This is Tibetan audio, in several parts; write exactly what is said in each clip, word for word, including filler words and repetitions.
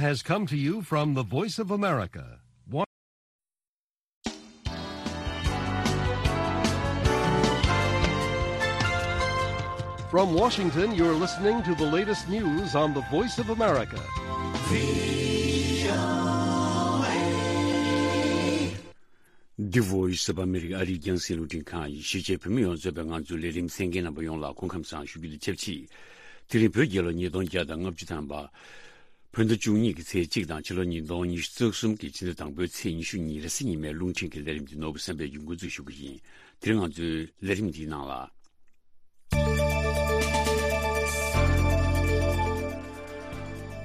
has come to you from the Voice of America. From Washington, you're listening to the latest news on the Voice of America. The Voice of America ཨ་རིའི་རྒྱང་སྲིང་རླུང་འཕྲིན་ཁང་ཡིན། གཞིས་བྱེས་བོད་མི་ཡོངས་གཙོས་པའི་ང་ཚོའི་ལས་རིམ་གསན་མཁན་རྣམ་པ་ཡོངས་ལ་སྐུ་ཁམས་བཟང་ཞུ་རྒྱུ་དང་ཆབས་ཅིག་དེ་རིང་བོད་རྒྱལ་ལོ་ཉིས་སྟོང་བརྒྱ་དང་ལྔ་བཅུ་ཐམ་པ། བོད་ཟླ་བཅུ་གཉིས་ཀྱི་ཚེས་གཅིག་དང་ཕྱི་ལོ་ཉིས་སྟོང་ཉི་ཤུ་རྩ་གསུམ་གྱི་ཕྱི་ཟླ་དང་པོའི་ཚེས་ཉི་ཤུ་གཉིས་རེས་གཟའ་ཉི་མའི་རླུང་འཕྲིན་གྱི་ལས་རིམ་འདི་ནོར་བུ་བསམ་འཕེལ་གྱིས་འགོ་འཛུགས་ཞུ་གི་ཡིན། དེ་རིང་ང་ཚོའི་ལས་རིམ་འདིའི་ནང་ལ།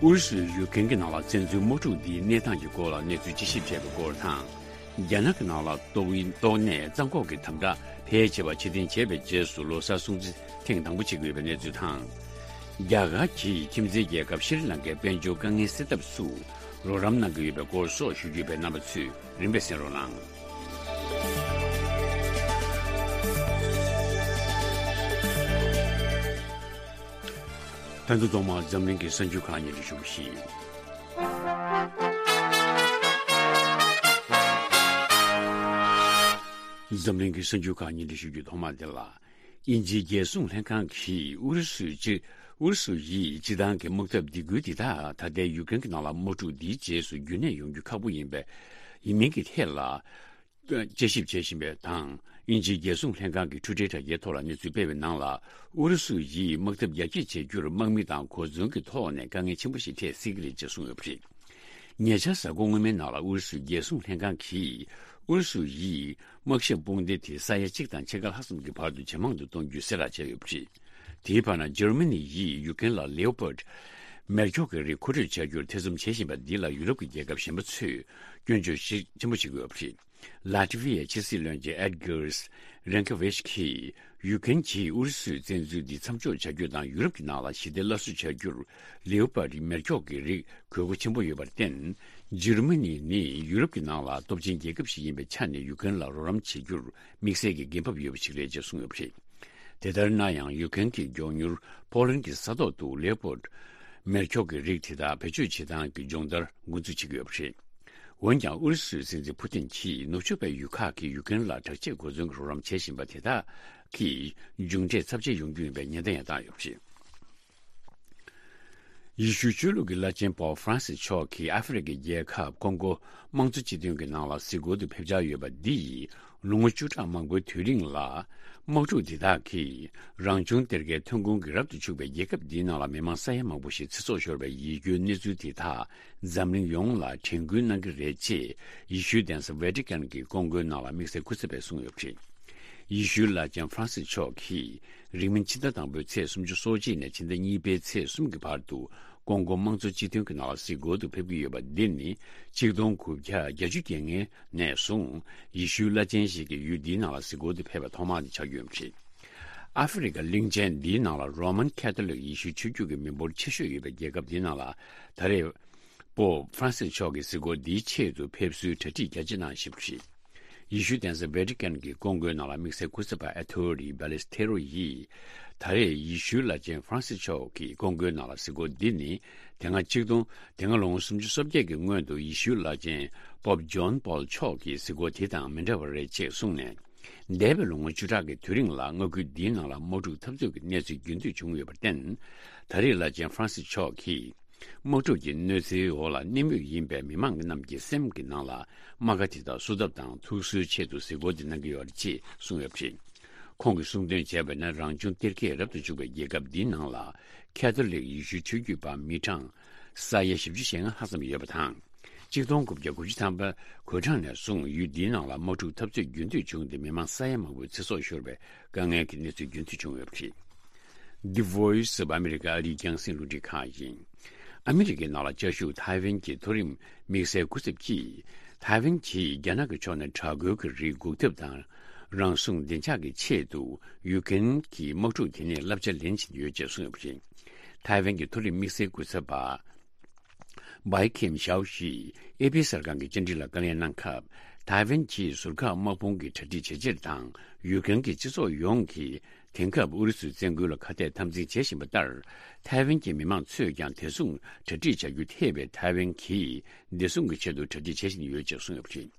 ཨུ་རུ་སུས་ཡུ་ཀེན་གྱི་ནང་ལ་བཙན་འཛུལ་དམག་འཁྲུག་འདིའི་གནས་སྟངས་ཀྱི་སྐོར་ལ་གནས་ཚུལ་དཔྱད་ཞིབ་བྱས་པའི་སྐོར་དང་། རྒྱ་ནག་གི་ནང་ལ་ཏོག་དབྱིབས་ཏོག་ནད་རྩ་འགོག་གི་དམ་དྲག་ཕལ་ཆེ་བ་ཕྱིར་འཐེན་བྱས་པའི་རྗེས་སུ་ལོ་གསར་སྲུང་བརྩི་ཐེངས་དང་པོ་བྱེད་ཀྱི་ཡོད་པའི་གནས་ཚུལ་དང་། རྒྱ་གར་གྱིས་ཁྱིམ་མཚེས་རྒྱལ་ཁབ་ཤྲི་ལང་ཀའི་དཔལ་འབྱོར་དཀའ་ངལ་སེལ་ཐབས་སུ་རོགས་རམ་གནང་གི་ཡོད་པའི་སྐོར་སོགས་ཞུ་རྒྱུ་ཡོད་པས་རྣམ་པ་ཚོས་རིམ་པས་གསན་རོགས་གནང་། ད་དུང་ཐོག་མར་འཛམ་གླིང་གི་གསར་འགྱུར་ཁག་སྙན་སྒྲོན་ཞུ་བ་ཞིག་འཛམ་གླིང་གི་གསར་འགྱུར་ཁག་སྙན་སྒྲོན་ཞུ་རྒྱུའི་ཐོག་མ་འདི་ལ། དབྱིན་ཇིའི་རྒྱལ་སྲུང་ལྷན་ཁང་གིས་ཨུ་རུ་སུའི་སྤྱི། ཨུ་རུ་སུ་ཡིས་སྤྱི་བཏང་གི་དམག་འཐབ་སྡེ་ཁུལ་འདི་དག་ད་ལྟའི་ཡུ་ཀེན་གྱི་ནང་ལ་དམག་འཁྲུག་འདིའི་རྗེས་སུ་རྒྱུན་གནས་ཡོང་རྒྱུ་ཁག་པོ་ཡིན་པའི། ཡིན་མིན་གྱི་ཐད་ལ། དཔྱད་ཞིབ་བྱེད་བཞིན་པའི་དང་། དབྱིན་ཇིའི་རྒྱལ་སྲུང་ལྷན་ཁང་གིས་འཕྲུལ་བསྟེན་དྲ་རྒྱའི་ཐོག་ལ་གནས་ཚུལ་སྤེལ་བའི་ནང་ལ། ཨུ་རུ་སུ་ཡིས་དམག་འཐབ་རྒྱ་སྐྱེད་བྱེད་རྒྱུར་དམག་མི་དང་གོ་མཚོན་གྱི་ཐོག་ནས་དཀའ་ངལ་ཆེན་པོ་ཞིག་འཕྲད་སྲིད་ཀྱི་རེད་ཅེས་གསུངས་ཡོད་པ་རེད། ཉེ་ཆར་གཟའ་འཁོར་སྔོན་མའི་ནང་ལ་ཨུ་རུ་སུའི་རྒྱལ་སྲུང་ལྷན་ཁང་གིས་ཨུ་རུ་སུ་ཡིས་དམག་ཞབས་དཔུང་སྡེ་དེ་ས་ཡ་གཅིག་དང་ཕྱེད་ཀ་ལྷག་ཙམ་གྱི་བར་དུ་ཇེ་མང་དུ་གཏོང་རྒྱུའི་གསལ་བསྒྲགས་བྱས་ཡོད་པ་རེད། དེའི་བར་ན་འཇར་མ་ནི་ཡིས་ཡུ་ཀེན་ལ་Leopard མེ་སྒྱོགས་ཀྱི་རིགས་མཁོ་སྤྲོད་བྱ་རྒྱུར་ཐེ་ཚོམ་བྱེད་བཞིན་པ་འདི་ལ་ཡུ་རོབ་ཀྱི་རྒྱལ་ཁབ་གཞན་པ་ཚོས་སྐྱོན་བརྗོད་ཤུགས་ཆེན་པོ་བྱེད་ཀྱི་ཡོད་པ་རེད། ལ་ཏི་ཝི་ཡའི་ཕྱི་སྲིད་བློན་ཆེན་Edgars Rinkēvičs གིས་ཡུ་ཀེན་གྱིས་ཨུ་རུ་སུའི་བཙན་འཛུལ་འདི་མཚམས་འཇོག་བྱ་རྒྱུ་དང་ཡུ་རོབ་ཀྱི་ནང་ལ་ཞི་བདེ་སླར་གསོ་བྱ་རྒྱུར་Leopard མེ་སྒྱོགས་ཀྱི་རིགས་དགོས་མཁོ་ཆེན་པོ་ཡོད་པར་བརྟེན། འཇར་མ་ནི་ནི་ཡུ་རོབ་ཀྱི་ནང་ལ་སྟོབས་ཆེན་རྒྱལ་ཁབ་ཞིག་ཡིན་པའི་ཆ་ནས་ཡུ་ཀེན་ལ་རོགས་རམ་བྱེད་རྒྱུར་དམིགས་བསལ་གྱི་འགན་འབབ་ཡོད་པ་ཞིག་རེད་ཅེས་གསུངས་ཡོད་པ་རེད། དེ་ལྟར་ན་ཡང་ཡུ་ཀེན་གྱིས་མགྱོགས་མྱུར་ཕོ་ལན་གྱི་ས་ཐོག་ཏུ་Leopard མེ་སྒྱོགས་ཀྱི་རིགས་དེ་དག་བེད་སྤྱོད་བྱེད་སྟངས་ཀྱི་སྦྱོང་བརྡར་འགོ་འཛུགས་བྱེད་ཀྱི་ཡོད་པ་རེད། འོན་ཀྱང་ཨུ་རུ་སུའི་སྲིད་འཛིན་ཕུ་ཏིན་གྱིས་ནུབ་ཕྱོགས་པའི་ཡུལ་ཁག་གིས་ཡུ་ཀེན་ལ་དྲག་ཆས་གོ་མཚོན་གྱི་རོགས་རམ་བྱེད་བཞིན་པ་དེ་དག་གིས་མཇུག་འབྲས་ཚབས་ཆེ་ཡོང་རྒྱུ་ཡིན་པའི་ཉེན་བརྡ་ཡང་བཏང་ཡོད་པ་རེད། ཡེ་ཤུའི་ཆོས་ལུགས་ཀྱི་བླ་ཆེན་པོབ་ཧྥ་རན་སིས་མཆོག་གིས་ཨ་ཧྥེ་རི་ཁའི་རྒྱལ་ཁབ་ཀོང་གོ་དམངས་གཙོ་སྤྱི་མཐུན་གྱི་ནང་ལ་གཟིགས་སྐོར་དུ་ཕེབས་འཆར་ཡོད་པ་འདིས། ལོ་ངོ་བཅུ་ཕྲག་མང་པོའི་དུས་རིང་ལ། དམག་འཁྲུག་འདི་དག་གིས་རང་བྱུང་གཏེར་ཁའི་ཐོན་ཁུངས་ཀྱིས་རབ་ཏུ་ཕྱུག་པའི་རྒྱལ་ཁབ་འདིའི་ནང་ལ་མི་མང་ས་ཡ་མང་པོ་ཞིག་ཚེ་སྲོག་ཤོར་བའི་ཡིད་སྐྱོའི་གནས་ཚུལ་དེ་དག་འཛམ་གླིང་ཡོངས་ལ་དྲན་སྐུལ་གནང་གི་རེད་ཅེས་ཡེ་ཤུའི་གདན་ས་ཝེ་ཏི་ཀན་གྱི་ཀོང་ཀོའི་ནང་ལ་དམིགས་བསལ་སྐུ་ཚབ་པས་གསུངས་ཡོད་པ་རེད། ཡེ་ཤུའི་བླ་ཆེན་ཧྥ་རན་སིས་མཆོག་གིས་རིང་མིན་ཕྱི་ཟླ་དང་པོའི་ཚེས་སུམ་ཅུ་སོ་གཅིག་ནས་ཕྱི་ཟླ་གཉིས་པའི་ཚེས་གསུམ་གྱི་བར་དུ་ཀོང་ཀོ་དམངས་གཙོ་སྤྱི་མཐུན་གྱི་ནང་ལ་གཟིགས་སྐོར་དུ་ཕེབས་ཀྱི་ཡོད་པ་འདི་ནི་ཆིག་སྟོང་དགུ་བརྒྱ་བརྒྱད་ཅུ་གྱ་ལྔ་ནས་བཟུང་ཡེ་ཤུའི་བླ་ཆེན་ཞིག་གིས་ཡུལ་འདིའི་ནང་ལ་གཟིགས་སྐོར་དུ་ཕེབས་པ་ཐོག་མ་དེ་ཆགས་ཀྱི་ཡོད་པ་རེད། ཨ་ཧྥེ་རི་ཁ་གླིང་ཆེན་འདིའི་ནང་ལ་རོ་མན་ཁ་ཐོ་ལིག་ཡེ་ཤུའི་ཆོས་བརྒྱུད་ཀྱི་མི་འབོར་ཆེ་ཤོས་ཡོད་པའི་རྒྱལ་ཁབ་འདིའི་ནང་ལ་ད་རེས་པོབ་ཧྥ་རན་སིས་མཆོག་གིས་གཟིགས་སྐོར་འདིའི་ཆེད་དུ་ཕེབས་བསུའི་གྲ་སྒྲིག་རྒྱ་ཆེ་གནང་བཞིན་པ་རེད། ཡེ་ཤུའི་གདན་ས་ཝེ་ཏི་ཀན་གྱི་ཀོང་ཀོའི་ནང་ལ་དམིགས་བསལ་སྐུ་ཚབ་པ་ཨ་ཐོ་རི་བྷ་ལེ་སི་ཐེ་རོ་ཡིས། ད་རེས་ཡེ་ཤུའི་བླ་ཆེན་ཧྥ་རན་སིས་མཆོག་གིས་ཀོང་ཀོའི་ནང་ལ་གཟིགས་སྐོར་འདི་ནི། དེ་སྔ་ཆིག་སྟོང་། དེ་སྔ་ལོ་ངོ་སུམ་ཅུ་སོ་བརྒྱད་ཀྱི་སྔོན་དུ་ཡེ་ཤུའི་བླ་ཆེན་པོབ་ཇོན་པོལ་མཆོག་གིས་གཟིགས་སྐོར་དེ་དང་མི་འདྲ་བ་རེད་ཅེས་གསུངས་ནས། འདས་པའི་ལོ་ངོ་བཅུ་ཕྲག་གི་དུས་རིང་ལ་མངའ་ཁུལ་འདིའི་ནང་ལ་དམག་འཁྲུག་འཐབ་རྩོད་ཀྱི་གནས་ཚུལ་རྒྱུན་མཐུད་བྱུང་ཡོད་པར་བརྟེན། ད་རེས་བླ་ཆེན་ཧྥ་རན་སིས་མཆོག་གིས། དམག་འཁྲུག་གི་གནོད་འཚེའི་འོག་ལ་གནས་མུས་ཡིན་པའི་མི་མང་རྣམས་ཀྱི་སེམས་ཀྱི་ནང་ལ་རྨ་ཁ་དེ་དག་གསོ་ཐབས་དང་ཐུགས་གསོའི་ཆེད་དུ་གཟིགས་སྐོར་འདི་གནང་གི་ཡོད་རེད་ཅེས་གསུངས་ཡོད་པ་རེད། ཁོང་གིས་གསུངས་དོན་བྱས་པ་ན་རང་བྱུང་གཏེར་ཁའི་རབ་ཏུ་བྱུང་བའི་རྒྱལ་ཁབ་འདིའི་ནང་ལ་ཁ་ཐོ་ལིག་ཡེ་ཤུའི་ཆོས་བརྒྱུད་པ་མི་གྲངས་ས་ཡ་བཞི་བཅུ་ཞེ་ལྔ་ལྷག་ཙམ་ཡོད་པ་དང་། ཆིག་སྟོང་དགུ་བརྒྱ་དགུ་བཅུ་ཐམ་པ་གོ་གྲངས་ནས་བཟུང་ཡུལ་འདིའི་ནང་ལ་དམག་འཁྲུག་འཐབ་རྩོད་རྒྱུན་མཐུད་བྱུང་སྟེ་མི་མང་ས་ཡ་མང་པོའི་ཚེ་སྲོག་ཤོར་བའི་དཀའ་ངལ་གྱི་གནས་ཚུལ་རྒྱུན་མཐུད་བྱུང་ཡོད་པ་རེད། The Voice of America ཨ་རིའི་རྒྱང་སྲིང་རླུང་འཕྲིན་ཁང་ཡིན། ཨ་མི་རི་ཀའི་ནང་ལ་བཅའ་བཞུགས་ཐའེ་ཝན་གྱི་མཐོ་རིམ་དམིགས་བསལ་སྐུ་ཚབ་ཀྱིས། ཐའེ་ཝན་གྱིས་རྒྱ་ནག་གི་ཕྱོགས་ནས་དྲག་རྒོལ་གྱི་རིགས་འགོག་ཐབས་དང་། རང་སྲུང་བདེ་འཇགས་ཀྱི་ཆེད་དུ་ཡུ་ཀེན་གྱི་དམག་འཁྲུག་དེ་ནས་བསླབ་བྱ་ལེན་བཞིན་ཡོད་ཅེས་གསུངས་ཡོད་པ་རེད། ཐའེ་ཝན་གྱི་མཐོ་རིམ་དམིགས་བསལ་སྐུ་ཚབ་པ། བྷའི་ཁེམ་ཞའོ་ཞིས་ཨེ་པི་གསར་ཁང་གི་བཅར་འདྲི་ལ་བཀའ་ལན་གནང་སྐབས། ཐའེ་ཝན་གྱིས་ཟུར་བཀག་དམག་དཔུང་གི་གྲ་སྒྲིག་བྱེད་ཕྱིར་དང་། ཡུ་ཀེན་གྱི་སྤྱི་ཚོགས་ཡོངས་ཀྱིས་ དེང་སྐབས་ཨུ་རུ་སུའི་བཙན་རྒོལ་ལ་ཁ་གཏད་འཐབ་འཛིང་བྱེད་བཞིན་པ་ལྟར། ཐའེ་ཝན་གྱི་མི་མང་ཚོས་ཀྱང་དེ་མཚུངས་གྲ་སྒྲིག་བྱ་རྒྱུ་ཐེ་བའི་ཐའེ་ཝན་གྱིས་བདེ་སྲུང་གི་ཆེད་དུ་གྲ་སྒྲིག་བྱེད་བཞིན་ཡོད་ཅེས་གསུངས་ཡོད་པ་རེད།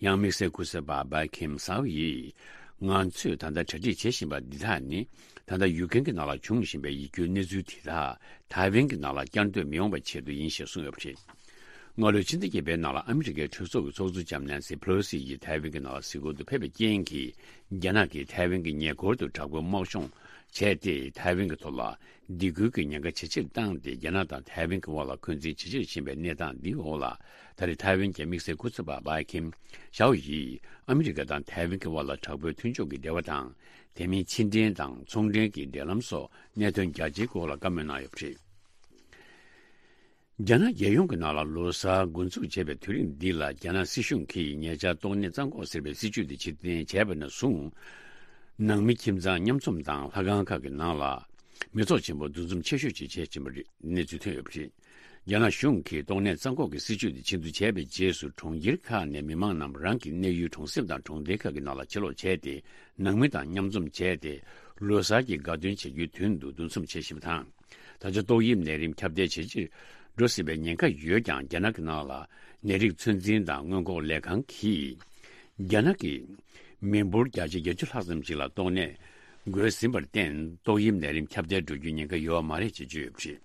ཡང་དམིགས་བསལ་སྐུ་ཚབ་པ་བྷའི་ཁིམ་སའོ་ཡིས། ང་ཚོས་ད་ལྟ་གྲ་སྒྲིག་བྱེད་བཞིན་པ་འདི་དག་ནི། ད་ལྟ་ཡུ་ཀེན་གྱི་ནང་ལ་འབྱུང་བཞིན་པའི་ཡིད་སྐྱོའི་གནས་ཚུལ་དེ་དག་ཐའེ་ཝན་གྱི་ནང་ལ་བསྐྱར་ཟློས་མི་ཡོང་བའི་ཆེད་དུ་ཡིན་ཞེས་གསུངས་ཡོད་པ་རེད། སྔ་ལོའི་ཕྱི་ཟླ་བརྒྱད་པའི་ནང་ལ་ཨ་མི་རི་ཀའི་གྲོས་ཚོགས་ཀྱི་ཚོགས་གཙོ་ལྕམ་ནན་སི་ཕེ་ལོ་སི་ཡིས་ཐའེ་ཝན་གྱི་ནང་ལ་གཟིགས་སྐོར་དུ་ཕེབས་པའི་རྐྱེན་གྱིས། རྒྱ་ནག་གིས་ཐའེ་ཝན་གྱི་ཉེ་འཁོར་དུ་དྲག་པོའི་དམག་སྦྱོང་བྱས་ཏེ། ཐའེ་ཝན་གྱི་ཐོག་ལ་སྡིགས་སྐུལ་གྱི་ཉེན་ཁ་ཇེ་ཆེར་བཏང་སྟེ། རྒྱ་ནག་དང་ཐའེ་ཝན་གྱི་དབར་ལ་འཁོན་འཛིན་ཇེ་ཆེར་ཕྱིན་པའི་གནས་སྟངས་འདིའི་འོག་ལ། ད་རེས་ཐའེ་ཝན་གྱི་དམིགས་བསལ་སྐུ་ཚབ་པ་བྷའི་ཁིམ་ཞའོ་ཡིས་ཨ་མི་རི་ཀ་དང་ཐའེ་ཝན་གྱི་དབར་ལ་དྲག་པོའི་མཐུན་ཕྱོགས་ཀྱི་འབྲེལ་བ་དང་། དེ་མིན་ཕྱི་འབྲེལ་དང་ཚོང་འབྲེལ་གྱི་འབྲེལ་ལམ་སོགས་གནད་དོན་རྒྱ་ཆེའི་སྐོར་ལ་བཀའ་མོལ་གནང་ཡོད་པ་རེད། རྒྱ་ནག་རྒྱལ་ཡོངས་ཀྱི་ནང་ལ་ལོ་གསར་འགོ་འཛུགས་བྱས་པའི་དུས་རིང་འདི་ལ། རྒྱ་ནག་སྲིད་གཞུང་གིས་ཉེ་ཆར་ཏོག་ནད་རྩ་འགོག་ཟེར་བའི་སྲིད་ཇུས་དེ་ཕྱིར་འཐེན་བྱས་པ་ནས་བཟུང་། ནང་མི་ཁྱིམ་ཚང་མཉམ་འཛོམས་དང་ལྷ་ཁང་ཁག་གི་ནང་ལ་མི་ཚོགས་ཆེན་པོ་འདུ་འཛོམས་ཆེ་ཤོས་ཅིག་བྱེད་ཀྱིན་པ་རེད། གནས་ཚུལ་ཐོན་ཡོད་པ་རེད། རྒྱ་ནག་གཞུང་གིས་ཏོག་ནད་རྩ་འགོག་གི་སྲིད་ཇུས་དེ་ཕྱིར་འཐེན་བྱས་པའི་རྗེས་སུ། གྲོང་ཁྱེར་ཁག་ནས་མི་མང་རྣམས་རང་གི་གནས་ཡུལ་གྲོང་གསེབ་དང་གྲོང་སྡེ་ཁག་གི་ནང་ལ་ཕྱིར་ལོག་བྱས་ཏེ། ནང་མི་དང་མཉམ་འཛོམས་བྱས་ཏེ། ལོ་གསར་གྱི་དགའ་སྟོན་བྱེད་རྒྱུའི་དོན་དུ་འདུ་འཛོམས་བྱེད་བཞིན་པ་དང་། ད་ཆ་ཏོག་དབྱིབས་ནད་རིམས་ཁྱབ་གདལ་ཇེ་ཆེར་འགྲོ་སྲིད་པའི་ཉེན་ཁ་ཡོད་ཀྱང་། རྒྱ་ནག་གི་ནང་ལ་ནད་རིགས་ཚོད་འཛིན་དང་སྔོན་འགོག་ལས་ཁང་གིས། རྒྱ་ནག་གི་མི་འབོར་བརྒྱ་ཆ་བརྒྱད་ཅུ་ལྷག་ཙམ་ཞིག་ལ་ཏོག་ནད་འགོས་ཟིན་པར་བརྟེན། ཏོག་དབྱིབས་ནད་རིམས་ཁྱབ་གདལ་འགྲོ་རྒྱུའི་ཉེན་ཁ་ཡོད་པ་མ་རེད་ཅེས་བརྗོད་ཡོད་པ་རེད།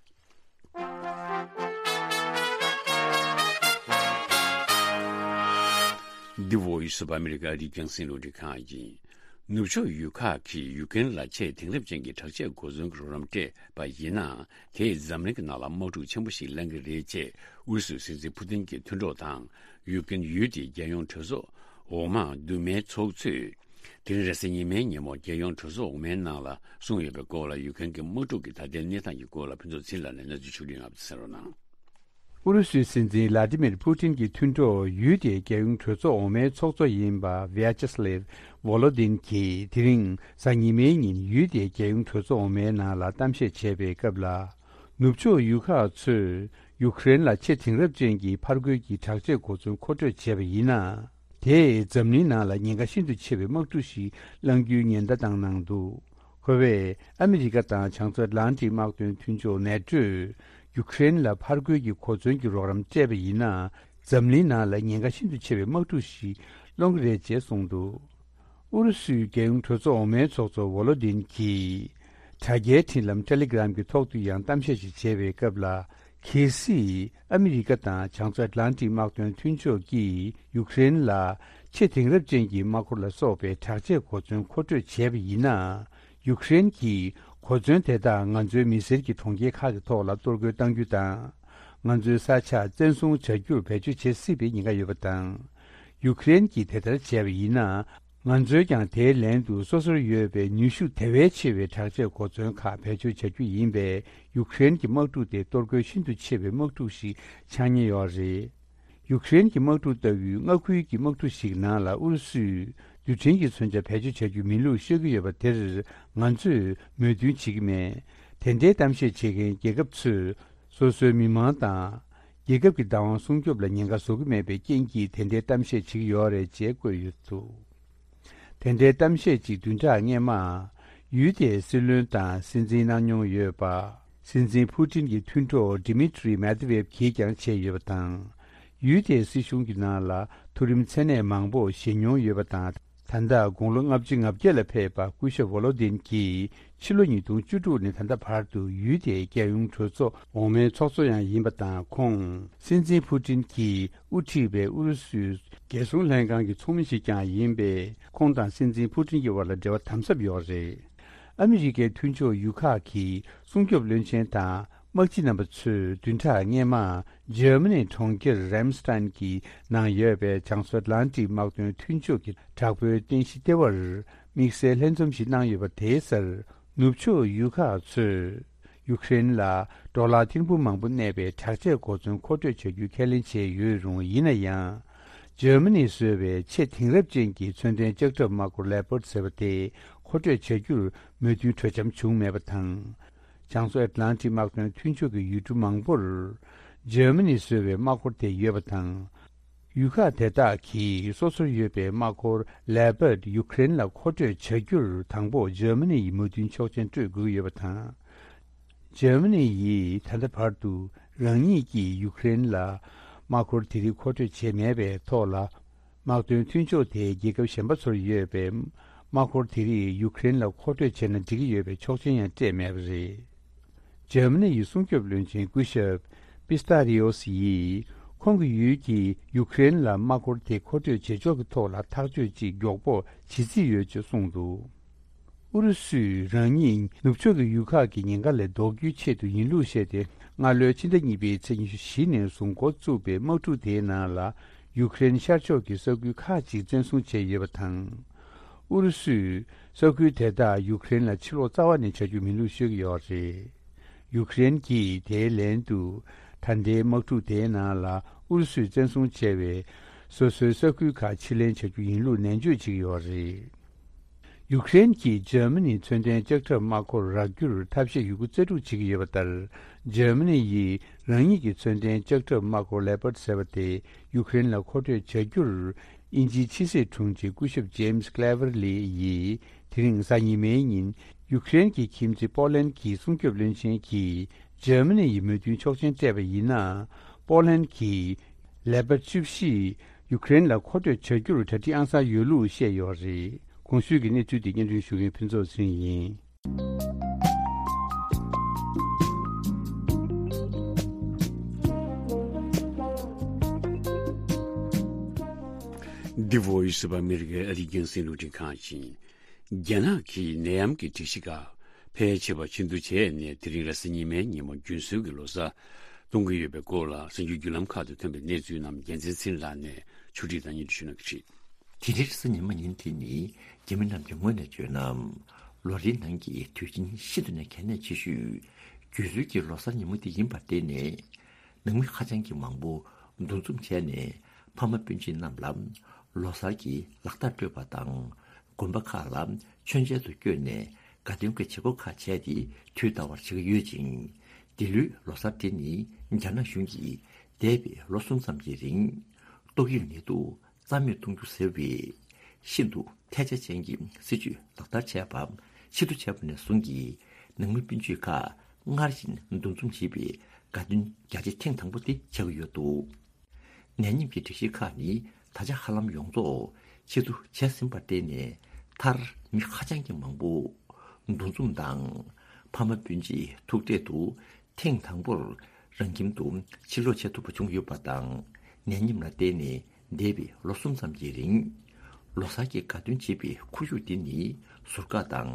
འདི་Voice of America རི་རྒྱང་སྲིན་ལུགས་འབྲི་ཁང་ཡིན། ནུབ་ཕྱོགས་ཡུལ་ཁག་གིས་ཡུ་ཀེ་རེན་ལ་ཆེས་དེང་རབས་ཅན་གྱི་དྲག་ཆས་གོ་མཚོན་གྱི་རོགས་རམ་སྤྲད་པ་ཡིན་ན། དེས་འཛམ་གླིང་གི་ནང་ལ་དམག་འཁྲུག་ཆེན་པོ་ཞིག་ལངས་ཀྱི་རེད་ཅེས་ཨུ་རུ་སུའི་སྲིད་འཛིན་ཕུ་ཏིན་གྱི་མཐུན་གྲོགས་དང་། ཡུ་ཀེ་རེན་ཡུལ་དེའི་རྒྱལ་ཡོངས་གྲོས་ཚོགས་འོག་མ་འདུས་མའི་ཚོགས་གཙོས། དེ་རིང་རེས་གཟའ་ཉི་མའི་ཉིན་མོ། རྒྱལ་ཡོངས་གྲོས་ཚོགས་འོག་མའི་ནང་ལ་གསུངས་ཡོད་པའི་སྐོར་ལ། ཡུ་ཀེ་རེན་གྱི་དམག་འཁྲུག་གི་ད་ལྟའི་གནས་སྟངས་ཀྱི་སྐོར་ལ་ཕུན་ཚོགས་ཚེ་རིང་ལགས་ནས་གནས་ཚུལ་ཕྱོགས་བསྒྲིགས་གནང་བ་དེ་གསན་རོགས་གནང་། ཨུ་རུ་སུའི་སྲིད་འཛིན་ལ་ཏི་མིར་ཕུ་ཏིན་གྱི་མཐུན་གྲོགས་ཡུལ་དེའི་རྒྱལ་ཡོངས་གྲོས་ཚོགས་འོག་མའི་ཚོགས་གཙོ་ཡིན་པ་ཝི་ཡ་ཅེ་སི་ལེབ་ཝོ་ལོ་དིན་གྱིས། དེ་རིང་གཟའ་ཉི་མའི་ཉིན་ཡུལ་དེའི་རྒྱལ་ཡོངས་གྲོས་ཚོགས་འོག་མའི་ནང་ལ་གཏམ་བཤད་བྱས་པའི་སྐབས་ལ། ནུབ་ཕྱོགས་ཡུལ་ཁག་ཚོས་ཡུཀ་རེན་ལ་ཆེས་དེང་རབས་ཅན་གྱི་ཕར་རྒོལ་གྱི་དྲག་ཆས་གོ་མཚོན་མཁོ་སྤྲོད་བྱས་པ་ཡིན་ན། དེས་འཛམ་གླིང་ནང་ལ་ཉེན་ཁ་ཤིན་ཏུ་ཆེ་བའི་དམག་འཁྲུག་ཞིག་བསླང་རྒྱུའི་ཉེན་བརྡ་བཏང་གནང་འདུག། ཁོ་བས་ཨ་མི་རི་ཀ་དང་བྱང་མཚོ་ཨེཊ་ལན་ཊིག་དམག་དོན་མཐུན་ཕྱོགས་ནེ་ཊོས་ཡུཀ་རེན་ལ་ཕར་རྒོལ་གྱི་གོ་མཚོན་གྱི་རོགས་རམ་སྤྲད་པ་ཡིན་ན། འཛམ་གླིང་ནང་ལ་ཉེན་ཁ་ཤིན་ཏུ་ཆེ་བའི་དམག་འཁྲུག་ཞིག་སློང་གི་རེད་ཅེས་གསུངས་འདུག། ཨུ་རུ་སུའི་རྒྱལ་ཡོངས་གྲོས་ཚོགས་འོག་མའི་ཚོགས་གཙོ་ཝོ་ལོ་དིན་གྱིས། དྲ་རྒྱའི་འཕྲིན་ལམ་ཊེ་ལི་གྷི་རམ་གྱི་ཐོག་ཏུ་ཡང་གཏམ་བཤད་ཅིག་བྱས་པའི་སྐབས་ལ། གལ་སྲིད་ཨ་མི་རི་ཀ་དང་བྱང་མཚོ་ཨེཊ་ལན་ཊིག་དམག་དོན་མཐུན་ཕྱོགས་ཀྱིས་ཡུཀ་རེན་ལ་ཆེས་དེང་རབས་ཅན་གྱི་དམག་འཁོར་ལ་སོགས་པའི་དྲག་ཆས་གོ་མཚོན་མཁོ་སྤྲོད་བྱས་པ་ཡིན་ན། ཡུཀ་རེན་གྱིས་གོ་མཚོན་དེ་དག་ང་ཚོའི་མི་སེར་གྱི་གྲོང་ཁྱེར་ཁག་གི་ཐོག་ལ་གཏོར་རྒོལ་གཏང་རྒྱུ་དང་། ང་ཚོའི་ས་ཆ་བཙན་བཟུང་བྱ་རྒྱུར་བེད་སྤྱོད་བྱེད་སྲིད་པའི་ཉེན་ཁ་ཡོད་པ་དང་། ཡུཀ་རེན་གྱིས་དེ་ལྟར་བྱས་པ་ཡིན་ན། ང་ཚོས་ཀྱང་དེའི་ལན་དུ་སོ་སོར་ཡོད་པའི་ནུས་ཤུགས་དེ་བས་ཆེ་བའི་དྲག་ཆས་གོ་མཚོན་ཁག་བེད་སྤྱོད་བྱ་རྒྱུ་ཡིན་པས། ཡུཀ་རེན་གྱི་དམག་འཁྲུག་དེ་གཏོར་རྒོལ་ཤིན་ཏུ་ཆེ་བའི་དམག་འཁྲུག་ཞིག་ཆགས་ཉེན་ཡོད་རེད། ཡུཀ་རེན་གྱི་དམག་འཁྲུག་ལྟ་བུའི་མངའ་ཁུལ་གྱི་དམག་འཁྲུག་ཞིག་ནང་ལ་ཨུ་རུ་སུས་རྡུལ་ཕྲན་གྱི་མཚོན་ཆ་བེད་སྤྱོད་བྱ་རྒྱུ་མིན་ལུགས་ཤོད་ཀྱི་ཡོད་པ་དེར་ང་ཚོས་མོས་མཐུན་བྱེད་ཀྱི་མེད། དེ་འདྲའི་གཏམ་བཤད་བྱེད་མཁན་རྒྱལ་ཁབ་ཚོས་སོ་སོའི་མི་མང་དང་། རྒྱལ་ཁབ་ཀྱི་བདག་དབང་སྲུང་སྐྱོབ་ལ་ཉེན་ཁ་བཟོ་གི་མེད་པའི་རྐྱེན་གྱིས་དེ་འདྲའི་གཏམ་བཤད་བྱེད་ཀྱི་ཡོད་རེད་ཅེས་བཀོད་ཡོད་འདུག། དེ་འདྲའི་གཏམ་བཤད་ཅིག་བདུན་ཕྲག་སྔོན་མ། ཡུལ་དེའི་སྲིད་བློན་དང་སྲིད་འཛིན་གནང་མྱོང་ཡོད་པ། སྲིད་འཛིན་ཕུ་ཏིན་གྱི་མཐུན་གྲོགས་ཌི་མི་ཏྲི་མེད་ཏི་ཝེབ་ཀྱིས་ཀྱང་བྱས་ཡོད་པ་དང་། ཡུལ་དེའི་སྲིད་གཞུང་གི་ནང་ལ་མཐོ་རིམ་མཚན་གནས་མང་པོ་བཞེས་མྱོང་ཡོད་པ་དང་། ད་ལྟ་དགུང་ལོ་ལྔ་བཅུ་ང་བརྒྱད་ལ་ཕེབས་པ་སྐུ་ཞབས་ཝོ་ལོ་དིན་གྱིས་ཕྱི་ལོ་ཉིས་སྟོང་བཅུ་དྲུག་ནས་ད་ལྟ་བར་དུ་ཡུལ་དེའི་རྒྱལ་ཡོངས་གྲོས་ཚོགས་འོག་མའི་ཚོགས་གཙོ་ཡང་ཡིན་པ་དང་། ཁོང་སྲིད་འཛིན་ཕུ་ཏིན་གྱིས་དབུ་ཁྲིད་པའི་ཨུ་རུ་སུའི་རྒྱལ་སྲུང་ལྷན་ཁང་གི་ཚོགས་མི་ཞིག་ཀྱང་ཡིན་པས། ཁོང་དང་སྲིད་འཛིན་ཕུ་ཏིན་གྱི་དབར་ལ་འབྲེལ་བ་དམ་ཟབ་ཡོད་རེད། ཨ་མི་རི་ཀའི་མཐུན་ཕྱོགས་ཡུལ་ཁག་གི་སྲུང་སྐྱོབ་བློན་ཆེན་དང་། དམག་སྤྱི་རྣམ་པ་ཚོས་བདུན་ཕྲག་སྔོན་མ། འཇར་མ་ནིའི་གྲོང་ཁྱེར་རེམ་སི་ཏན་གྱི་ནང་ཡོད་པའི་བྱང་མཚོ་ཨེཊ་ལན་ཏིག་དམག་དོན་མཐུན་ཕྱོགས་ཀྱི་དྲག་པོའི་རྟེན་གཞི་ལྟེ་བར་དམིགས་བསལ་ལྷན་འཛོམས་ཤིག་གནང་ཡོད་པ་དེའི་སར། ནུབ་ཕྱོགས་ཡུལ་ཁག་ཚོས་ཡུཀ་རེན་ལ་ཌོ་ལར་ཐེར་འབུམ་མང་པོ་གནས་པའི་དྲག་ཆས་གོ་མཚོན་མཁོ་སྤྲོད་བྱ་རྒྱུའི་ཁས་ལེན་བྱས་ཡོད་རུང་། ཡིན་ན་ཡང་། འཇར་མ་ནིས་བཟོས་པའི་ཆེས་དེང་རབས་ཅན་གྱི་མཚོན་ལྡན་ལྕགས་ཁྲབ་དམག་འཁོར་ལེ་པར་ཌི་ཟེར་བ་དེ་མཁོ་སྤྲོད་བྱ་རྒྱུར་མོས་མཐུན་གྲོས་འཆམ་བྱུང་མེད་པ་དང་། བྱང་མཚོ་ཨེཊ་ལན་ཏིག་དམག་དོན་མཐུན་ཕྱོགས་ཀྱི་ཡུལ་གྲུ་མང་པོར་འཇར་མ་ནིས་བཟོས་པའི་དམག་འཁོར་དེ་ཡོད་པ་དང་། ཡུལ་ཁག་དེ་དག་གིས་སོ་སོར་ཡོད་པའི་དམག་འཁོར་ལེ་པར་ཌི་ཡུ་ཀེ་རེན་ལ་མཁོ་སྤྲོད་བྱ་རྒྱུར་དང་པོ་འཇར་མ་ནི་ཡི་མོས་མཐུན་ཆོག་མཆན་སྤྲོད་དགོས་ཀྱི་ཡོད་པ་དང་། འཇར་མ་ནི་ཡིས་ད་ལྟ་བར་དུ་རང་ཉིད་ཀྱིས་ཡུ་ཀེ་རེན་ལ་དམག་འཁོར་དེ་རིགས་མཁོ་སྤྲོད་བྱས་མེད་པའི་ཐོག་ལ། དམག་དོན་མཐུན་ཕྱོགས་དེའི་རྒྱལ་ཁབ་གཞན་པ་ཚོར་ཡོད་པའི་དམག་འཁོར་དེ་རིགས་ཡུ་ཀེ་རེན་ལ་མཁོ་སྤྲོད་བྱས་ན་འགྲིག་གི་ཡོད་པའི་ཆོག་མཆན་ཡང་སྤྲད་མེད་པ་རེད། འཇར་མ་ནི་ཡི་སྲུང་སྐྱོབ་བློན་ཆེན་སྐུ་ཞབས་པི་སྟ་རི་ཨོ་སི་ཡིས། ཁོང་གི་ཡུལ་གྱིས་ཡུ་ཀེ་རེན་ལ་དམག་འཁོར་དེ་མཁོ་སྤྲོད་བྱེད་ཕྱོགས་ཀྱི་ཐོག་ལ་ཐག་གཅོད་ཅིག་མགྱོགས་པོ་བྱེད་རྩིས་ཡོད་ཅེས་གསུངས་འདུག་ཨུ་རུ་སུས་རང་ཉིད་ནུབ་ཕྱོགས་ཀྱི་ཡུལ་ཁག་གི་ཉེན་ཁ་ལས་ལྡོག་རྒྱུའི་ཆེད་དུ་ཡིན་ལུགས་བཤད་དེ། སྔ་ལོའི་ཕྱི་ཟླ་གཉིས་པའི་ཚེས་ཉི་ཤུ་བཞི་ནས་བཟུང་འགོ་བཙུགས་པའི་དམག་འཁྲུག་དེའི་ནང་ལ། ཡུ་ཀེ་རེན་ཤར་ཕྱོགས་ཀྱི་ས་ཁུལ་ཁག་ཅིག་བཙན་བཟུང་བྱས་ཡོད་པ་དང་། ཨུ་རུ་སུས་ས་ཁུལ་དེ་དག་ཡུ་ཀེ་རེན་ལ་ཕྱིར་སློག་རྩ་བ་ནས་བྱ་རྒྱུ་མིན་ལུགས་ཤོད་ཀྱི་ཡོད་རེད། ཡུ་ཀེ་རེན་གྱིས་དེའི་ལན་དུ། ད་ལྟའི་དམག་འཁྲུག་དེའི་ནང་ལ་ཨུ་རུ་སུས་བཙན་བཟུང་བྱས་པའི་སོ་སོའི་ས་ཁུལ་ཁག་ཕྱིར་ལེན་བྱ་རྒྱུ་ཡིན་ལུགས་ནན་བརྗོད་བྱེད་ཀྱི་ཡོད་རེད། ཡུ་ཀེ་རེན་གྱིས་འཇར་མ་ནིའི་མཚོན་ལྡན་ལྕགས་ཁྲབ་དམག་འཁོར་རག་རྒྱུར་ཐབས་ཤེས་ཡོད་རྒུ་རྩལ་སྤྲུགས་བྱེད་ཀྱི་ཡོད་པ་ལྟར། འཇར་མ་ནི་ཡིས་རང་ཉིད་ཀྱི་མཚོན་ལྡན་ལྕགས་ཁྲབ་དམག་འཁོར་ལེ་པར་ཌི་ཟེར་བ་དེ་ཡུ་ཀེ་རེན་ལ་མཁོ་སྤྲོད་བྱ་རྒྱུར། དབྱིན་ཇིའི་ཕྱི་སྲིད་དྲུང་ཆེ་སྐུ་ཞབས་ཇེམ་སི་ཀླེ་ཝར་ལི་ཡིས། དེ་རིང་གཟའ་ཉི་མའི་ཉིན། ཡུ་ཀེ་རེན་གྱི་ཁྱིམ་མཚེས་པོ་ལན་གྱི་སྲུང་སྐྱོབ་བློན་ཆེན་གྱིས། འཇར་མ་ནི་ཡི་མོས་མཐུན་ཆོག་མཆན་སྤྲད་པ་ཡིན་ན། པོ་ལན་གྱིས་ལེ་པར་ཌི་བཅུ་བཞི་ཡུ་ཀེ་རེན་ལ་མཁོ་སྤྲོད་བྱ་རྒྱུར་གྲ་སྒྲིག་ཨང་གསར་ཡོད་ལུགས་བཤད་ཡོད་རེད། གོང་ཞུས་ཀྱི་གནས་ཚུལ་དེ་སྙན་སྒྲོན་ཞུ་མཁན་ཕུན་ཚོགས་ཚེ་རིང་ཡིན། འདི་Voice of America ཨ་རིའི་རྒྱང་སྲིང་རླུང་འཕྲིན་ཁང་ཡིན། རྒྱ་ནག་གིས་ནད་ཡམས་ཀྱི་སྒྲིག་གཞི་ཁག་ཕལ་ཆེ་བ་ཕྱིར་བསྡུ་བྱས་ནས། དེ་རིང་རེས་གཟའ་ཉི་མའི་ཉིན་མོ་རྒྱུན་སྲོལ་གྱི་ལོ་གསར་གཏོང་གི་ཡོད་པའི་སྐོར་ལ། གསར་འགྱུར་བརྒྱུད་ལམ་ཁག་ཏུ་ཐོན་པའི་གནས་ཚུལ་རྣམས་རྒྱལ་མཚན་ཚེ་རིང་ལགས་ནས་ཕྱོགས་སྒྲིག་དང་སྙན་སྒྲོན་ཞུ་གནང་གི་རེད། དེ་རིང་རེས་གཟའ་ཉི་མ་ཡིན། དེ་ནི་རྒྱ་མི་རྣམས་ཀྱི་ངོས་ནས་བརྗོད་ན། ལོ་རེའི་ནང་གི་དུས་ཆེན་ཤིན་ཏུ་ནས་གལ་གནད་ཆེ་ཤོས་རྒྱུན་སྲོལ་གྱི་ལོ་གསར་ཉིན་མོ་དེ་ཡིན་པར་བརྟེན་ནས། ནང་མི་ཧ་ཅང་གི་མང་པོ་འདུ་འཛོམས་བྱས་ནས། ཕ་མ་སྤུན་མཆེད་རྣམས་ལ་ལོ་གསར་གྱི་ལག་རྟགས་སྤྲོད་པ་དང་། དགོན་པ་ཁག་ལ་མཆོད་མཇལ་དུ་བསྐྱོད་ནས། དགའ་སྟོན་གྱི་བྱེད་སྒོ་ཁག་བྱས་ཏེ། དུས་འདའ་བར་བྱེད་ཀྱི་ཡོད་ཅིང་། འདི་ལོའི་ལོ་གསར་དེ་ནི་རྒྱ་ནག་གཞུང་གིས་འདས་པའི་ལོ་གསུམ་ཙམ་གྱི་རིང་ཏོག་དབྱིབས་ནད་དུག་རྩ་མེད་གཏོང་རྒྱུ་ཟེར་བའི་ཤིན་ཏུ་ཐལ་ཆ་ཅན་གྱི་སྲིད་ཇུས་ལག་བསྟར་བྱས་པ་ཕྱིར་བསྡུ་བྱས་པ་ནས་བཟུང་གི་ནང་མི་སྤུན་མཆེད་ཁག་སྔར་བཞིན་འདུ་འཛོམས་བྱེད་པའི་དགའ་སྟོན་རྒྱ་ཆེ་ཐེངས་དང་པོ་དེ་ཆགས་ཀྱི་ཡོད་འདུག་ནད་ཡམས་ཀྱི་སྒྲིག་གཞི་ཁག་ནི་ད་ཆ་ཧ་ལམ་ཡོངས་རྫོགས་ཕྱིར་བསྡུ་བྱས་ཟིན་པར་བརྟེན་ནས། མཐར་མི་ཧ་ཅང་གི་མང་པོ་འདུ་འཛོམས་དང་། ཕ་མ་སྤུན་མཆེད་ཐུག་འཕྲད་དུ་ཐེངས་དང་པོར་རང་ཁྱིམ་དུ་ཕྱིར་ལོག་བྱེད་ཐུབ་པ་བྱུང་ཡོད་པ་དང་། ནད་ཡམས་ལ་བརྟེན་ནས་འདས་པའི་ལོ་གསུམ་ཙམ་གྱི་རིང་། ལོ་གསར་གྱི་དགའ་སྟོན་བྱེད་པའི་ཁོར་ཡུག་འདི་ནི་ཟུར་བཀག་དང་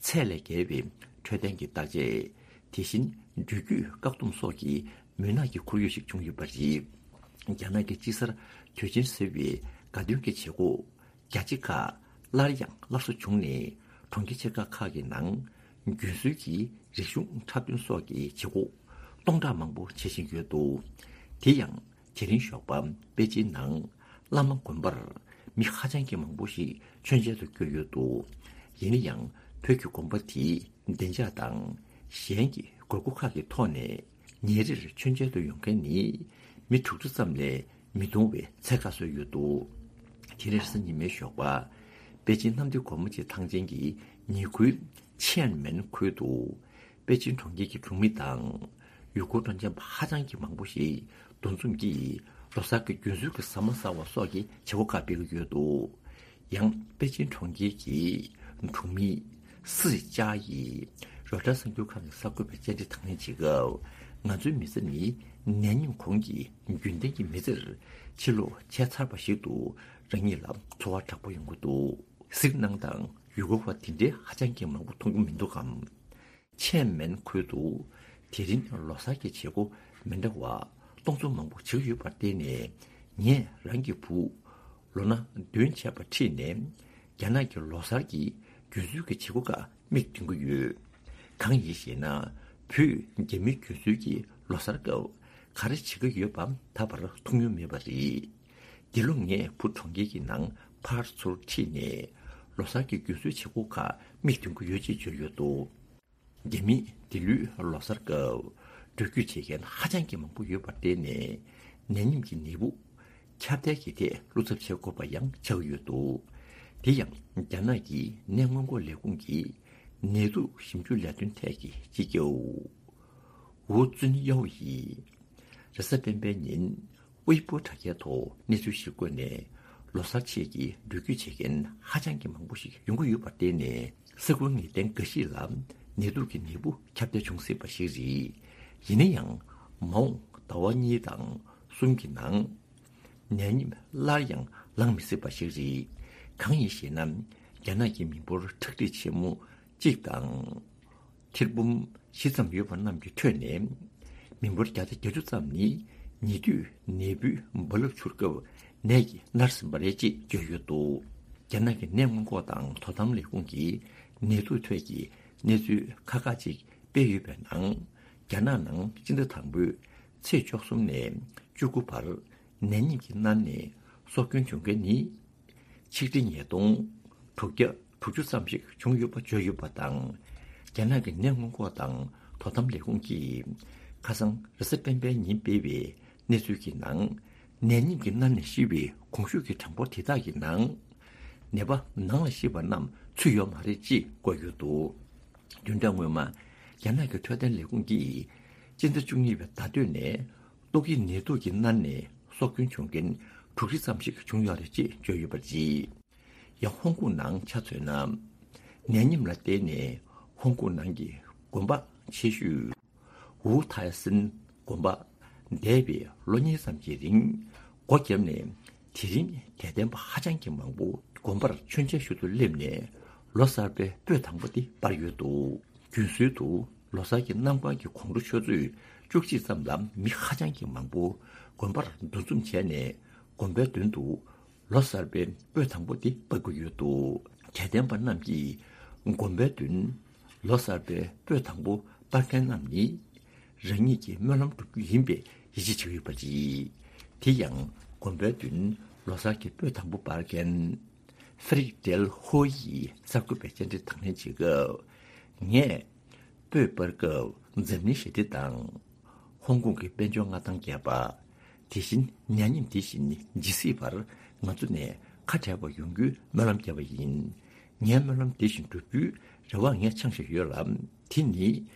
ཚད་ལས་བརྒལ་བའི་འཕྲོད་བསྟེན་གྱི་བརྟག་དཔྱད། དེ་བཞིན་འགྲུལ་སྐྱོད་བཀག་སྡོམ་སོགས་ཀྱི་མུན་ནག་གི་ཁོར་ཡུག་ཞིག་བྱུང་ཡོད་པ་རེད། རྒྱ་ནག་གི་དཔྱིད་གསར་དུས་ཆེན་ཟེར་བའི་དགའ་སྟོན་གྱི་བྱེད་སྒོ་རྒྱ་ཆེ་ཁག་སླར་ཡང་སླར་གསོ་བྱུང་ནས། གྲོང་ཁྱེར་ཆེ་ཁག་ཁག་གི་ནང་རྒྱུན་སྲོལ་གྱི་རིག་གཞུང་འཁྲབ་སྟོན་སོགས་ཀྱི་བྱེད་སྒོ་སྟོང་ཕྲག་མང་པོ་བྱེད་བཞིན་ཡོད་འདུག་དེ་ཡང་དེ་རིང་ཞོགས་པ་པེ་ཅིན་ནང་བླ་མ་དགོན་པར་མི་ཧ་ཅང་གི་མང་པོ་ཞིག་མཆོད་མཇལ་དུ་བསྐྱོད་ཡོད་འདུག་ཡིན་ན་ཡང་བོད་ཀྱི་དགོན་པ་དེའི་བདེ་འཇགས་དང་གཞན་གྱི་དགོས་མཁོ་ཁག་གི་ཐོག་ནས། ཉིན་རེར་མཆོད་མཇལ་དུ་ཡོང་མཁན་ནི་མི་དྲུག་ཅུ་ཙམ་ལས་མི་འདུ་བའི་ཚད་བཀག་བཟོས་ཡོད་འདུག་དེ་རིང་རེས་གཟའ་ཉི་མའི་ཞོགས་པ། པེ་ཅིན་གནམ་བདེ་སྒོ་མོ་ཆེའི་ཐང་ཆེན་གྱི་ཉེ་ཁུལ་ཆེན་མེན་ཁུལ་དུ། པེ་ཅིན་གྲོང་ཁྱེར་གྱི་གྲོང་མི་དང་། ཡུལ་སྐོར་སྤྲོ་འཆམ་པ་ཧ་ཅང་གི་མང་པོ་ཞིག་འདུ་འཛོམས་ཀྱིས་ལོ་གསར་གྱི་རྒྱུན་སྲོལ་གྱི་ཟ་མ་ཟ་བ་སོགས་ཀྱི་བྱེད་སྒོ་ཁག་སྤེལ་གྱི་ཡོད་འདུག་ཡང་པེ་ཅིན་གྲོང་ཁྱེར་གྱི་གྲོང་མི་སི་ཅཱ་ཡིས་རོའི་ཊར་གསར་འགྱུར་ཁང་གི་གསར་འགོད་པར་བཅར་འདྲི་དང་ལེན་བྱེད་སྐབས། ང་ཚོའི་མི་ཚེ་ནི་ནད་ཡམས་གོང་གི་རྒྱུན་ལྡན་གྱི་མི་ཚེར་ཕྱིར་ལོག་བྱས་ཚར་བ་ཞིག་ཏུ། རང་ཉིད་ལ་ཚོར་བ་དྲག་པོ་ཡོང་གི་འདུག་གཟིགས་གནང་དང་ཡུལ་སྐོར་བ་དེ་འདྲའི་ཧ་ཅང་གི་མང་པོ་མཐོང་གི་མི་འདུག་གམ། ཆེན་མེན་ཁུལ་དུ་དེ་རིང་ལོ་གསར་གྱི་བྱེད་སྒོ་མི་འདྲ་བ་སྟོང་ཚོ་མང་པོ་བྱེད་ཀྱི་ཡོད་པར་བརྟེན་ནས། ངས་རང་གི་བུ་ལོ་ན་བདུན་བྱས་པ་ཁྲིད་ནས་རྒྱ་ནག་གི་ལོ་གསར་གྱི་རྒྱུན་སྲོལ་གྱི་བྱེད་སྒོ་ཁག་མིག་མཐོང་གི་ཡོད། གང་ཡིན་ཞེ་ན། བོད་རྒྱ་མིའི་རྒྱུན་སྲོལ་གྱི་ལོ་གསར་སྐབས་ག་རེ་བྱེད་ཀྱི་ཡོད་པ་ད་བར་མཐོང་མྱོང་མེད་པ་རེད། འདི་ལོ་ངས་བུ་གྲོང་ཁྱེར་གྱི་ནང་ཕར་ཚུར་ཁྲིད་ནས་ལོ་གསར་གྱི་རྒྱུན་སྲོལ་བྱེད་སྒོ་ཁག་མིག་མཐོང་གི་ཡོད་ཅེས་བརྗོད་ཡོད་འདུག་རྒྱ་མིས་འདི་ལོའི་ལོ་གསར་སྐབས་འགྲུལ་སྐྱོད་བྱེད་མཁན་ཧ་ཅང་གི་མང་པོ་ཡོད་པར་བརྟེན་ནས། ནད་ཡམས་ཀྱི་ནད་འབུ་ ཁྱབ་གདལ་གྱི་ཐད་བློ་འཚབ་བྱེད་དགོས་པ་ཡང་ཆགས་ཡོད་འདུག་དེ་ཡང་རྒྱ་ནག་གི་ནད་སྔོན་འགོག་ལས་ཁུངས་ཀྱི་ནད་དུག་ཞིབ་འཇུག་ལས་དོན་ཐད་ཀྱི་སྤྱི་ཁྱབ་ཝུའུ་ཙུན་ཡའོ་ཡིས་རེས་གཟའ་སྤེན་པའི་ཉིན་ཝེ་པོ་དྲ་རྒྱའི་ཐོག་གནས་ཚུལ་ཞིག་བཀོད་ནས། ལོ་གསར་ཆེད་ཀྱི་འགྲུལ་སྐྱོད་བྱེད་མཁན་ཧ་ཅང་གི་མང་པོ་ཞིག་ཡོང་གི་ཡོད་པར་བརྟེན་ནས། ས་ཁུལ་ངེས་གཏན་འགའ་ཞིག་ལ་ནད་དུག་གི་ནད་འབུ་ཁྱབ་གདལ་འབྱུང་སྲིད་པ་ཞིག་རེད། ཡིན་ན་ཡང་། མ་འོངས་ཟླ་བ་གཉིས་དང་གསུམ་གྱི་ནང་། ནད་ཉིད་སླར་ཡང་ལངས་མི་སྲིད་པ་ཞིག་རེད། གང་ཡིན་ཞེ་ན། རྒྱ་ནག་གི་མི་འབོར་ཁྲག་ཁྲིག་ཆེན་མོ་གཅིག་དང་། ཐེར་འབུམ་བཞི་ཙམ་ཡོད་པ་རྣམས་ཀྱི་ཁྲོད་ནས། མི་འབོར་བརྒྱ་དང་བརྒྱད་ཅུ་ཙམ་ནི་ཉེ་དུས་ནད་འབུའི་རྦ་རླབས་འཕྱུར་སྐབས་ནད་ཀྱིས་མནར་ཟིན་པ་རེད་ཅེས་བརྗོད་ཡོད་འདུག་རྒྱ་ནག་གི་ནད་སྔོན་འགོག་དང་དོ་དམ་ལས་ཁུངས་ཀྱིས་ནད་དུག་ཐད་ཀྱི་གནས་ཚུལ་ཁག་ཁག་ཅིག་སྤེལ་ཡོད་པའི་ནང་། རྒྱ་ནག་ནང་སྤྱི་ཟླ་དང་པོའི་ཚེས་བཅུ་གསུམ་ནས་བཅུ་དགུ་བར་ནད་ཉིད་ཀྱིས་མནར་ནས་སྲོག་སྐྱོན་བྱུང་མཁན་ནི། ཆིག་ཁྲི་ཉིས་སྟོང་དྲུག་བརྒྱ་དྲུག་ཅུ་ཙམ་ཞིག་བྱུང་ཡོད་པ་བརྗོད་ཡོད་པ་དང་། རྒྱ་ནག་གི་ནད་སྔོན་འགོག་དང་དོ་དམ་ལས་ཁུངས་ཀྱིས་ཁ་སང་རེས་གཟའ་སྤེན་པའི་ཉིན་སྤེལ་བའི་གནས་ཚུལ་གྱི་ནང་། ནད་ཉིད་ཀྱིས་མནར་ནས་ཤི་བའི་གོང་ཞུས་ཀྱི་གྲངས་འབོར་དེ་དག་གི་ནང་། ནད་པ་ནང་ལ་ཤི་བ་རྣམས་ཚུད་ཡོད་མ་རེད་ཅེས་བཀོད་ཡོད་འདུག་བདུན་ཕྲག་སྔོན་མ། རྒྱ་ནག་གི་འཕྲོད་བསྟེན་ལས་ཁུངས་ཀྱིས་སྤྱི་ཟླ་བཅུ་གཉིས་པའི་ཟླ་སྟོད་ནས། ཏོག་དབྱིབས་ནད་དུག་གིས་མནར་ནས་སྲོག་སྐྱོན་བྱུང་མཁན་དྲུག་ཁྲི་ཙམ་ཞིག་བྱུང་ཡོད་རེད་ཅེས་བརྗོད་ཡོད་པ་རེད། ཡང་ཧོང་ཀོང་ནང་ཆ་མཚོན་ན། ནད་ཡམས་ལ་བརྟེན་ནས་ཧོང་ཀོང་ནང་གི་དགོན་པ་ཆེ་ཤོས་ཝུའུ་ཐའི་སན་དགོན་པ་འདས་པའི་ལོ་གཉིས་ཙམ་གྱི་རིང་སྒོ་བརྒྱབ་ནས། དེ་རིང་དད་ལྡན་པ་ཧ་ཅང་གི་མང་པོ་དགོན་པར་མཆོད་མཇལ་ཞུ་དུ་སླེབས་ནས། ལོ་གསར་པའི་སྤོས་དང་པོ་དེ་སྤར་ཡོད་འདུག་རྒྱུན་སྲོལ་དུ་ལོ་གསར་གྱི་གནམ་གང་གི་དགོང་དྲོ་ཆུ་ཚོད་བཅུ་གཅིག་ཙམ་ལ་མི་ཧ་ཅང་གི་མང་པོ་དགོན་པར་འདུ་འཛོམས་བྱས་ནས། དགོན་པའི་མདུན་དུ་ལོ་གསར་པའི་སྤོས་དང་པོ་དེ་སྤར་གྱི་ཡོད་འདུག་དད་ལྡན་པ་རྣམས་ཀྱིས་དགོན་པའི་མདུན་ལོ་གསར་པའི་སྤོས་དང་པོ་སྤར་མཁན་རྣམས་ནི། རང་ཉིད་ཀྱི་སྨོན་ལམ་སྒྲུབ་རྒྱུ་ཡིན་པའི་ཡིད་ཆེས་བྱེད་ཀྱི་ཡོད་པ་རེད། དེ་ཡང་དགོན་པའི་མདུན་ལོ་གསར་གྱི་སྤོས་དང་པོ་སྤར་མཁན། ཧྥེ་རིག་ཏེལ་ཧོ་ཡིས་གསར་འགོད་པའི་བཅར་འདྲི་དང་ལེན་བྱེད་སྐབས། ངས་སྤོས་སྤར་སྐབས་འཛམ་གླིང་ཞི་བདེ་དང་། ཧོང་ཀོང་གི་དཔལ་འབྱོར་མངའ་ཐང་རྒྱས་པ། དེ་བཞིན་ཉ་ཉིམ་དེ་བཞིན་ཇི་སྲིད་བར་ང་ཚོ་ནས་ཁ་བྲལ་བ་ཡོང་རྒྱུའི་སྨོན་ལམ་བརྒྱབ་པ་ཡིན། ངའི་སྨོན་ལམ་དེ་བཞིན་འགྲུབ་རྒྱུའི་རེ་བ་ངས་འཆང་བཞིན་ཡོད་ལ། དེ་ནི་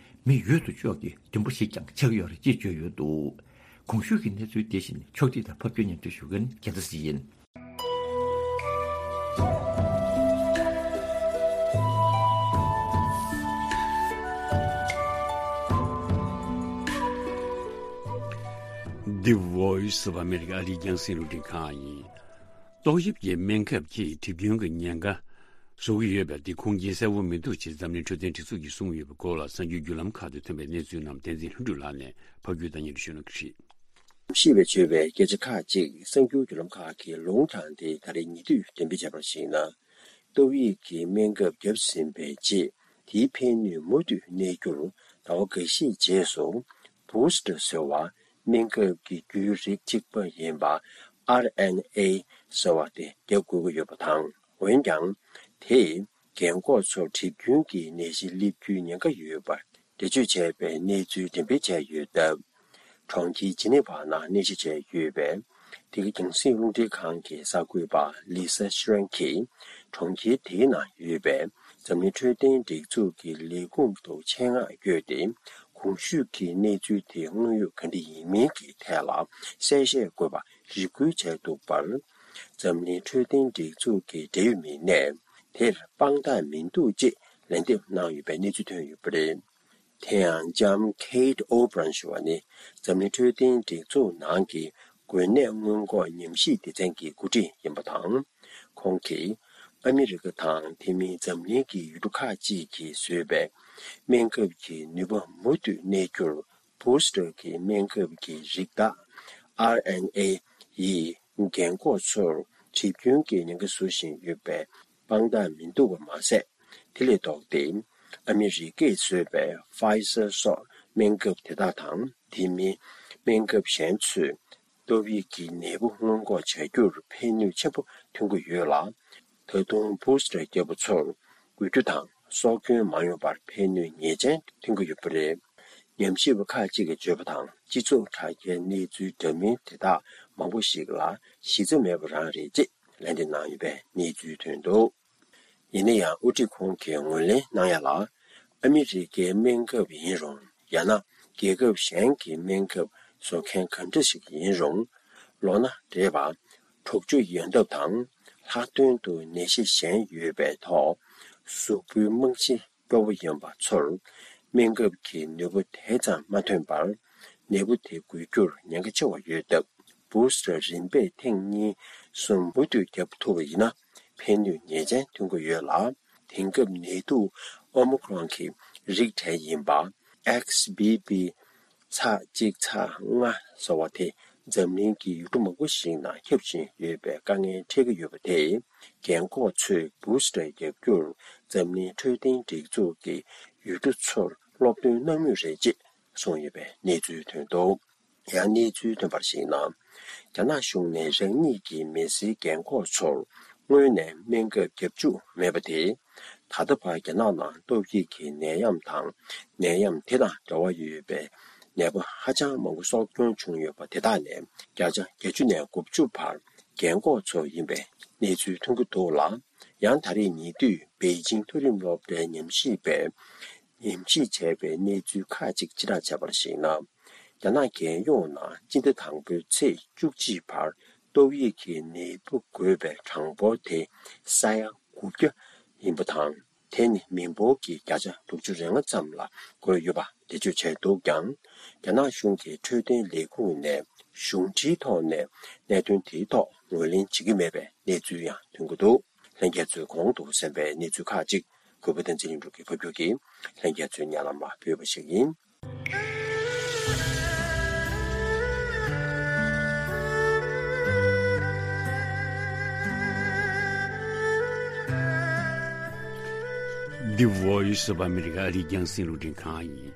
མི་ཡོད་དོ་ཅོག་གི་འདུན་པ་ཞིག་ཀྱང་ཆགས་ཡོད་རེད་ཅེས་བརྗོད་ཡོད་འདུག་གོང་ཞུས་ཀྱི་གནས་ཚུལ་དེ་བཞིན་ཕྱོགས་སྒྲིག་དང་ཕབ་སྒྱུར་སྙན་སྒྲོན་ཞུ་མཁན་རྒྱལ་མཚན་ཡིན། The Voice of America ཨ་རིའི་རྒྱང་སྲིང་རླུང་འཕྲིན་ཁང་ཡིན། ཏོག་དབྱིབས་ཀྱི་སྨན་ཁབ་ཀྱིས་གྲིབ་སྐྱོན་གྱི་ཉེན་ཁ་བཟོ་གི་ཡོད་པ་དེ་ཁུངས་སྐྱེལ་གསལ་བོ་མི་འདུག་ཅེས་འཛམ་གླིང་འཕྲོད་བསྟེན་སྒྲིག་འཛུགས་ཀྱིས་གསུངས་ཡོད་པའི་སྐོར་ལ་གསར་འགྱུར་བརྒྱུད་ལམ་ཁག་ཏུ་ཐོན་པའི་གནས་ཚུལ་རྣམས་བསྟན་འཛིན་ལྷུན་གྲུབ་ལགས་ནས་ཕབ་སྒྱུར་དང་སྙན་སྒྲོན་ཞུ་གནང་གི་རེད། ཤེས་པས་བརྗོད་པའི་སྐད་ཆ་ཁག་ཅིག་གསར་འགྱུར་བརྒྱུད་ལམ་ཁག་གིས་ལུང་དྲངས་ཏེ། ད་རེས་ཉེ་དུས་འགྲེམས་སྤེལ་བྱས་པར་གཞིགས་ན། ཏོག་དབྱིབས་ཀྱི་སྨན་ཁབ་བརྒྱབ་ཟིན་པའི་རྗེས། དེའི་ཕན་ནུས་མུ་མཐུད་གནས་རྒྱུར་ཟླ་བ་འགའ་ཤས་རྗེས་སུ་བུ་སི་ཊར་ཟེར་བ། སྨན་ཁབ་ཀྱི་རྒྱུའི་རིགས་གཅིག་པ་ཡིན་པ་ཨར་ཨེན་ཨེ་ཟེར་བ་དེ་རྒྱག་དགོས་ཀྱི་ཡོད་པ་དང་། འོན་ཀྱང་། དེས་རྒན་འཁོགས་ཚོར་གྲིབ་སྐྱོན་གྱི་ནད་གཞི་སླེབས་རྒྱུའི་ཉེན་ཁ་ཡོད་པར་འགྲེལ་བརྗོད་བྱས་པའི་གནས་ཚུལ་འགྲེམས་སྤེལ་བྱས་ཡོད་སྟབས། གྲོང་ཁྱེར་ཇི་ནི་ཝ་ནང་གནས་གཞི་བྱས་ཡོད་པའི་འདི་ག་རྒྱང་སྲིང་རླུང་འཕྲིན་ཁང་གི་གསར་འགོད་པ་ལི་ས་ཤི་རན་གྱིས། གྲོང་ཁྱེར་དེའི་ནང་ཡོད་པའི་འཛམ་གླིང་འཕྲོད་བསྟེན་སྒྲིག་འཛུགས་ཀྱི་ལས་ཁུངས་ཐོག་ཆེད་མངགས་བསྐྱོད་དེ། གོང་ཞུས་ཀྱི་གནས་ཚུལ་དེ་དངོས་ཡོད་ག་འདྲ་ཡིན་མིན་གྱི་ཐད་ལ་གསལ་བཤད་དགོས་པ་རེ་སྐུལ་བྱས་འདུག་པར། འཛམ་གླིང་འཕྲོད་བསྟེན་སྒྲིག་འཛུགས་ཀྱི་འབྲེལ་ཡོད་མི་སྣས་དེར་དཔང་རྟགས་མི་འདུག་ཅེས་ལན་འདེབས་གནང་ཡོད་པའི་གནས་ཚུལ་ཐོན་ཡོད་པ་རེད། དེ་ཡང་ལྕམ་ཁེ་ཏི་ཨོ་བྷི་རན་ཞུ་བ་ནི། འཛམ་གླིང་འཕྲོད་བསྟེན་སྒྲིག་འཛུགས་ནང་གི་འགོས་ནད་སྔོན་འགོག་ཉམས་ཞིབ་སྡེ་ཚན་གྱི་འགོ་ཁྲིད་ཡིན་པ་དང་། ཁོང་གིས་ཨ་མི་རི་ཀ་དང་དེ་མིན་འཛམ་གླིང་གི་ཡུལ་གྲུ་ཁག་ཅིག་གིས་བཟོས་པའི་སྨན་ཁབ་ཀྱི་ནུས་པ་མུ་མཐུད་གནས་རྒྱུར། བུ་སི་ཊར་གྱི་སྨན་ཁབ་ཀྱི་རིགས་བདག་ཨར་ཨེན་ཨེ་ཡིས་རྒན་འཁོགས་ཚོར་གྲིབ་སྐྱོན་གྱི་ཉེན་ཁ་བཟོ་བཞིན་ཡོད་པའི་དཔང་རྟགས་མི་འདུག་པ་མ་ཟད། དེ་ལས་ལྡོག་སྟེ། ཨ་མི་རི་ཀས་བཟོས་པའི་ཕའི་ཟར་སོགས་སྨན་ཁབ་དེ་དག་དང་། དེ་མིན་སྨན་ཁབ་གཞན་ཚོས་ཏོག་དབྱིབས་ཀྱི་ནད་འབུ་སྔོན་འགོག་བྱ་རྒྱུར་ཕན་ནུས་ཆེན་པོ་ཐོན་གྱི་ཡོད་ལ། ད་དུང་བུ་སི་ཊར་བརྒྱབ་པ་ཚོར་འགུལ་སྐྱོད་དང་སྲོག་སྐྱོན་མ་ཡོང་བར་ཕན་ནུས་ངེས་ཅན་ཐོན་གྱི་ཡོད་པ་རེད། ཉམས་ཞིབ་པ་ཁག་ཅིག་གིས་བརྗོད་པ་དང་། སྤྱི་ཚོགས་དྲ་རྒྱའི་གནས་ཚུལ་འདྲ་མིན་དེ་དག་མང་པོ་ཞིག་ལ་གཞི་རྩ་མེད་པ་རང་རེད་ཅེས་ལན་འདེབས་གནང་ཡོད་པའི་གནས་ཚུལ་ཐོན་འདུག་ཡིན་ན་ཡང་། དབུ་ཁྲིད་ཁོང་གིས་ངོས་ལེན་གནང་ཡ་ལ། ཨ་མི་རི་ཀའི་སྨན་ཁབ་ཡིན་རུང་། ཡང་ན་རྒྱལ་ཁབ་གཞན་གྱི་སྨན་ཁབ་བཟོ་མཁན་ག་འདྲ་ཞིག་ཡིན་རུང་། ལོ་ན་བགྲེས་པ། འཁྲུག་ཆ་ཡོང་ཐབས་དང་། ལྷག་དོན་དུ་ནད་གཞི་གཞན་ཡོད་པའི་ཐོག་གཟུགས་པོའི་རྨང་གཞི་སྐྱོ་བོ་ཡིན་པ་ཚོར། སྨན་ཁབ་ཀྱི་ནུས་པ་དེ་ཙམ་མ་ཐོན་པར། ནད་འབུ་དེ་འགོས་རྒྱུར་ཉེན་ཁ་ཆེ་བ་ཡོད་སྟབས། བུ་སི་ཊར་རིམ་པས་ཐེངས་གཉིས་གསུམ་མུ་མཐུད་བརྒྱབ་ཐུབ་པ་ཡིན་ན། ཕན་ནུས་ངེས་ཅན་ཐོན་གྱི་ཡོད་ལ། དེང་སྐབས་ནད་དུག་ཨོ་མི་ཁོ་རོན་གྱི་རིགས་གྲས་ཡིན་པ། ཨེག་སི་བྷི་བྷི་ཚེག་གཅིག་ཚེག་ལྔ་ཟེར་བ་དེ་འཛམ་གླིང་གི་ཡུལ་གྲུ་མང་པོ་ཞིག་ནང་ཁྱབ་བཞིན་ཡོད་པའི་དཀའ་ངལ་འཕྲད་ཀྱི་ཡོད་པ་དེས། རྒན་འཁོགས་ཚོས་བུ་སི་ཊར་བརྒྱབ་རྒྱུར་འཛམ་གླིང་འཕྲོད་བསྟེན་སྒྲིག་འཛུགས་ཀྱི་ཡུལ་གྲུ་ཚོར་སློབ་སྟོན་གནང་མུས་རེད་ཅེས་གསུངས་ཡོད་པའི་གནས་ཚུལ་ཐོན་འདུག་ཡང་གནས་ཚུལ་ཐོན་པར་གཞིགས་ན། རྒྱ་ནག་གཞུང་ནས་རང་ཉིད་ཀྱི་མི་སེར་རྒན་འཁོགས་ཚོར་སྔོན་ནས་སྨན་ཁབ་བརྒྱབ་བཅུག་མེད་པ་དེས། ད་ལྟ་བར་རྒྱ་ནག་ནང་ཏོག་དབྱིབས་ཀྱི་ནད་ཡམས་དང་། ནད་ཡམས་དེ་དང་འབྲེལ་བ་ཡོད་པའི་ནད་པ་ཧ་ཅང་མང་པོ་གསོ་སྐྱོང་བྱུང་ཡོད་པ་དེ་དག་ལས་བརྒྱ་ཆ་བརྒྱད་ཅུ་ནས་དགུ་བཅུ་བར་རྒན་འཁོགས་ཚོ་ཡིན་པའི་གནས་ཚུལ་ཐོན་གྱི་འདུག་ལ། ཡང་ད་རེས་ཉེ་དུས་པེ་ཅིང་མཐོ་རིམ་སློབ་གྲྭའི་ཉམས་ཞིབ་པས་ཉམས་ཞིབ་བྱས་པའི་གནས་ཚུལ་ཁག་ཅིག་ཕྱིར་བསྒྲགས་བྱས་པར་གཞིགས་ན། རྒྱ་ནག་རྒྱལ་ཡོངས་ནང་སྤྱི་ཟླ་དང་པོའི་ཚེས་བཅུ་གཅིག་བར་ཏོག་དབྱིབས་ཀྱི་ནད་འབུ་འགོས་པའི་གྲངས་འབོར་དེ་ས་ཡ་དགུ་བརྒྱ་ཡིན་པ་དང་། དེ་ནི་མི་འབོར་གྱི་བརྒྱ་ཆ་དྲུག་ཅུ་རེ་ལྔ་ཙམ་ལ་འགོས་ཡོད་པ་འགྲེལ་བརྗོད་བྱས་འདུག་ཀྱང་། རྒྱ་ནག་གཞུང་གི་འཕྲོད་བསྟེན་ལས་ཁུངས་ནས་གཞུང་འབྲེལ་ཐོག་ནས་གནད་དོན་དེའི་ཐོག་ངོས་ལེན་བྱེད་ཀྱི་མེད་པའི་གནས་ཚུལ་ཡང་ཐོན་གྱི་འདུག་ལྷན་རྒྱས་ཚོས་གོང་དུ་གསན་པའི་གནས་ཚུལ་ཁག་ཅིག་གུས་པ་བསྟན་འཛིན་ལྷུན་གྲུབ་ཀྱིས་ཕབ་སྒྱུར་གྱིས་ལྷན་རྒྱས་ཚོའི་སྙན་ལམ་ལ་ཕུལ་བ་ཞིག་ཡིན། The Voice of America ཨ་རིའི་རྒྱང་སྲིང་རླུང་འཕྲིན་ཁང་ཡིན།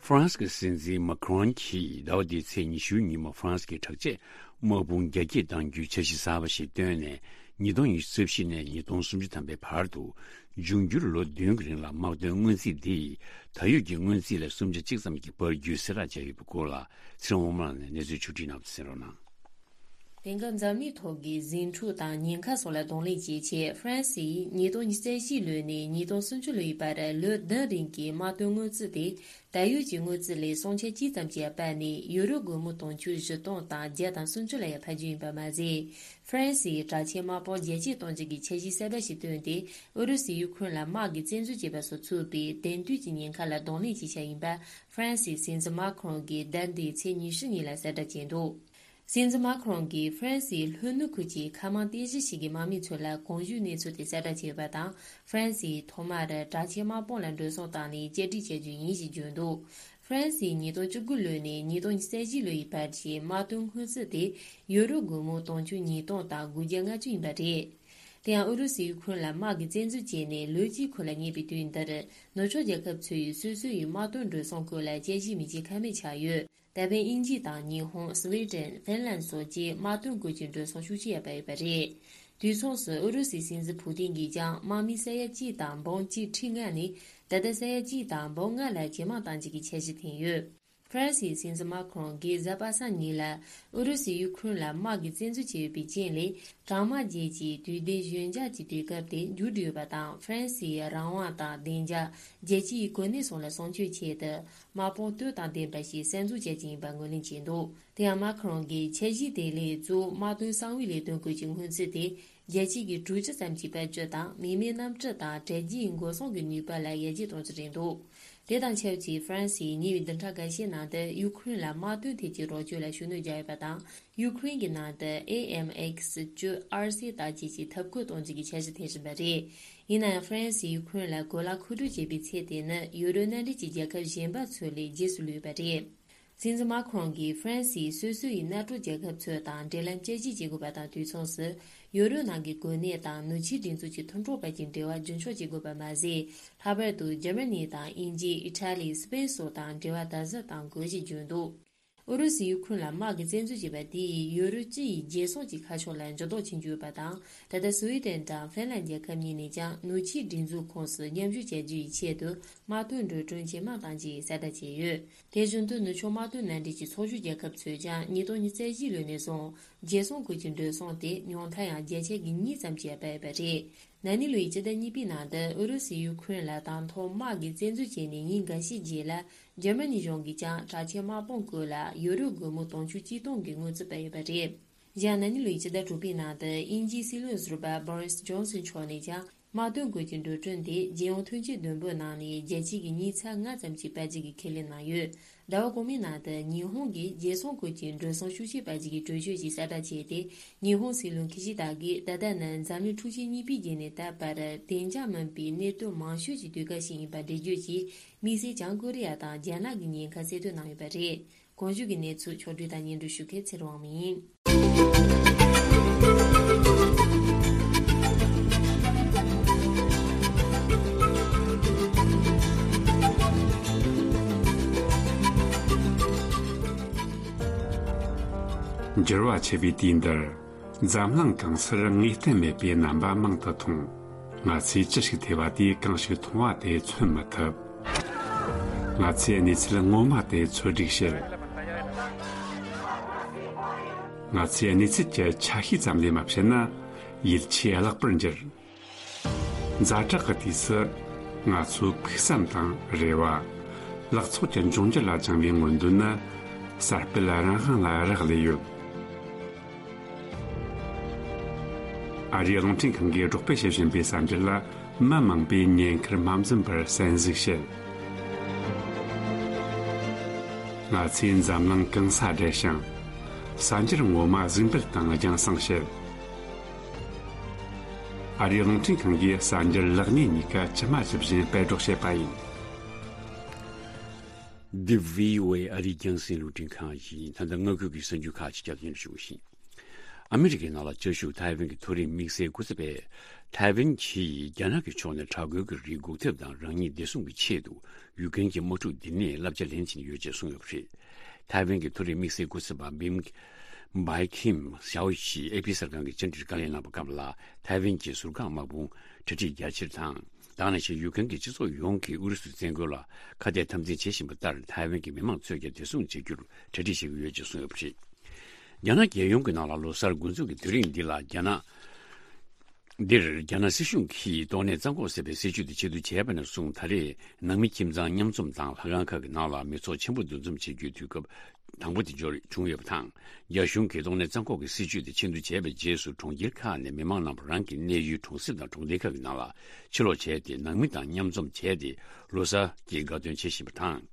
ཧྥ་རན་སི་གི་སྲིད་འཛིན་མཱ་ཁི་རོན་གྱིས་ཟླ་བ་འདིའི་ཚེས་ཉི་ཤུའི་ཉིན་མོ་ཧྥ་རན་སི་གི་དྲག་ཆས་དམག་དཔུང་རྒྱ་སྐྱེད་གཏང་རྒྱུའི་འཆར་གཞི་གསར་པ་ཞིག་བཏོན་ནས། ཉིས་སྟོང་ཉི་ཤུ་རྩ་བཞི་ནས་ཉིས་སྟོང་སུམ་ཅུ་ཐམ་པའི་བར་དུ། འབྱུང་འགྱུར་ལོ་བདུན་གྱི་རིང་ལ་དམག་དོན་སྔོན་རྩིས་འདིས་ད་ཡོད་ཀྱི་སྔོན་རྩིས་ལས་སུམ་ཆ་གཅིག་ཙམ་གྱིས་འཕར་རྒྱུའི་གསལ་བསྒྲགས་བྱས་ཡོད་པའི་སྐོར་ལ། ཚེ་རིང་དབང་མོ་ལགས་ནས་གནས་ཚུལ་ཕྱོགས་སྒྲིག་གནང་བ་དེ་གསན་རོགས་གནང་། དེང་སྐབས་འཛམ་གླིང་ཐོག་གི་ཟིང་འཁྲུག་དང་ཉེན་ཁ་སོགས་ལ་གདོང་ལེན་བྱེད་ཆེད། ཧྥ་རན་སིས་ཉིས་སྟོང་ཉི་ཤུ་རྩ་བཞི་ལོ་ནས་ཉིས་སྟོང་སུམ་ཅུ་ལོའི་བར་ལོ་བདུན་རིང་གི་དམག་དོན་སྔོན་རྩིས་དེ། ད་ཡོད་ཀྱི་སྔོན་རྩིས་ལས་སུམ་ཆ་གཅིག་ཙམ་གྱིས་སྤར་ནས་ཡུ་རོ་སྒོར་མོ་དུང་ཕྱུར་བཞི་སྟོང་དང་བརྒྱ་དང་སུམ་ཅུ་ལ་ཡང་འཕར་རྒྱུ་ཡིན་པ་མ་ཟད། ཧྥ་རན་སིའི་དྲག་ཆས་དམག་དཔུང་རྒྱ་སྐྱེད་གཏོང་རྒྱུ་གི་འཆར་གཞི་གསར་པ་ཞིག་བཏོན་ཏེ། ཨུ་རུ་སུས་ཡུ་ཁུ་རེན་ལ་དམག་གི་བཙན་འཛུལ་བྱས་པ་སོགས་ཚུད་པའི་དེང་དུས་ཀྱི་ཉེན་ཁ་ལ་གདོང་ལེན་བྱེད་འཆར་ཡིན་པ་ཧྥ་རན་སིའི་སྲིད་འཛིན་མཱ་ཁི་རོན་གྱིས་ཟླ་འདིའི་ཚེས་ཉི་ཤུ་ཉིན་ལ་གསལ་བསྒྲགས་བྱས་འདུག་སྲིད་འཛིན་མཱ་ཁི་རོན་གྱིས་ཧྥ་རན་སིའི་ལྷོ་ནུབ་ཁུལ་གྱི་མཁའ་དམག་རྟེན་གཞི་ཞིག་གི་དམག་མི་ཚོ་ལ་གོང་ཞུས་གནས་ཚུལ་དེ་གསལ་བསྒྲགས་བྱས་ཡོད་པ་དང་། ཧྥ་རན་སིས་ཐོག་མར་དྲག་ཆས་དམག་དཔུང་ལ་འགྲོ་སོང་བཏང་ནས་བསྐྱར་སྒྲིག་བྱ་རྒྱུ་ཡིན་ཞེས་བརྗོད་འདུག་ཧྥ་རན་སིས་ཉིས་སྟོང་བཅུ་དགུ་ལོ་ནས་ཉིས་སྟོང་ཉི་ཤུ་རྩ་བཞི་ལོའི་བར་གྱི་དམག་དོན་སྔོན་རྩིས་དེ་ཡུ་རོ་སྒོར་མོ་དུང་ཕྱུར་ཉིས་སྟོང་དང་དགུ་བརྒྱ་ལྔ་བཅུ་ཡིན་པ་རེད། དེ་ཡང་ཨུ་རུ་སུས་ཡུ་ཁུ་རེན་ལ་དམག་གི་བཙན་འཛུལ་བྱས་ནས་ལོ་གཅིག་འཁོར་ལ་ཉེ་བའི་དུས་འདིར། ནུབ་ཕྱོགས་རྒྱལ་ཁབ་ཚོས་སོ་སོ་ཡི་དམག་དོན་འགྲོ་སོང་སྐོར་ལ་དཔྱད་ཞིབ་མི་བྱེད་ཁ་མེད་ཆགས་ཡོད། ད་ཕན་དབྱིན་ཇི་དང་ཉི་ཧོང་། སི་ཝི་ཌེན། ཧྥིན་ལན་སོགས་བཅས་དམག་དོན་སྐོར་གྱི་འགྲོ་སོང་ཤུགས་ཆེ་ཡར་སྤར་ཡོད་པ་རེད། དུས་མཚུངས་སུ་ཨུ་རུ་སུའི་སྲིད་འཛིན་ཕུ་ཏིན་གྱིས་ཀྱང་དམག་མི་ས་ཡ་གཅིག་དང་འབུམ་གཅིག་ཁྲི་ལྔ་ནས་ད་ལྟ་ས་ཡ་གཅིག་དང་འབུམ་ལྔ་ལ་ཇེ་མང་གཏང་རྒྱུ་གི་འཆར་གཞི་བཏིང་ཡོད། ཧྥ་རན་སིའི་སྲིད་འཛིན་མཱ་ཁི་རོན་གྱིས་གཟའ་པ་སངས་ཉིན་ལ་ཨུ་རུ་སུས་ཡུ་ཁུ་རེན་ལ་དམག་གི་བཙན་འཛུལ་བྱས་ཡོད་པའི་རྐྱེན་ལས། གྲང་དམག་རྒྱལ་སྤྱིའི་དུས་བདེ་ཞོད་འཇགས་ཀྱི་དུས་སྐབས་དེ་མཇུག་བསྒྲིལ་ཡོད་པ་དང་། ཧྥ་རན་སིའི་རང་དབང་དང་བདེ་འཇགས། རྒྱལ་སྤྱིའི་གོ་གནས་སོགས་ལ་སྲུང་སྐྱོབ་ཆེད་དུ། དམག་དཔུང་སྟོབས་དང་ལྡན་པ་ཞིག་གསར་འཛུགས་བྱ་རྒྱུ་ཡིན་པ་ངོས་ལེན་བྱས་འདུག་དེ་ཡང་མཱ་ཁི་རོན་གྱིས་འཆར་གཞི་དེ་ལས་གཙོ་བོ་དམག་དོན་གསང་བའི་ལས་དོན་སྐོར་གྱི་སྔོན་རྩིས་དེ། རྒྱལ་སྤྱི་གི་དྲུག་ཅུ་ཙམ་གྱི་དཔལ་འབྱོར་དང་མི་མེད་གནམ་གྲུ་དང་དྲ་རྒྱའི་འགོག་སྲུང་གི་ནུས་པ་ལ་ཡར་རྒྱས་གཏོང་རྒྱུ་རེད་འདུག་དེ་དང་ཆབས་ཅིག་ཧྥ་རན་སིས་ཉེ་བའི་བདུན་ཕྲག་འགའ་ཤས་ནང་དུ་ཡུ་ཁུ་རེན་ལ་དམག་དོན་ཐད་ཀྱི་རོགས་སྐྱོར་ལ་ཤུགས་སྣོན་བརྒྱབ་ཡོད་པ་དང་། ཡུ་ཁུ་རེན་གྱི་ནང་དུ་ཨེ་ཨེམ་ཨེག་སི་བཅུ་ཨར་སི་དང་བཅས་ཀྱི་འཐབ་བཀོད་གཏོང་རྒྱུ་གི་འཆར་གཞི་འཐེན་བཞིན་པ་རེད། ཡིན་ན་ཡང་ཧྥ་རན་སིས་ཡུ་ཁུ་རེན་ལ་གོ་ལ་མཁོ་སྤྲོད་བྱེད་པའི་ཚད་དེ་ནི་ཡུ་རོབ་མནའ་འབྲེལ་གྱི་རྒྱལ་ཁབ་གཞན་པ་ཚོ་ལས་རྗེས་སུ་ལུས་པ་རེད། སྲིད་འཛིན་མཱ་ཁི་རོན་གྱིས་ཧྥ་རན་སིས་སོ་སོ་ཡི་མནའ་གྲོགས་རྒྱལ་ཁབ་ཚོ་དང་འབྲེལ་ལམ་བསྐྱར་ཞིབ་བྱེད་དགོས་པ་དང་། དུས་མཚུངས་སུ་ཡུ་རོབ་ནང་གི་གོ་གནས་དང་ནུབ་ཕྱོགས་སྒྲིག་འཛུགས་ཀྱི་མཐུན་གྲོགས་བར་གྱི་འབྲེལ་བ་རྒྱུན་འཁྱོངས་བྱེད་དགོས་པ་མ་ཟད། ལྷག་པར་དུ་འཇར་མ་ནི་དང་དབྱིན་ཇི། ཨི་ཊ་ལི། སི་པེན་སོགས་དང་འབྲེལ་བ་དམ་ཟབ་གཏང་དགོས་ཞེས་བརྗོད་འདུག་ཨུ་རུ་སུས་ཡུ་ཁུ་རེན་ལ་དམག་གི་བཙན་འཛུལ་བྱས་པ་དེ་ཡིས་ཡོ་རོབ་སྤྱི་ཡི་རྒྱལ་སྲུང་གི་ཁ་ཕྱོགས་ལ་འགྱུར་ལྡོག་ཕྱིན་རྒྱུ་ཡོད་པ་དང་། ད་ལྟ་སུའེ་ཏེན་དང་ཧྥིན་ལན་རྒྱལ་ཁབ་གཉིས་ནས་ཀྱང་ནུབ་ཕྱོགས་སྒྲིག་འཛུགས་ཁོངས་སུ་མཉམ་ཞུགས་བྱ་རྒྱུ་ཡི་ཆེད་དུ་དམག་དོན་འགྲོ་གྲོན་ཇེ་མང་གཏང་རྒྱུའི་གསལ་བསྒྲགས་བྱས་ཡོད། དེ་བཞིན་དུ་ནུབ་ཕྱོགས་དམག་དོན་མནའ་འབྲེལ་གྱི་ཚོགས་ཞུགས་རྒྱལ་ཁབ་ཚོས་ཀྱང་ཉིས་སྟོང་ཉི་ཤུ་རྩ་བཞི་ལོ་ནས་བཟུང་རྒྱལ་སྲུང་ཁུལ་གྱི་འགྲོ་སོང་དེ་ཉུང་མཐར་ཡང་བརྒྱ་ཆ་གི་གཉིས་ཙམ་གྱིས་སྤར་ཡོད་པ་རེད། ན་ནིང་ལོའི་སྤྱི་ཟླ་གཉིས་པའི་ནང་དུ་ཨུ་རུ་སུས་ཡུ་ཁུ་རེན་ལ་དང་ཐོག་དམག་གི་བཙན་འཛུལ་བྱས་ནས་ཉིན་འགའ་ཤས་རྗེས་ལ། འཇར་མ་ནི་གཞུང་གིས་ཀྱང་དྲག་ཆས་དམག་དཔུང་བཀོལ་ལ་ཡོ་རོབ་སྒོར་མོ་དུང་ཕྱུར་གཅིག་སྟོང་གི་དངུལ་རྩིས་སྤར་ཡོད་པ་རེད། གཞན་ན་ནིང་ལོའི་སྤྱི་ཟླ་དྲུག་པའི་ནང་དུ་དབྱིན་ཇིའི་སྲིད་བློན་ཟུར་པ་Boris Johnson་མཆོག་ནས་ཀྱང་དམག་དོན་སྐོར་གྱི་འགྲོ་གྲོན་དེ་རྒྱལ་ཡོངས་ཐོན་སྐྱེད་བསྡོམས་འབོར་ནང་ནས་བརྒྱ་ཆ་གི་ཉི་ཤུ་རྩ་ལྔ་ཙམ་ཞིག་སྤར་རྒྱུ་གི་ཁས་ལེན་གནང་ཡོད། ཟླ་བ་གོང་མའི་ནང་དུ་ཉི་ཧོང་གིས་རྒྱལ་སྲུང་སྐོར་གྱི་འགྲོ་སོང་ཤུགས་ཆེ་སྤར་རྒྱུ་གི་གྲོས་ཆོད་ཅིག་གསལ་བསྒྲགས་བྱས་ཏེ། ཉི་ཧོང་སྲིད་བློན་ཁི་ཤི་ད་གིས་ད་ལྟ་ནི་འཛམ་གླིང་འཁྲུག་ཆེན་གཉིས་པའི་རྗེས་ནས་ད་བར་བདེ་འཇགས་མིན་པའི་གནད་དོན་མང་ཤོས་ཀྱི་དུས་སྐབས་ཤིག་ཡིན་པ་འགྲེལ་བརྗོད་ཀྱིས། དམིགས་བསལ་བྱང་ཀོ་རི་ཡ་དང་རྒྱ་ནག་གི་ཉེན་ཁ་གསལ་སྟོན་གནང་ཡོད་པ་རེད། གོང་ཞུས་ཀྱི་གནས་ཚུལ་ཕྱོགས་བསྒྲིགས་དང་སྙན་སྒྲོན་ཞུ་མཁན་ཚེ་རིང་དབང་མོ་ཡིན། འགྱུར་བ་ཆེ་བའི་དུས་འདིར། འཛམ་གླིང་གང་སར་ངེས་གཏན་མེད་པའི་རྣམ་པ་མང་དུ་མཐོང་། ང་ཚོས་ཅི་ཞིག་ཐོས་པ་དེས་གང་ཞིག་མཐོང་བ་དེ་མཚོན་མི་ཐུབ། ང་ཚོས་གནས་ཚུལ་ངོ་མ་དེ་འཚོལ་སྒྲིག་བྱེད། ང་ཚོས་གནས་ཚུལ་གྱི་ཆ་ཤས་ཙམ་ལས་མ་བྱས་ན་ཡིད་ཆེས་བརླག་པར་འགྱུར། ཛ་དྲག་གི་དུས་སུ་ང་ཚོའི་ཕུགས་བསམ་དང་རེ་བ། ལག་ཚོགས་ཀྱི་འབྱུང་འགྱུར་ལ་བཅངས་པའི་མངོན་འདོད་ནི་གསར་སྤེལ་རང་དབང་ལ་རག་ལས་ཡོད། ཨ་རིའི་རླུང་འཕྲིན་ཁང་གིས་སྒྲོག་སྤེལ་བྱེད་བཞིན་པའི་གསར་འགྱུར་ལ་མི་མང་པོས་ཉེན་ཁར་མ་འཛེམས་པར་གསན་གཟིགས་བྱེད། ང་ཚོས་འཛམ་གླིང་གང་སར་བསྒྲལ་ཞིང་། གསར་འགྱུར་ངོ་མ་གཟིགས་འབུལ་དང་རྒྱང་སྲིང་བྱེད། ཨ་རིའི་རླུང་འཕྲིན་ཁང་གིས་གསར་འགྱུར་ལེགས་ཉེས་གཉིས་ཀ་ཇི་མ་ཇི་བཞིན་སྤེལ་སྒྲོག་བྱེད་པ་ཡིན། འདི་བྷི་ཨོ་ཨེ་ཨ་རིའི་རྒྱང་སྲིང་རླུང་འཕྲིན་ཁང་ཡིན། ད་ལྟ་སྔ་འགྱུར་གྱི་གསར་འགྱུར་ཁག་ཅིག་སྐྱབས་སྙན་ཞུ་བཞིན། ཨ་མི་རི་ཀའི་ནང་ལ་བཅའ་བཞུགས་ཐའེ་ཝན་གྱི་མཐོ་རིམ་དམིགས་བསལ་སྐུ་ཚབ་པས། ཐའེ་ཝན་གྱིས་རྒྱ་ནག་གི་ཕྱོགས་ནས་དྲག་རྒོལ་གྱི་རིགས་འགོག་ཐབས་དང་རང་ཉིད་བདེ་སྲུང་གི་ཆེད་དུ་ཡུཀ་རེན་གྱི་དམག་འཁྲུག་འདི་ནས་བསླབ་བྱ་ལེན་བཞིན་ཡོད་ཅེས་གསུངས་ཡོད་པ་རེད། ཐའེ་ཝན་གྱི་མཐོ་རིམ་དམིགས་བསལ་སྐུ་ཚབ་པ་བིམ་བྷའི་ཁིམ་ཞའོ་ཞིས་ཨེ་ཕི་གསར་ཁང་གི་བཅར་འདྲིར་བཀའ་ལན་གནང་བའི་སྐབས་ལ། ཐའེ་ཝན་གྱི་ཟུར་བཀག་དམག་དཔུང་གྲ་སྒྲིག་རྒྱ་ཆེར་དང་། དེ་ནང་བཞིན་ཡུཀ་རེན་གྱི་སྤྱི་ཚོགས་ཡོངས་ཀྱིས་ཨུ་རུ་སུའི་བཙན་རྒོལ་ལ་ཁ་གཏད་དམ་འཛིན་བྱེད་བཞིན་པ་ལྟར། ཐའེ་ཝན་གྱི་མི་མང་ཚོས་ཀྱང་བདེ་སྲུང་བྱེད་རྒྱུར་གྲ་སྒྲིག་བྱེད་ཀྱི་ཡོད་ཅེས་གསུངས་ཡོད་པ་རེད། རྒྱ་ནག་རྒྱལ་ཡོངས་ཀྱི་ནང་ལ་ལོ་གསར་འགོ་འཛུགས་ཀྱི་དུས་རིང་འདི་ལ་རྒྱ་ནག་འདིར་རྒྱ་ནག་སྲིད་གཞུང་གིས་ཏོག་ནད་རྩ་འགོག་ཟེར་བའི་སྲིད་ཇུས་དེ་ཆེད་དུ་བྱས་པ་ནས་བཟུང་། ད་རེས་ནང་མི་ཁྱིམ་ཚང་མཉམ་འཛོམས་དང་ལྷ་ཁང་ཁག་གི་ནང་ལ་མི་ཚོགས་ཆེན་པོ་འདུ་འཛོམས་བྱེད་རྒྱུའི་དུས་སྐབས་དང་པོ་དེ་འབྱོར་བྱུང་ཡོད་པ་དང་། རྒྱ་གཞུང་གིས་ཏོག་ནད་རྩ་འགོག་གི་སྲིད་ཇུས་དེ་ཆེད་དུ་བྱས་པའི་རྗེས་སུ། གྲོང་ཁྱེར་ཁག་ནས་མི་མང་རྣམས་རང་གི་གནས་ཡུལ་གྲོང་གསེབ་དང་གྲོང་སྡེ་ཁག་གི་ནང་ལ་ཕྱིར་ལོག་བྱས་ཏེ། ནང་མི་དང་མཉམ་འཛོམས་བྱས་ཏེ་ལོ་གསར་གྱི་དགའ་སྟོན་བྱེད་བཞིན་པ་དང་།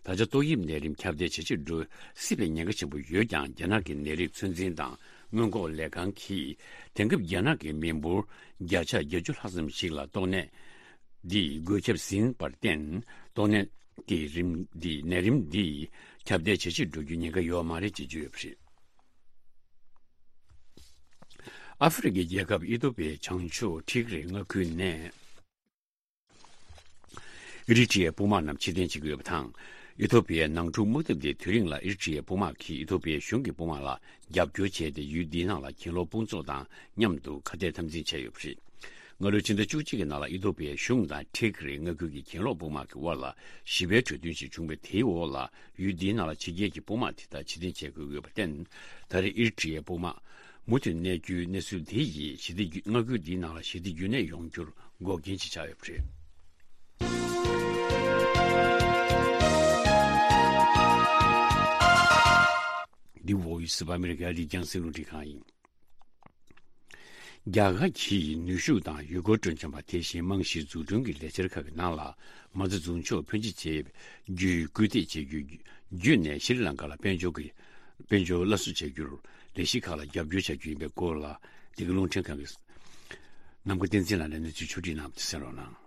ད་ཆ་ཏོག་དབྱིབས་ནད་རིམས་ཁྱབ་གདལ་ཇེ་ཆེར་འགྲོ་སྲིད་པའི་ཉེན་ཁ་ཆེན་པོ་ཡོད་ཀྱང་། རྒྱ་ནག་གི་ནད་རིགས་ཚོད་འཛིན་དང་སྔོན་འགོག་ལས་ཁང་གིས་དེང་སྐབས་རྒྱ་ནག་གི་མི་འབོར་བརྒྱ་ཆ་བརྒྱད་ཅུ་ལྷག་ཙམ་ཞིག་ལ་ཏོག་ནད་འདིས་འགོས་ཁྱབ་ཟིན་པར་བརྟེན། ཏོག་ནད་ཀྱི་རིམས་འདི་ནད་རིམས་འདིས་ཁྱབ་གདལ་ཇེ་ཆེར་འགྲོ་རྒྱུའི་ཉེན་ཁ་ཡོད་མ་རེད་ཅེས་བརྗོད་ཡོད་པ་རེད། ཨ་ཧྥེ་རི་ཁའི་རྒྱལ་ཁབ་ཨི་ཐོ་པའི་བྱང་ཕྱོགས་ཁྲི་ཀི་རི་མངའ་ཁུལ་ནས། ཨི་རི་ཊི་ཡའི་དཔུང་དམག་རྣམས་ཕྱིར་འཐེན་བྱེད་ཀྱི་ཡོད་པ་དང་། ཨི་ཐོ་པི་ཡའི་ནང་འཁྲུག་དམག་འཐབ་དེའི་དུས་རིང་ལ་ཨི་རི་ཊི་ཡའི་དཔུང་དམག་གིས་ཨི་ཐོ་པི་ཡའི་གཞུང་གི་དཔུང་དམག་ལ་རྒྱབ་སྐྱོར་བྱས་ཏེ། ཡུལ་འདིའི་ནང་ལ་གྱེན་ལོག་དཔུང་ཚོགས་དང་མཉམ་དུ་ཁ་གཏད་དམ་འཛིན་བྱས་ཡོད་པ་རེད། སྔ་ལོའི་ཕྱི་ཟླ་བཅུ་གཅིག་གི་ནང་ལ་ཨི་ཐོ་པི་ཡའི་གཞུང་དང་ཁྲི་ཀི་རི་མངའ་ཁུལ་གྱི་གྱེན་ལོག་དཔུང་དམག་གི་དབར་ལ་ཞི་བའི་གྲོས་མཐུན་ཞིག་བྱུང་བས། དེའི་འོག་ལ་ཡུལ་འདིའི་ནང་ལ་ཕྱི་རྒྱལ་གྱི་དཔུང་དམག་དེ་དག་ཕྱིར་འཐེན་བྱེད་དགོས་ཡོད་པར་བརྟེན། ད་རེས་ཨི་རི་ཊི་ཡའི་དཔུང་དམག་མུ་མཐུད་གནས་རྒྱུའི་གནས་ཚུལ་འདི་ཡིས་ཞི་བདེ་རྒྱུ། མངའ་ཁུལ་འདིའི་ནང་ལ་ཞི་བདེ་རྒྱུན་གནས་ཡོང་རྒྱུར་འགོག་རྐྱེན་ཅིག་ཆགས་ཡོད་པ་རེད། འདི་Voice of America ཨ་རིའི་རྒྱང་སྲིང་རླུང་འཕྲིན་ཁང་ཡིན། རྒྱ་གར་གྱིས་ནུས་ཤུགས་དང་ཡུལ་སྐོར་སྤྲོ་འཆམ་པ། དེ་བཞིན་རྨང་གཞིའི་འཛུགས་སྐྲུན་གྱི་ལས་འཆར་ཁག་གི་ནང་ལ་མ་རྩ་འཛུགས་འཇོག་ཕོན་ཆེ་བྱེད་རྒྱུའི་སྐུལ་འདེད་བྱེད་རྒྱུ་བརྒྱུད་ནས། ཤྲི་ལང་ཀ་ལ་དཔལ་འབྱོར་གྱི་དཔལ་འབྱོར་སླར་གསོ་བྱ་རྒྱུར་ལས་གཞི་ཁག་ལ་རྒྱབ་སྐྱོར་བྱ་རྒྱུ་ཡིན་པའི་སྐོར་ལ། འདི་ག་རླུང་འཕྲིན་ཁང་གི་ནམ་མཁའ་བསྟན་འཛིན་ལགས་ནས་གནས་ཚུལ་ཕྱོགས་བསྒྲིགས་གནང་བ་དེ་གསན་རོགས་གནང་།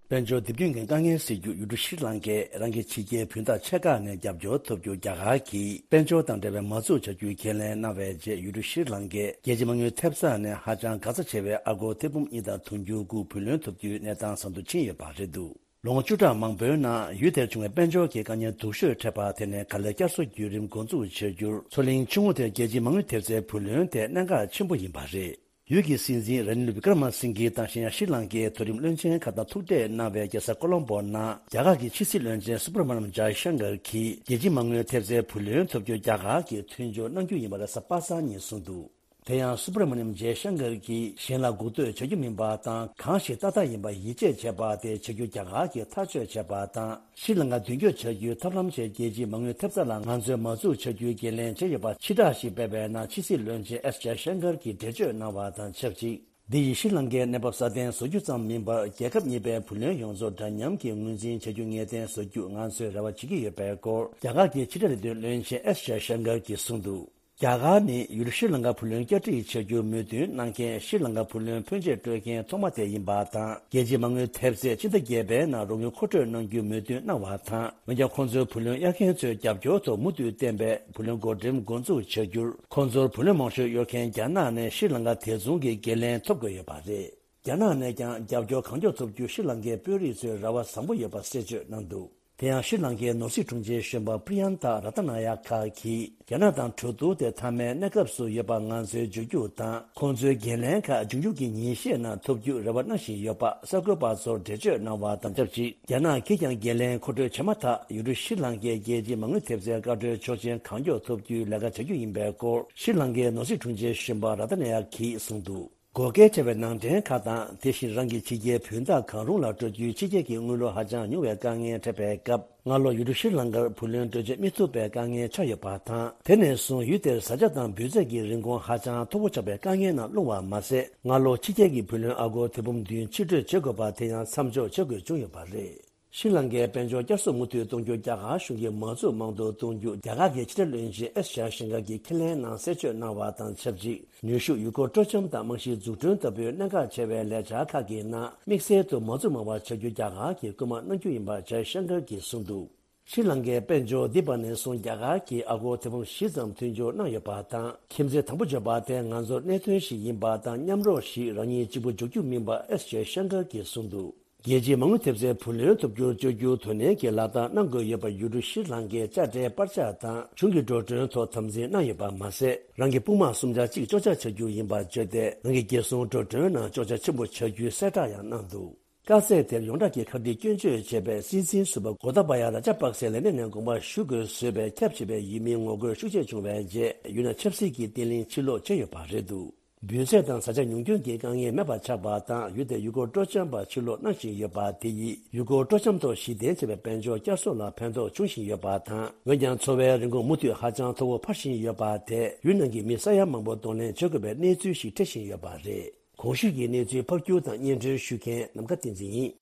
དཔལ་འབྱོར་དེབ་སྐྱེལ་མཁན་དཀའ་ངལ་སེལ་རྒྱུར་ཡུལ་གྲུ་ཤྲི་ལང་ཀས་རང་གི་ཕྱི་རྒྱལ་བུན་བདག་ཆེ་ཁག་ནས་རྒྱབ་སྐྱོར་ཐོབ་རྒྱུར་རྒྱ་གར་གྱིས་དཔལ་འབྱོར་དང་འབྲེལ་བའི་མ་འཛུགས་བྱ་རྒྱུའི་ཁས་ལེན་གནང་བའི་རྗེས། ཡུལ་གྲུ་ཤྲི་ལང་ཀས་རྒྱལ་སྤྱིའི་མ་དངུལ་ཐེབས་རྩ་ནས་ཧ་ཅང་འགག་རྩ་ཆེ་བའི་ཨ་སྒོར་ཐེར་འབུམ་གཉིས་དང་དུང་ཕྱུར་དགུ་བུ་ལོན་ཐོབ་རྒྱུའི་གནས་སྟངས་བཟང་དུ་ཕྱིན་ཡོད་པ་རེད་འདུག། ལོ་ངོ་བཅུ་ཕྲག་མང་པོའི་ནང་ཡུལ་དེར་བྱུང་བའི་དཔལ་འབྱོར་གྱི་དཀའ་ངལ་སྡུག་ཤོས་འཕྲད་པ་དེ་ནས་ག་ལེར་བསྐྱར་གསོ་བརྒྱུད་རིམ་འགོ་འཛུགས་བྱ་རྒྱུར་མཚོ་གླིང་ཆུ་ངོགས་དེར་རྒྱལ་སྤྱིའི་མ་དངུལ་ཐེབས་རྩའི་བུ་ལོན་དེ་གནད་འགག་ཆེན་པོ་ཡིན་པ་རེད། ཡུལ་གྱི་སྲིད་འཛིན་ར་ནིལ་བི་ཀྲ་མ་སིང་གི་དང་གཞན་ཡང་ཤྲི་ལང་ཀའི་མཐོ་རིམ་བློན་ཆེན་ཁག་དང་ཐུག་འཕྲད་གནང་བའི་རྒྱལ་ས་ཀོ་ལོམ་པོ་ནང་རྒྱ་གར་གྱི་ཕྱི་སྲིད་བློན་ཆེན་སུ་བྷ་ར་མ་ནམ་ཇའི་ཤང་ཀར་གྱིས་རྒྱལ་སྤྱིའི་མ་དངུལ་ཐེབས་རྩའི་བུ་ལོན་ཐོབ་རྒྱུར་རྒྱ་གར་གྱིས་མཐུན་འགྱུར་གནང་རྒྱུ་ཡིན་པ་རེད་ཟེར་པ་སངས་ཉིན་གསུངས་འདུག་དེ་ཡང་སུ་བྷ་ར་མ་ནམ་ཇའི་ཤང་ཀར་གྱིས་གཞན་ལ་མགོ་གཏོད་བྱ་རྒྱུ་མིན་པ་དང་གང་ཞིག་ཏག་ཏག་ཡིན་པ་ཡིད་ཆེས་བྱེད་པ་དེ་བྱ་རྒྱུ་རྒྱ་གར་གྱིས་ཐག་གཅོད་བྱས་པ་དང་། ཤྲི་ལང་ཀ་མདུན་སྐྱོད་བྱ་རྒྱུའི་ཐབས་ལམ་ཆེད་རྒྱལ་སྤྱིའི་མ་དངུལ་ཐེབས་རྩ་ལ་ང་ཚོས་མ་འཛུགས་བྱ་རྒྱུའི་འགན་ལེན་བྱས་ཡོད་པ་ཕྱིར་བསྒྲགས་ཤིག་སྤེལ་བའི་ནང་ཕྱི་སྲིད་བློན་ཆེན་ཨེས་ཇའི་ཤང་ཀར་གྱིས་འགྲེལ་བརྗོད་གནང་བ་དང་ཆབས་ཅིག་འདི་ཡིས་ཤྲི་ལང་ཀའི་གནས་བབ་སྲ་བརྟན་བཟོ་རྒྱུ་ཙམ་མིན་པར་རྒྱལ་ཁབ་གཉིས་པའི་བུ་ལོན་ཡོངས་རྫོགས་འདྲ་མཉམ་གྱི་ངོས་འཛིན་བྱ་རྒྱུ་ངེས་གཏན་བཟོ་རྒྱུ་ང་ཚོས་རེ་བ་བྱེད་ཀྱི་ཡོད་པའི་སྐོར་རྒྱ་གར་གྱི་ཕྱི་དྲིལ་ལས་དོན་བློན་ཆེན་ཨེས་ཇའི་ཤང་ཀར་གྱིས་གསུངས་འདུག་རྒྱ་གར་ནི་ཡུལ་ཤྲི་ལང་ཀ་བུ་ལོན་བསྐྱར་སྒྲིག་བྱ་རྒྱུར་མོས་མཐུན་གནང་མཁན་ཤྲི་ལང་ཀ་བུ་ལོན་ཕོན་ཆེ་སྤྲོད་མཁན་ཐོག་མ་དེ་ཡིན་པ་དང་། རྒྱལ་སྤྱིའི་མ་དངུལ་ཐེབས་རྩས་ཕྱི་ཟླ་བརྒྱད་པའི་ནང་རོགས་དངུལ་མཁོ་སྤྲོད་གནང་རྒྱུར་མོས་མཐུན་གནང་བ་དང་། འོན་ཀྱང་ཁོང་ཚོའི་བུ་ལོན་གཡར་མཁན་ཚོའི་རྒྱབ་སྐྱོར་ཐོག་མུ་མཐུད་བརྟན་པའི་བུ་ལོན་བགོ་འགྲེམས་འགོ་འཛུགས་བྱ་རྒྱུར། ཁོང་ཚོར་བུ་ལོན་མང་ཤོས་གཡར་མཁན་རྒྱ་ནག་ནས་ཤྲི་ལང་ཀ་དེ་མཚུངས་ཀྱི་འགན་ལེན་ཐོབ་དགོས་ཡོད་པ་རེད། རྒྱ་ནག་ནས་ཀྱང་རྒྱབ་སྐྱོར་གང་མགྱོགས་ཐོབ་རྒྱུར་ཤྲི་ལང་ཀའི་དཔོན་རིགས་ཚོས་རེ་བ་བཟང་པོ་ཡོད་པ་གསལ་བརྗོད་གནང་འདུག་དེ་ཡང་ཤྲི་ལང་ཀའི་ནོར་སྲིད་དྲུང་ཆེ་གཞོན་པ་པྲི་ཡན་ཐ་ར་ཏ་ན་ཡ་ཁ་གིས། རྒྱ་ནག་དང་གྲོས་བསྡུར་དེ་མཐའ་མའི་གནས་སྐབས་སུ་ཡོད་པ་ང་ཚོའི་བརྗོད་རྒྱུ་དང་། ཁོང་ཚོའི་འགན་ལེན་ཁག་འབྱུང་འགྱུར་གྱི་ཉིན་ཤས་ནང་ཐོབ་རྒྱུར་རེ་བ་གནང་བཞིན་ཡོད་པ་གསར་འགོད་པ་ཚོར་འགྲེལ་བརྗོད་གནང་བ་དང་ཆབས་ཅིག་རྒྱ་ནག་གིས་ཀྱང་འགན་ལེན་མཁོ་སྤྲོད་བྱས་མ་ཐག་ཡུལ་གྲུ་ཤྲི་ལང་ཀའི་རྒྱལ་སྤྱིའི་མ་དངུལ་ཐེབས་རྩའི་བཀའ་འཁྲོལ་ཆོག་མཆན་གང་མགྱོགས་ཐོབ་རྒྱུའི་ལས་ཀ་བྱ་རྒྱུ་ཡིན་པའི་སྐོར་ཤྲི་ལང་ཀའི་ནོར་སྲིད་དྲུང་ཆེ་གཞོན་པ་ར་ཏ་ན་ཡ་གིས་གསུངས་འདུག་བགོ་སྐལ་བྱས་པའི་ནང་འདྲེན་ཁག་དང་། དེ་བཞིན་རང་གི་ཕྱི་རྒྱལ་བུན་བདག་གང་རུང་ལ་སྤྲོད་རྒྱུའི་ཕྱི་རྒྱལ་གྱི་དངུལ་ལོར་ཧ་ཅང་ཉུང་བའི་དཀའ་ངལ་འཕྲད་པའི་སྐབས། སྔ་ལོ་ཡུལ་གྲུ་ཤྲི་ལང་ཀར་བུ་ལོན་སྤྲོད་བྱེད་མི་ཐུབ་པའི་དཀའ་ངལ་ཆགས་ཡོད་པ་དང་། དེ་ནས་བཟུང་ཡུལ་དེར་བཟའ་བཅའ་དང་འབུལ་རྫས་ཀྱི་རིན་གོང་ཧ་ཅང་མཐོ་པོ་ཆགས་པའི་དཀའ་ངལ་ནང་ལྷུང་བ་མ་ཟད། སྔ་ལོ་ཕྱི་རྒྱལ་གྱི་བུ་ལོན་ཨ་སྒོར་ཐེར་འབུམ་བདུན་ཕྱིར་སྤྲོད་བྱེད་དགོས་པ་དེ་ཡང་མཚམས་འཇོག་བྱེད་དགོས་བྱུང་ཡོད་པ་རེད། ཤྲི་ལང་ཀའི་དཔལ་འབྱོར་བསྐྱར་གསོ་མུ་མཐུད་གཏོང་རྒྱུ་རྒྱ་གར་གཞུང་གིས་མ་འཛུགས་དམག་འདུ་གཏོང་རྒྱུ་རྒྱ་གར་གྱི་ཕྱི་དྲིལ་བློན་ཆེན་ཨེས་ཇའི་ཤང་ཀར་གྱིས་ཁས་ལེན་གནང་གསལ་བརྗོད་གནང་བ་དང་ཆབས་ཅིག་ནུས་ཤུགས་ཡུལ་སྐོར་སྤྲོ་འཆམ་དང་རྨང་གཞིའི་འཛུགས་སྐྲུན་ལྟ་བུའི་གནད་འགག་ཆེ་བའི་ལས་འཆར་ཁག་གི་ནང་དམིགས་བསལ་དུ་མ་འཛུགས་མང་བ་བྱ་རྒྱུ་རྒྱ་གར་གྱིས་སྐུལ་མ་གནང་རྒྱུ་ཡིན་པ་ཇའི་ཤང་ཀར་གྱིས་གསུངས་འདུག་ཤྲི་ལང་ཀའི་དཔལ་འབྱོར་འདི་བར་ནས་བཟུང་རྒྱ་གར་གྱིས་ཨ་སྒོར་ཐེར་འབུམ་བཞི་ཙམ་མཐུན་སྦྱོར་གནང་ཡོད་པ་དང་། ཁྱིམ་མཚེས་དང་པོ་བརྗོད་པ་དེ་ང་ཚོར་གནད་དོན་ཞིག་ཡིན་པ་དང་། མཉམ་རོགས་ཤིག་རང་ཉིད་གཅིག་པུ་འཇོག་རྒྱུ་མིན་པ་ཨེས་ཇའི་ཤང་ཀར་གྱིས་གསུངས་འདུག་རྒྱལ་སྤྱིའི་མ་དངུལ་ཐེབས་རྩའི་བུ་ལོན་ཐོབ་རྒྱུར་བཅོལ་རྒྱུ་དོ་ནན་གྱིས་ལག་བསྟར་གནང་དགོས་ཡོད་པ་ཡུལ་གྲུ་ཤྲི་ལང་ཀའི་དཔྱ་ཁྲལ་སྤར་ཆ་དང་གཞུང་གི་འགྲོ་གྲོན་ཐོག་དམ་འཛིན་གནང་ཡོད་པ་མ་ཟད། རང་གི་དཔུང་དམག་གསུམ་ཆ་གཅིག་གཅོག་ཆ་བྱ་རྒྱུ་ཡིན་པར་བརྗོད་དེ། རང་གི་རྒྱལ་སྲུང་འགྲོ་གྲོན་ནང་གཅོག་ཆ་ཆེན་པོ་བྱ་རྒྱུའི་གསལ་བསྒྲགས་ཡང་གནང་འདུག་དཀའ་ཚེགས་དེར་ཡོངས་གྲགས་ཀྱི་ཁ་བྲལ་སྐྱོན་བརྗོད་བྱས་པའི་སྲིད་འཛིན་ཟུར་པ་གོ་ཏཱ་བ་ཡ་ར་ཇ་པག་སེ་ལས་གནས་ནས་དགོངས་པ་ཞུ་དགོས་བཟོས་པའི་ཁྱབ་ཆེ་བའི་ཡུལ་མིའི་ངོ་རྒོལ་ཤུགས་ཆེ་བྱུང་བའི་རྗེས། ཡུལ་ནང་ཆབ་སྲིད་ཀྱི་བརྟན་ལྷིང་ཕྱིར་ལོག་བྱས་ཡོད་པ་རེད་འདུག་འབུལ་ཚད་དང་བཟའ་བཅའ་ཉུང་སྐྱོན་གྱི་དཀའ་ངལ་མེད་པ་ཆགས་པ་དང་། ཡུལ་དེར་ཡུལ་སྐོར་སྤྲོ་འཆམ་པ་ཕྱིར་ལོག་གནང་བཞིན་ཡོད་པ་དེ་ཡིས། ཡུལ་སྐོར་སྤྲོ་འཆམ་ཐོག་གཞི་རྟེན་བྱས་པའི་དཔལ་འབྱོར་བསྐྱར་གསོ་ལ་ཕན་ཐོགས་འབྱུང་བཞིན་ཡོད་པ་དང་། འོན་ཀྱང་། འཚོ་བའི་རིན་གོང་མུ་མཐུད་ཧ་ཅང་མཐོ་བོ་འཕར་བཞིན་ཡོད་པ་དེས། ཡུལ་ནང་གི་མི་ས་ཡ་མང་པོ་གདོང་ལེན་བྱེད་དགོས་པའི་གནས་ཚུལ་ཞིག་འཕྲད་བཞིན་ཡོད་པ་རེད། གོང་ཞུས་ཀྱི་གནས་ཚུལ་ཕབ་སྒྱུར་དང་སྙན་སྒྲོན་ཞུ་མཁན་ནམ་མཁའ་བསྟན་འཛིན་ཡིན།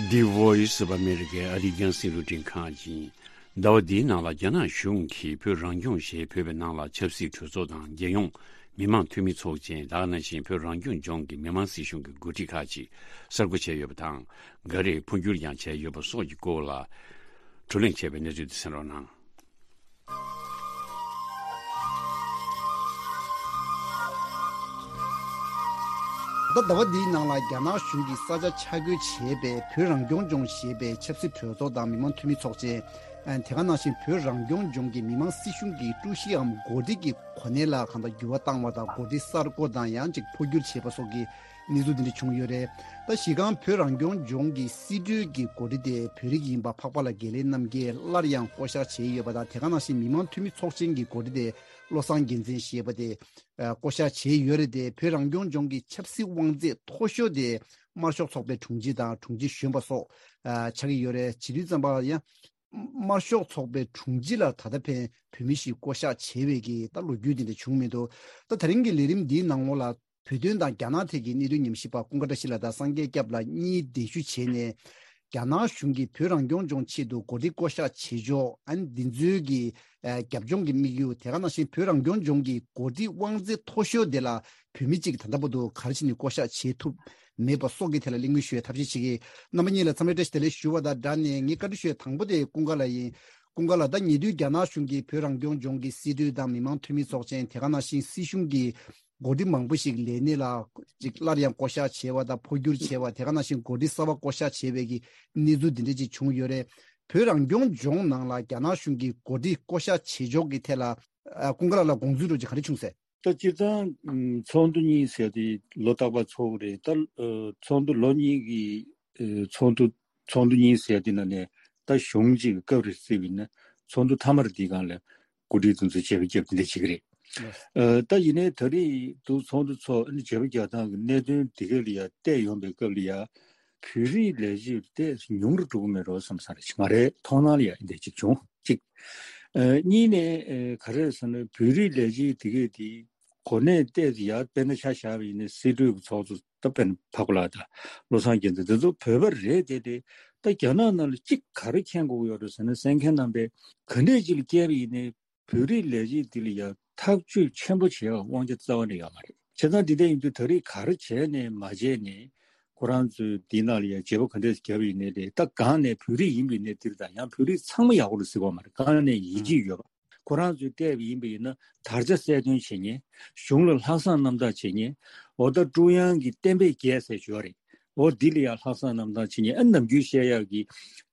The Voice of America། ཨ་རིའི་རྒྱང་སྲིང་རླུང་འཕྲིན་ཁང་ཡིན། ཟླ་བ་འདིའི་ནང་ལ་རྒྱ་ནག་གཞུང་གིས་བོད་རང་སྐྱོང་ཞེས་འབོད་པའི་ནང་ལ་ཆབ་སྲིད་གྲོས་ཚོགས་དང་། རྒྱལ་ཡོངས་མི་དམངས་འཐུས་མི་ཚོགས་ཆེན། ད་ག་ནང་བཞིན་བོད་རང་སྐྱོང་ལྗོངས་ཀྱི་མི་དམངས་སྲིད་གཞུང་གི་འགོ་ཁྲིད་ཁག་ཅིག་གསར་བསྐོ་བྱས་ཡོད་པ་དང་། འགའ་རེས་འཕོ་འགྱུར་ཡང་བྱས་ཡོད་པ་སོགས་ཀྱི་སྐོར་ལ། བགྲོ་གླེང་བྱས་པའི་གནས་ཚུལ་དེ་གསན་རོགས་གནང་། ད་ཟླ་བ་འདིའི་ནང་ལ་རྒྱ་ནག་གཞུང་གིས་ས་ཆ་ཆ་བགོས་བྱས་པའི་བོད་རང་སྐྱོང་ལྗོངས་ཞེས་པའི་ཆབ་སྲིད་གྲོས་ཚོགས་དང་མི་དམངས་འཐུས་མི་ཚོགས་ཆེན། དེ་ག་ནང་བཞིན་བོད་རང་སྐྱོང་ལྗོངས་ཀྱི་མི་དམངས་སྲིད་གཞུང་གི་ཀྲུའུ་ཞི་འམ་འགོ་ཁྲིད་ཀྱི་གོ་གནས་ལ་གང་ལྟར་འགྱུར་བ་བཏང་བ་དང་། འགོ་ཁྲིད་གསར་བསྐོ་དང་ཡང་ཅིག་འཕོ་འགྱུར་བྱས་པ་སོགས་ཀྱི་གནས་ཚུལ་འདི་འདྲ་བྱུང་ཡོད་རེད། ད་གཞི་རྐང་བོད་རང་སྐྱོང་ལྗོངས་ཀྱི་སྲིད་གྲོས་ཀྱི་འགོ་ཁྲིད་དེ་བོད་རིགས་ཡིན་པ་འཕགས་པ་ལགས་དགེ་ལེགས་རྣམ་རྒྱལ་སླར་ཡང་བསྐོ་གཞག་བྱས་ཡོད་པ་དང་། དེ་ག་ནང་བཞིན་མི་དམངས་འཐུས་མི་ཚོགས་ཆེན་གྱི་འགོ་ཁྲིད་དེ་བློ་བཟང་རྒྱལ་མཚན་ཞེས་པ་དེ་བསྐོ་གཞག་བྱས་ཡོད་རེད་དེ། བོད་རང་སྐྱོང་ལྗོངས་ཀྱི་ཆབ་སྲིད་དབང་ཚད་མཐོ་ཤོས་དེ་དམར་ཤོག་ཚོགས་པའི་དྲུང་ཆེ་དང་དྲུང་ཆེ་གཞོན་པ་སོགས་ཆགས་ཀྱི་ཡོད་རེད། བྱེད་དུས་ཙམ་པ་ཡང་། དམར་ཤོག་ཚོགས་པའི་དྲུང་ཆེ་ལ་ད་ལྟ་ཕན་བོད་མི་ཞིག་བསྐོ་གཞག་བྱས་པའི་གི་ད་ལོ་རྒྱུས་དེ་འདྲ་བྱུང་མི་འདུག་ད་ད་རིང་གི་ལས་རིམ་འདིའི་ནང་ལོགས་ལ་བོད་དོན་དང་རྒྱ་ནག་ཐད་ཀྱི་གནད་དོན་ཉམས་ཞིབ་པ་ཀུན་དགའ་བཀྲ་ཤིས་ལགས་དང་སངས་རྒྱས་སྐྱབས་ལགས་གཉིས་གདན་ཞུ་བྱས་ནས། རྒྱ་ནག་གཞུང་གིས་བོད་རང་སྐྱོང་ལྗོངས་ཆེད་དུ་འགོ་ཁྲིད་བསྐོ་གཞག་བྱེད་ཕྱོགས། ཨ་ནི་འདི་ཚོའི་གི་རྒྱབ་ལྗོངས་ཀྱི་དམིགས་ཡུལ། དེ་ག་ནང་བཞིན་བོད་རང་སྐྱོང་ལྗོངས་ཀྱི་འགོ་ཁྲིད་དབང་ཚད་མཐོ་ཤོས་དེ་ལ་བོད་མི་གཅིག་ད་ལྟ་བར་དུ་ག་རེ་བྱས་ནས་བསྐོ་གཞག་བྱེད་ཐུབ་མེད་པ་སོགས་ཀྱི་ཐད་ལ་གླེང་མོལ་ཞུ་བའི་ཐབས་ཤེས་བྱེད་ཀྱི། རྣམ་པ་གཉིས་ལ་འཚམས་འདྲི་བཀྲ་ཤིས་བདེ་ལེགས་ཞུ་བ་དང་སྦྲགས་ནས་ངས་བཀའ་འདྲི་ཞུ་ཡ་དང་པོ་དེ་ཀུན་དགའ་ལགས་ཡིན། ཀུན་དགའ་ལགས། ད་ཉེ་དུས་རྒྱ་ནག་གཞུང་གིས་བོད་རང་སྐྱོང་ལྗོངས་ཀྱི་སྲིད་གྲོས་དང་མི་དམངས་འཐུས་མི་ཚོགས་ཆེན། དེ་ག་ནང་བཞིན་སྲིད་གཞུང་གི་འགོ་ཁྲིད་མང་པོ་ཞིག་ལས་གནས་ལ་ཅིག་སླར་ཡང་བསྐོ་གཞག་བྱས་པ་དང་འཕོ་འགྱུར་བྱས་པ། དེ་ག་ནང་བཞིན་འགོ་ཁྲིད་གསར་པ་བསྐོ་གཞག་བྱས་པའི་གི་གནས་ཚུལ་འདི་འདྲ་ཅིག་བྱུང་ཡོད་རེད། བོད་རང་སྐྱོང་ལྗོངས་ནང་ལ་རྒྱ་ནག་གཞུང་གིས་འགོ་ཁྲིད་བསྐོ་གཞག་བྱེད་ཕྱོགས་ཀྱི་ཐད་ལ་ཨ་ཀུན་དགའ་ལགས་ལ་དགོངས་ཚུལ་འདྲ་ཅིག་ག་རེ་བྱུང་ཟེར། ད་སྤྱིར་བཏང་ཚོགས་འདུ་གཉིས་ཟེར་དེ་ལོ་རྟག་པར་ཚོགས་ཀྱི་རེད། ད་ཚོགས་འདུ་ལོ་གཉིས་ཀྱི་ཚོགས་འདུ་ཚོགས་འདུ་གཉིས་ཟེར་དེ་ནང་ནས་ད་གཞུང་གཅིག་གི་སྐབས་རེ་བརྩིས་པ་ཡིན་ན་ཚོགས་འདུ་མཐའ་མར་དེའི་སྒང་ལ་འགོ་ཁྲིད་དེ་ཚོ་བརྗེ་པོ་བརྒྱབ་དེ་འདྲ་བྱེད་ཀྱི་རེད། ད་ཡིན་ནའི་ད་རེས་འདུག་ཚོགས་འདུ་ཚོགས་ཨ་ནི་བརྗེ་པོ་རྒྱག་སྟངས་ཀྱི་གནད་དོན་དེ་ག་ལ་ཡ་བལྟས་ཡོང་པའི་སྐབས་ལ་ཡ་བོད་རིགས་ལས་བྱེད་དེ་ཉུང་རུ་འགྲོ་གི་མེད་འགྲོ་བསམ་ས་རེད། ང་རའི་མཐོང་སྣང་ལ་ཡ་འདི་འདྲ་ཅིག་བྱུང་གཅིག་ཨ་གཉིས་ནས་ཨ་ག་རེ་ཟེར་ན་བོད་རིགས་ལས་བྱེད་དེ་གས་དེ་གོ་གནས་བལྟས་ཏེ་ཡ་དཔེར་ན་ཆ་བཞག་པ་ཡིན་ན་སྲིད་གྲོས་ཀྱི་ཚོགས་གཙོ་ད་དཔེར་ན་འཕགས་པ་ལགས་དང་བློ་བཟང་རྒྱལ་མཚན་དེ་ཚོ་བོད་པ་རེད་དེ། དེ་ད་རྒྱ་ནག་ནང་ལ་གཅིག་ག་རེ་མཁྱེན་དགོས་ཀྱི་ཡོད་རེད་ཟེར་ན་གསན་མཁན་རྣམ་པས་ག་འདྲས་ཅིག་ལ་བསྐྱལ་བ་ཡིན་ནའི་བོད་རིགས་ལས་བྱེད་འདི་ལ་ཡང་ཐག་གཅོད་ཆེན་པོ་བྱེད་པའི་དབང་ཆ་རྩ་བ་ནས་ཡོད་མ་རེད། བྱས་ཙང་འདི་འདྲ་ཡིན་དུས་ད་རེས་ག་རེ་བྱས་ནས་མ་བྱས་ནས་ཁོ་རང་ཚོས་འདི་ནང་ལ་ཡང་བརྗེ་པོ་ག་འདྲས་བརྒྱབ་ཡིན་ནའི་རེད། ད་གང་ནས་བོད་རིགས་ཡིན་པའི་གནས་འདིར་དང་ཡང་བོད་རིགས་ཚང་མ་ཡག་པོ་རེད་ཟེར་གྱི་ཡོད་མ་རེད། གང་ནས་ཡིན་གཅིག་ཡོད་པ། ཁོ་རང་ཚོས་བལྟས་པ་ཡིན་པ་ཡིན་ན་དར་ཆ་གསལ་སྟོན་བྱེད་མཁན། གཞུང་ལ་ལྷག་བསམ་རྣམ་དག་བྱེད་མཁན། འོ་ད་ཀྲུང་དབྱང་གི་གཏན་འབེབས་བརྒྱད་ཟེར་ཞུ་བ་རེད། འོ་འདི་ལ་ཡང་ལྷག་བསམ་རྣམ་དག་བྱེད་མཁན། ཨ་ནམ་རྒྱུན་བཤད་ཡག་གི་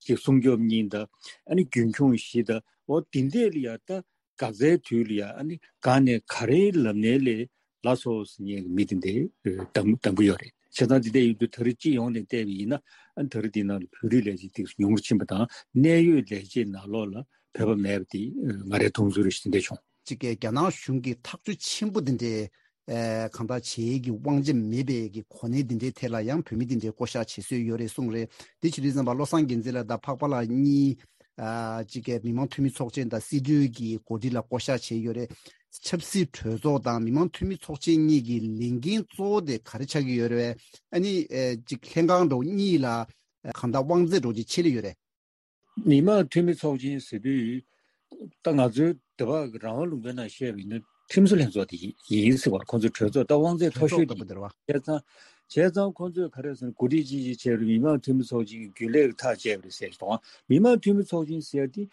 ཅིག་སྲུང་སྐྱོབ་གཉིས་དང་། ཨ་ནི་རྒྱུན་འཁྱོངས་བཞི་དང་། འོ་འདི་འདྲས་ལ་ཡང་ད་འགག་རྩའི་དུས་ལ་ཡང་ཨ་ནི་གང་ནས་ག་རེའི་ལམ་སྣེ་ལས་ལ་སོགས་ཟེར་མཁན་གྱི་མི་དེ་འདྲས་གདམ་གདམ་གྱི་ཡོད་རེད། བྱས་ཙང་འདི་འདྲས་ཡིན་དུས་ད་རེས་སྤྱི་ཡོངས་ནས་བལྟས་པ་ཡིན་ན་ཨ་ནི་ད་རེས་འདི་ནང་ལ་བོད་རིགས་ལས་བྱེད་དེ་ཉུང་རུ་ཕྱིན་པ་དང་། གནད་ཡོད་ལས་བྱེད་ནང་ལོགས་ལ་བོད་པ་མེད་པ་དེ་ང་རའི་མཐོང་ཚུལ་རེ་ཞིག་དེ་འདྲས་བྱུང་། གཅིག་གིས་རྒྱ་ནག་གཞུང་གིས་ཐག་གཅོད་ཆེན་པོ་དེ་འདྲས་ཨེ་གང་ལྟར་བྱེད་ཀྱི་དབང་ཆ་མེད་པའི་གི་གོ་གནས་དེ་འདྲའི་ཐད་ལ་ཡང་བོད་མི་དེ་འདྲའི་བསྐོ་གཞག་བྱེད་སྲོལ་ཡོད་རེད་གསུངས་རེད། དེ་བྱེད་དུས་ཙམ་པ་བློ་བཟང་རྒྱལ་མཚན་ལགས་དང་འཕགས་པ་ལགས་གཉིས་ཨ་གཅིག་གིས་མི་དམངས་འཐུས་མི་ཚོགས་ཆེན་དང་སྲིད་གྲོས་ཀྱི་འགོ་ཁྲིད་ལ་བསྐོ་གཞག་བྱས་ཡོད་རེད། ཆབ་སྲིད་གྲོས་ཚོགས་དང་མི་དམངས་འཐུས་མི་ཚོགས་ཆེན་གཉིས་ཀྱི་ལས་འགན་གཙོ་བོ་དེ་ག་རེ་ཆགས་ཀྱི་ཡོད་རེད་པས། ཨ་ནི་ཨེ་གཅིག་ལྷན་ཁང་འདྲ་བོ་གཉིས་ལ་ཨ་གང་ལྟར་དབང་ཚད་འདྲ་བོ་ཅིག་ཆད་ལེ་ཡོད་རེད། མི་དམངས་འཐུས་མི་ཚོགས་ཆེན་ཟེར་དུས། ད་ང་ཚོའི་འདི་བ་གི་རང་དབང་ལུང་པའི་ནང་བཤད་པ་ཡིན་ན་ཁྲིམས་བཟོ་ལྷན་ཚོགས་དེ་ཡིན་ཟེར་བ། ཁོང་ཚོའི་གྲོས་ཚོགས་ད་དབང་ཚད་མཐོ་ཤོས་དེ་ཡིན། བྱས་ཙང་། བྱས་ཙང་ཁོང་ཚོས་ག་རེ་ཟེར་ན་འགོ་ཁྲིད་ཅིག་ཅིག་བྱས་རུང་མི་དམངས་འཐུས་མི་ཚོགས་ཆེན་གྱི་རྒྱུན་ལས་ཀྱི་ཐག་བཅད་པ་རེད་ཟེར་གྱི་འདུག་མི་དམངས་འཐུས་མི་ཚོགས་ཆེན་ཟེར་དེ་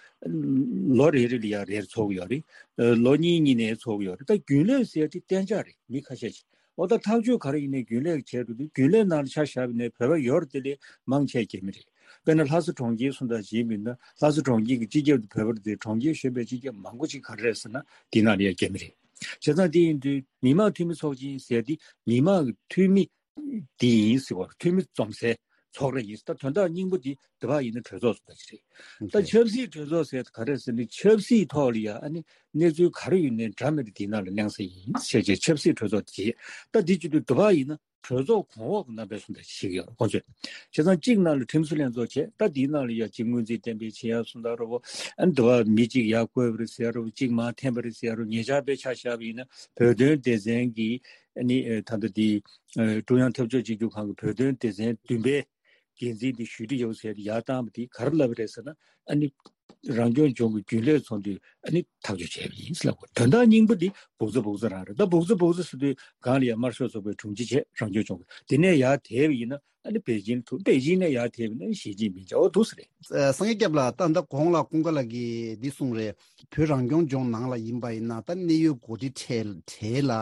ལོ་རེ་རེ་ལ་ཡ་རེར་ཚོགས་ཀྱི་ཡོད་རེད། ལོ་གཉིས་གཉིས་ནས་ཚོགས་ཀྱི་ཡོད་རེད། ད་རྒྱུན་ལས་ཟེར་དེ་གཏན་འཇགས་རེད། མི་ཁ་ཤས་ཤིག་འོ་ད་ཐག་གཅོད་ག་རེ་ཡིན་ནའི་རྒྱུན་ལས་བྱས་འགྲོ་དུས་རྒྱུན་ལས་ནང་ལ་ཆ་བཞག་པ་ཡིན་ནའི་བོད་པ་ཡོད་རེད་དེ་ལས་མང་ཆེ་རྒྱ་མི་རེད། དཔེར་ན་ལྷ་ས་གྲོང་ཁྱེར་སུ་འདྲ་ཞིག་ཡིན་ན་ལྷ་ས་གྲོང་ཁྱེར་གྱི་སྤྱི་ཁྱབ་དེ་བོད་པ་རེད་དེ་གྲོང་ཁྱེར་གཞན་པའི་སྤྱི་ཁྱབ་མང་པོ་ཅིག་ག་རེ་རེད་ཟེར་ན་དེ་ནང་ལ་ཡང་རྒྱ་མི་རེད། བྱས་ཙང་དེ་ཡིན་དུས་མི་དམངས་འཐུས་མི་ཚོགས་ཆེན་ཟེར་དེ་མི་དམངས་ཀྱི་འཐུས་མི་དེ་ཡིན་ཟེར་བ། འཐུས་མི་འཛོམས་སའི་ཚོགས་ར་ཡིན། ད་དོན་དག་སྙིང་པོ་དེ་དེ་བ་ཡིན་ན་གྲོས་ཚོགས་སུ་འདྲ་ཅིག་རེད། ད་ཆབ་སྲིད་གྲོས་ཚོགས་ཟེར་ག་རེ་ཟེར་ན་ཆབ་སྲིད་ཐོག་ལ་ཡ་ཨ་ནི་གནས་ཚུལ་ག་རེ་ཡོད་ནའི་འདྲ་མི་འདྲ་དེའི་ནང་ལ་གླེང་ས་ཡིན་ཞེས་བྱས་ཆབ་སྲིད་གྲོས་ཚོགས་དེ་བྱེད། ད་འདི་བྱེད་དུས་དེ་བ་ཡིན་ན་གྲོས་ཚོགས་གོང་འོག་གི་རྣམ་པའི་སུ་འདྲ་ཞིག་ཡོད་རེད་ཁོང་ཚོས། བྱས་ཙང་གཅིག་ནང་ལ་ཁྲིམས་བཟོ་ལྷན་ཚོགས་བྱས། ད་དེའི་ནང་ལ་ཡ་གཅིག་སྔོན་རྩིས་གཏན་འབེབས་བྱེད་ཡ་སུ་འདྲ་རོ། ཨ་ནི་དེ་བ་མི་གཅིག་ཡར་བསྐོས་པ་རེད་ཟེར་ཡ་རོ། གཅིག་མར་འཐེན་པ་རེད་ཟེར་ཡ་རོ། ཉེ་ཆར་དཔེ་ཆ་བཞག་པ་ཡིན་ན་བོད་དོན་སྡེ་ཚན་གྱི་ཨ་ནི་ད་ལྟ་དེ་ཀྲུང་དབྱང་འཐབ་ཕྱོགས་གཅིག་གྱུར་ཁང་གི་བོད་དོན་སྡེ་ཚན་བདུན་པའི་འགན་འཛིན་དེ་ཞུས་ཏེ་ཡོད་ཟེར་ཡར་བཏང་བ་དེ་ག་རེ་ལབ་པ་རེད་ཟེར་ན། ཨ་ནི་རང་སྐྱོང་ལྗོངས་ཀྱི་རྒྱུན་ལས་ཚོགས་འདུས་ཨ་ནི་ཐག་གཅོད་བྱས་པ་ཡིན་ཟེར་ལབ་དགོས། དོན་དག་སྙིང་པོ་འདི་སྦུག་ཚ་སྦུག་ཚ་རང་རེད། ད་སྦུག་ཚ་སྦུག་ཚ་ཟེར་དུས་སྒང་ལ་ཡ་དམར་ཤོག་ཚོགས་པའི་དྲུང་ཆེ་བྱས། རང་སྐྱོང་ལྗོངས་ཀྱི་དེ་ནས་ཡར་དེད་པ་ཡིན་ན་ཨ་ནི་པེ་ཅིན་དུ། པེ་ཅིན་ནས་ཡར་དེད་པ་ཡིན་ན་ཞི་ཅིན་ཕིང་བྱས། འོ་འདུག་ས་རེད། ཨ་སངས་རྒྱས་སྐྱབས་ལགས། ད་ལྟ་གོང་ལ་ཀུན་དགའ་ལགས་ཀྱིས་འདི་གསུངས་རེད། བོད་རང་སྐྱོང་ལྗོངས་ནང་ལ་ཡིན་པ་ཡིན་ན་ད་གནད་ཡོད་འགོ་ཁྲིད་གྲས་གྲས་ལ་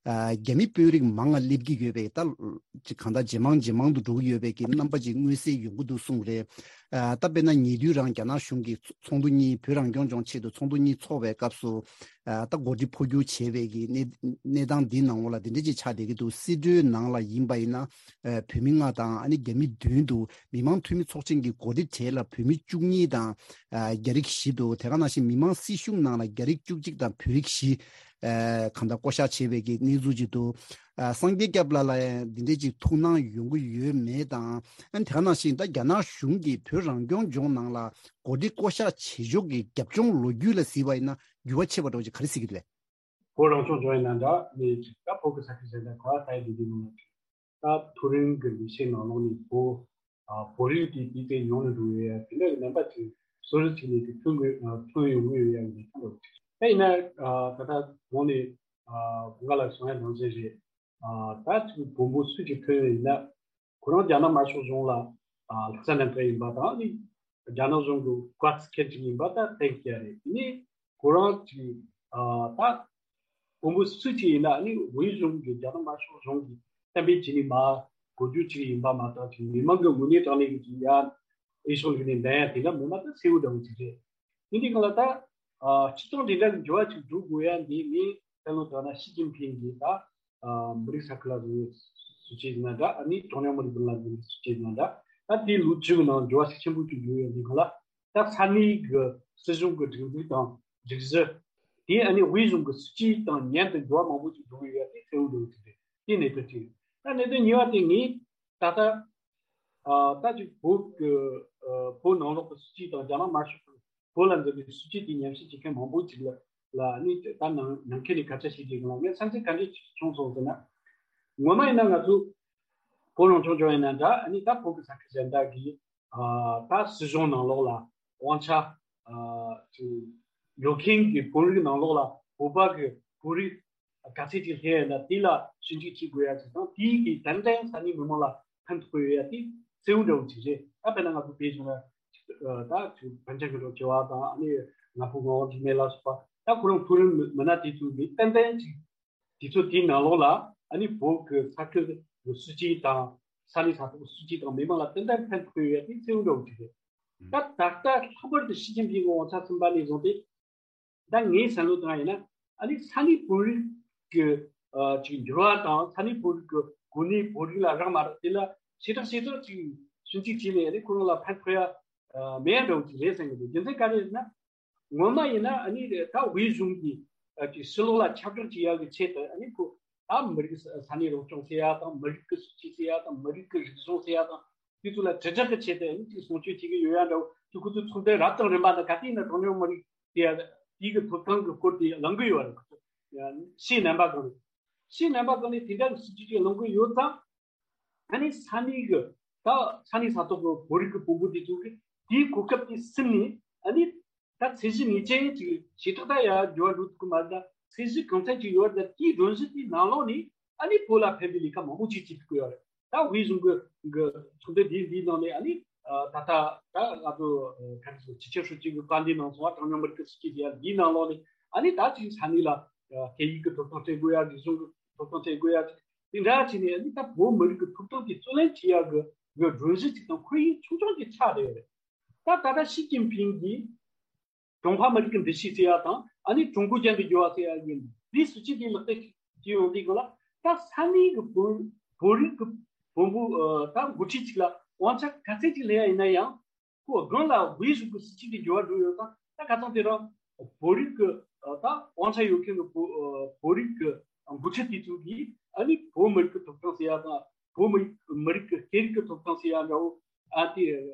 ཨ་རྒྱ་མི་དཔོན་རིགས་མང་ང་སླེབས་ཀྱི་ཡོད་པས། ད་ཅིག་གང་ལྟར་ཇེ་མང་ཇེ་མང་དུ་འགྲོ་གི་ཡོད་པའི་གི་རྣམ་པ་ཅིག་མངོན་གསལ་ཡོང་གི་འདུག་གསུངས་རེད། ཨ་ད་དཔེར་ན་ཉེ་དུས་རང་རྒྱ་ནག་གཞུང་གིས་ཚོགས་འདུ་གཉིས། བོད་རང་སྐྱོང་ལྗོངས་ཆེད་དུ་ཚོགས་འདུ་གཉིས་ཚོགས་པའི་སྐབས་སུ་ཨ་ད་འགོ་ཁྲིད་འཕོ་འགྱུར་བྱས་པའི་གི་གནས་གནས་སྟངས་འདི་ནང་ལ་འདི་འདྲ་ཅིག་ཆགས་བསྡད་ཀྱི་འདུག་སྲིད་གྲོས་ནང་ལ་ཡིན་པ་ཡིན་ན་ཨ་བོད་མི་ལྔ་དང་ཨ་ནི་རྒྱ་མི་བདུན་འདུག་མི་དམངས་འཐུས་མི་ཚོགས་ཆེན་གྱི་འགོ་ཁྲིད་གྲས་ལ་བོད་མི་བཅུ་གཉིས་དང་ཨ་རྒྱ་རིགས་བཞི་འདུག་དེ་ག་ནང་བཞིན་མི་དམངས་སྲིད་གཞུང་ནང་ལ་རྒྱ་རིགས་བཅུ་གཅིག་དང་བོད་རིགས་བཞི་ཨ་གང་ལྟར་བསྐོ་གཞག་བྱས་པའི་གི་གནས་ཚུལ་ཅིག་འདུག་ཨ་སངས་རྒྱས་སྐྱབས་ལགས་ལ་ཡང་འདི་འདྲས་ཅིག་ཐུགས་སྣང་ཡོང་གི་ཡོད་མེད་དང་། ཨ་ནི་དེ་ག་ནང་བཞིན་ད་རྒྱ་ནག་གཞུང་གིས་བོད་རང་སྐྱོང་ལྗོངས་ནང་ལ་འགོ་ཁྲིད་བསྐོ་གཞག་བྱེད་ཕྱོགས་ཀྱི་རྒྱབ་ལྗོངས་ལོ་རྒྱུས་ལ་གཟིགས་པ་ཡིན་ན་འགྱུར་བ་ཆེ་བ་འདྲ་བོ་ཅིག་ག་རེ་གཟིགས་ཀྱི་རེད། བོད་རང་སྐྱོང་ལྗོངས་ཡིན་ན་འདྲ་ནི་ཅིག་ད་བོད་ཀྱི་ས་ཆ་གཞན་དང་ག་བ་ད་ཡི་འདི་འདི་མིན་ན་ཅིག་ད་མཐོ་རིམ་གྱི་ལས་བྱེད་ནང་ལོགས་ནས་བོད་ཨ་བོད་རིགས་དེ་དེ་དེ་ཡོང་ནས་འགྲོ་ཡོད་ཡ་དེ་འདྲ་གི་རྣམ་པ་ཅིག་སོ་སོ་ཅིག་ནས་ཀྱི་ཐོན་དགོས་ཨ་ཐོན་ཡོང་གི་ཡོད་ཡ་གི་ལས་ཀ་ལོ་ཅིག་ད་ཡིན་ན་ཨ་ད་ལྟ་གོང་ནས་ཨ་གོང་དཀར་ལགས་གསུང་ཡ་ནང་བཞིན་རེད། ཨ་ད་ཅིག་དགོངས་པ་སུ་ཅིག་ཐོན་ཡོད་ཡིན་ན་ཁོ་རང་རྒྱ་ནག་དམར་ཤོག་གཞུང་ལ་ཨ་ལྷག་བསམ་རྣམ་དག་ཡིན་པ་དང་ནི། རྒྱ་ནག་གཞུང་གི་བཀའ་བརྩི་མཁན་ཅིག་ཡིན་པ་ད་གཏན་འཁེལ་རེད། དེ་ནས་ཁོ་རང་ཅིག་ཨ་ད་དཔོན་པོ་སུ་ཅིག་ཡིན་ན་ཨ་ནི་དབུས་གཞུང་གི་རྒྱ་ནག་དམར་ཤོག་གཞུང་གི་གཏན་འབེབས་བྱས་ནས་མར་འགོ་རྒྱུ་ཅིག་ཡིན་པ་མ་གཏོགས་ཅིག་མི་མང་གི་ངོས་ནས་དྲང་གནས་ཀྱི་ཅིག་ཡ་འོས་ཤོག་ལུག་ནས་འདེམས་ཡ་དེ་འདྲ་མེད་ན་ད་གསལ་བོ་འདྲ་བོ་ཅིག་རེད། ཡིན་དུས་གང་ལ་ད་ཨ་སྤྱི་བཏང་དེ་འདྲ་གི་འགྱུར་བ་ཅིག་འགྲོ་དགོས་ཡ་འདི་ངས་བསམ་བློ་བཏང་ན་ཞི་ཅིན་ཕིང་གིས་ད་ཨ་མི་རིགས་ས་ཁུལ་ལ་བཟོ་བའི་སྲིད་ཇུས་ཡིན་ན་འདྲ། ཨ་ནི་གྲངས་ཉུང་མི་རིགས་ཀུན་ལ་བཟོ་བའི་སྲིད་ཇུས་ཡིན་ན་འདྲ། ད་དེའི་ལོ་བཅུ་གི་ནང་འགྱུར་བ་ཤུགས་ཆེན་པོ་ཅིག་འགྲོ་ཡོད་འདི་གང་ལ། ད་ས་གནས་ཀྱི་སྲིད་གཞུང་གི་སྒྲིག་འཛུགས་དང་སྒྲིག་གཞི། དེ་ཨ་ནི་དབུས་གཞུང་གི་སྲིད་ཇུས་དང་མཉམ་དུ་འགྱུར་བ་མང་པོ་ཅིག་འགྲོ་གི་ཡོད་པ་དེ་གསལ་བོ་འགྲོ་གི་འདུག་དེ་གནད་དོན་གཅིག་རེད། ད་གནད་དོན་གཉིས་པ་དེ་ངས་ད་ལྟ་ཨ་ད་ཅིག་བོད་ཀྱི་ཨ་བོད་ནང་ལོགས་ཀྱི་སྲིད་ཇུས་དང་རྒྱ་ནག་དམར་ཤོག་གི་བོད་ལ་འཛིན་པའི་སྲིད་ཇུས་དེ་ཉམས་ཞིབ་བྱེད་མཁན་མང་པོ་ཅིག་ལ་ལ་ཨ་ནི་ད་ནང་ནང་ཁུལ་ནས་སྐད་ཆ་བཤད་ཀྱི་ཡོད་ལ། ངས་བསམ་ཚུལ་ག་འདྲ་བྱུང་སོང་ཟེར་ན། ངོ་མ་ཡིན་ན་ང་ཚོ་བོད་རང་སྐྱོང་ལྗོངས་ཡིན་ན་འདྲ། ཨ་ནི་ད་བོད་ཀྱི་ས་ཁུལ་གཞན་དག་གི་ཨ་ད་སྲིད་གཞུང་ནང་ལོགས་ལ་དབང་ཆ་ཨ་ཅིག་ཡོད་མཁན་གྱི་བོད་རིགས་ནང་ལོགས་ལ་བོད་པ་གི་བོད་རིགས་ག་ཚད་ཅིག་སླེབས་ཡོད་ན་དེ་ལ་ཞིབ་འཇུག་བྱེད་དགོས་ཡ་ཅིག་དང་། དེའི་གི་ཏན་ཏན་ས་གནས་མི་མང་ལ་ཕན་ཐོགས་ཡོད་ཡ་དེ་གསལ་བོ་འདྲ་བོ་ཅིག་རེད། ད་དཔེར་ན་ང་ཚོ་བོད་གཞུང་ལ་ཨ་ད་ཅིག་པཎ་ཆེན་སྐུ་ཕྲེང་བཅུ་པ་དང་། ཨ་ནི་ང་ཕོད་ངག་དབང་འཇིགས་མེད་ལ་སོགས་པ་ད་ཁོ་རང་བོད་རིགས་མི་མི་སྣ་དེ་ཚོ་གི་ཏན་ཏན་ཅིག་དུས་ཚོད་དེའི་ནང་ལོགས་ལ་ཨ་ནི་བོད་ཀྱི་ས་ཁུལ་གྱི་སྲིད་ཇུས་དང་ས་གནས་ས་ཐོག་གི་སྲིད་ཇུས་དང་མི་མང་ལ་ཏན་ཏན་ཕན་ཐོགས་ཡོད་པའི་གསལ་བོ་འདྲ་བོ་ཅིག་རེད། ད་ད་ལྟ་ལྷག་པར་དུ་ཞི་ཅིན་ཕིང་གི་དབང་ཆ་ཟིན་པ་ནས་བཟུང་སྟེ། ད་ངའི་བསམ་བློ་བཏང་ཡིན་ན་ཨ་ནི་ས་གནས་བོད་རིགས་ཀྱི་ཨ་ཅིག་འགྱུར་བ་དང་ས་གནས་བོད་རིགས་ཀྱི་གོ་གནས། བོད་རིགས་ལ་རག་མ་རག་དེ་ལ་ཞེ་དྲག་ཞེ་དྲག་ཅིག་ཞིབ་འཇུག་བྱས་ནས་ཨ་ནི་ཁོ་རང་ལ་ཕན་ཐོགས་ཡ་ཨ་མེད་ཡ་འདྲ་བོ་ཅིག་རེད་བསམ་གྱི་འདུག་རྒྱུ་མཚན་ག་རེ་རེད་ན། ངོ་མ་ཡིན་ན་ཨ་ནི་ད་དབུས་གཞུང་གིས་ཨ་ཅིག་ཕྱི་ལོགས་ལ་ཁྱབ་བསྒྲགས་བྱེད་ཡག་གི་ཆེད་དུ་ཨ་ནི་ཁོ་ད་མི་རིགས་ས་ས་གནས་རང་སྐྱོང་ཟེར་ཡ་དང་། མི་རིགས་ཀྱི་སྲིད་ཇུས་ཟེར་ཡ་དང་། མི་རིགས་ཀྱི་རིག་གཞུང་ཟེར་ཡ་དང་། དེ་ཚོ་ལ་དྲིལ་བསྒྲགས་ཀྱི་ཆེད་དུ་ཨ་ནི་ཅིག་སྲུང་སྐྱོབ་བྱེད་ཀྱི་ཡོད་ཡ་འདྲ་བོ་ཅིག་ཁོ་ཚོའི་ཚོགས་འདུ་རབ་དང་རིམ་པ་དང་། ག་དུས་ཡིན་ན་གྲངས་ཉུང་མི་རིགས་དེ་དེའི་གི་ཐོབ་ཐང་གི་སྐོར་དེ་གླེང་གི་ཡོད་རེད། ཕྱིའི་རྣམ་པ་གང་ནས་ཕྱིའི་རྣམ་པ་གང་ནས་དེ་འདྲ་གི་སྲིད་ཇུས་ཅིག་གླེང་གི་ཡོད་ཙང་། ཨ་ནི་ས་གནས་ཀྱི་ད་ས་གནས་ས་ཐོག་གི་བོད་རིགས་ཀྱི་དཔོན་པོ་དེ་ཚོ་གིས་དེའི་གོ་སྐབས་དེ་ཟིན་ནས། ཨ་ནི་ད་ཚད་གཞི་ངེས་ཅན་ཅིག་ཞེ་དྲག་ད་ཡར་འགྱུར་བ་འགྲོ་ཐུབ་ཀྱི་མ་རེད། ད་ཚད་གཞི་གང་འཚམ་ཅིག་ཡོད་རེད། ད་དེའི་སྒྲོམ་གཞི་དེའི་ནང་ལོགས་ནས་ཨ་ནི་བོད་ལ་ཕན་པའི་ལས་ཀ་མང་པོ་ཅིག་བྱེད་ཐུབ་ཀྱི་ཡོད་རེད། ད་དབུས་གཞུང་གི་གི་ཚོགས་འདུ་འདིའི་འདིའི་ནང་ནས་ཨ་ནི་ཨ་ད་ལྟ་ད་ང་ཚོ་ཨ་ག་རེ་ཟེར། སྤྱི་ཁྱབ་ཧྲུའུ་ཅི་གི་བཀའ་འདི་གནང་སོང་བ། གྲངས་ཉུང་མི་རིགས་ཀྱི་སྲིད་ཇུས་དེ་ཡང་འདིའི་ནང་ལོགས་ནས་ཨ་ནི་ད་ཅིག་ས་གནས་ལ་ཨ་སྐད་ཡིག་གི་ཐོབ་ཐང་སྤྲད་དགོས་ཡ། རིག་གཞུང་གི་ཐོབ་ཐང་སྤྲད་དགོས་ཡ། དེ་འདྲ་བྱས་ནས་ཨ་ནི་ད་བོད་མི་རིགས་ཀྱི་ཐོབ་ཐང་དེ་རྩོད་ལེན་བྱེད་ཡ་གི་གི་སྒྲོམ་གཞི་ཅིག་དང་ཁོར་ཡུག་ཆུང་ཆུང་ཅིག་ཆགས་བསྡད་ཡོད་རེད། ད་ད་ལྟ་ཞི་ཅིན་ཕིང་གིས་ཀྲུང་ཧྭ་མི་རིགས་ཀྱི་འདུ་ཤེས་ཟེར་ཡ་དང་། ཨ་ནི་ཀྲུང་གོ་ཅན་དུ་འགྱུར་བ་ཟེར་ཡ་གི་འདིའི་སྲིད་ཇུས་དེ་ལག་བསྟར་བྱེད་ཡོང་དུས་སྒང་ལ། ད་ས་གནས་ཀྱི་བོད་བོད་རིགས་ཀྱི་དཔོན་པོ་ཨ་ད་འགོ་ཁྲིད་ཅིག་ལ་དབང་ཆ་ག་ཚད་ཅིག་སླེབས་ཡ་ཡིན་ན་ཡང་། ཁོ་སྒང་ལ་དབུས་གཞུང་གི་སྲིད་ཇུས་དེ་འགྱུར་བ་འགྲོ་ཡོད་ཙང་། ད་ཁ་སང་དེ་རིང་བོད་རིགས་ཀྱི་ཨ་ད་དབང་ཆ་ཡོད་མཁན་གྱི་བོད་ཨ་བོད་རིགས་ཀྱི་འགོ་ཁྲིད་དེ་ཚོ་གིས་ཨ་ནི་བོད་མི་རིགས་ཀྱི་ཐོབ་ཐང་ཟེར་ཡ་དང་། བོད་མི་རིགས་མི་རིགས་ཀྱི་སྐད་རིགས་ཀྱི་ཐོབ་ཐང་ཟེར་ཡ་འདྲ་བོ། ཨ་དེ་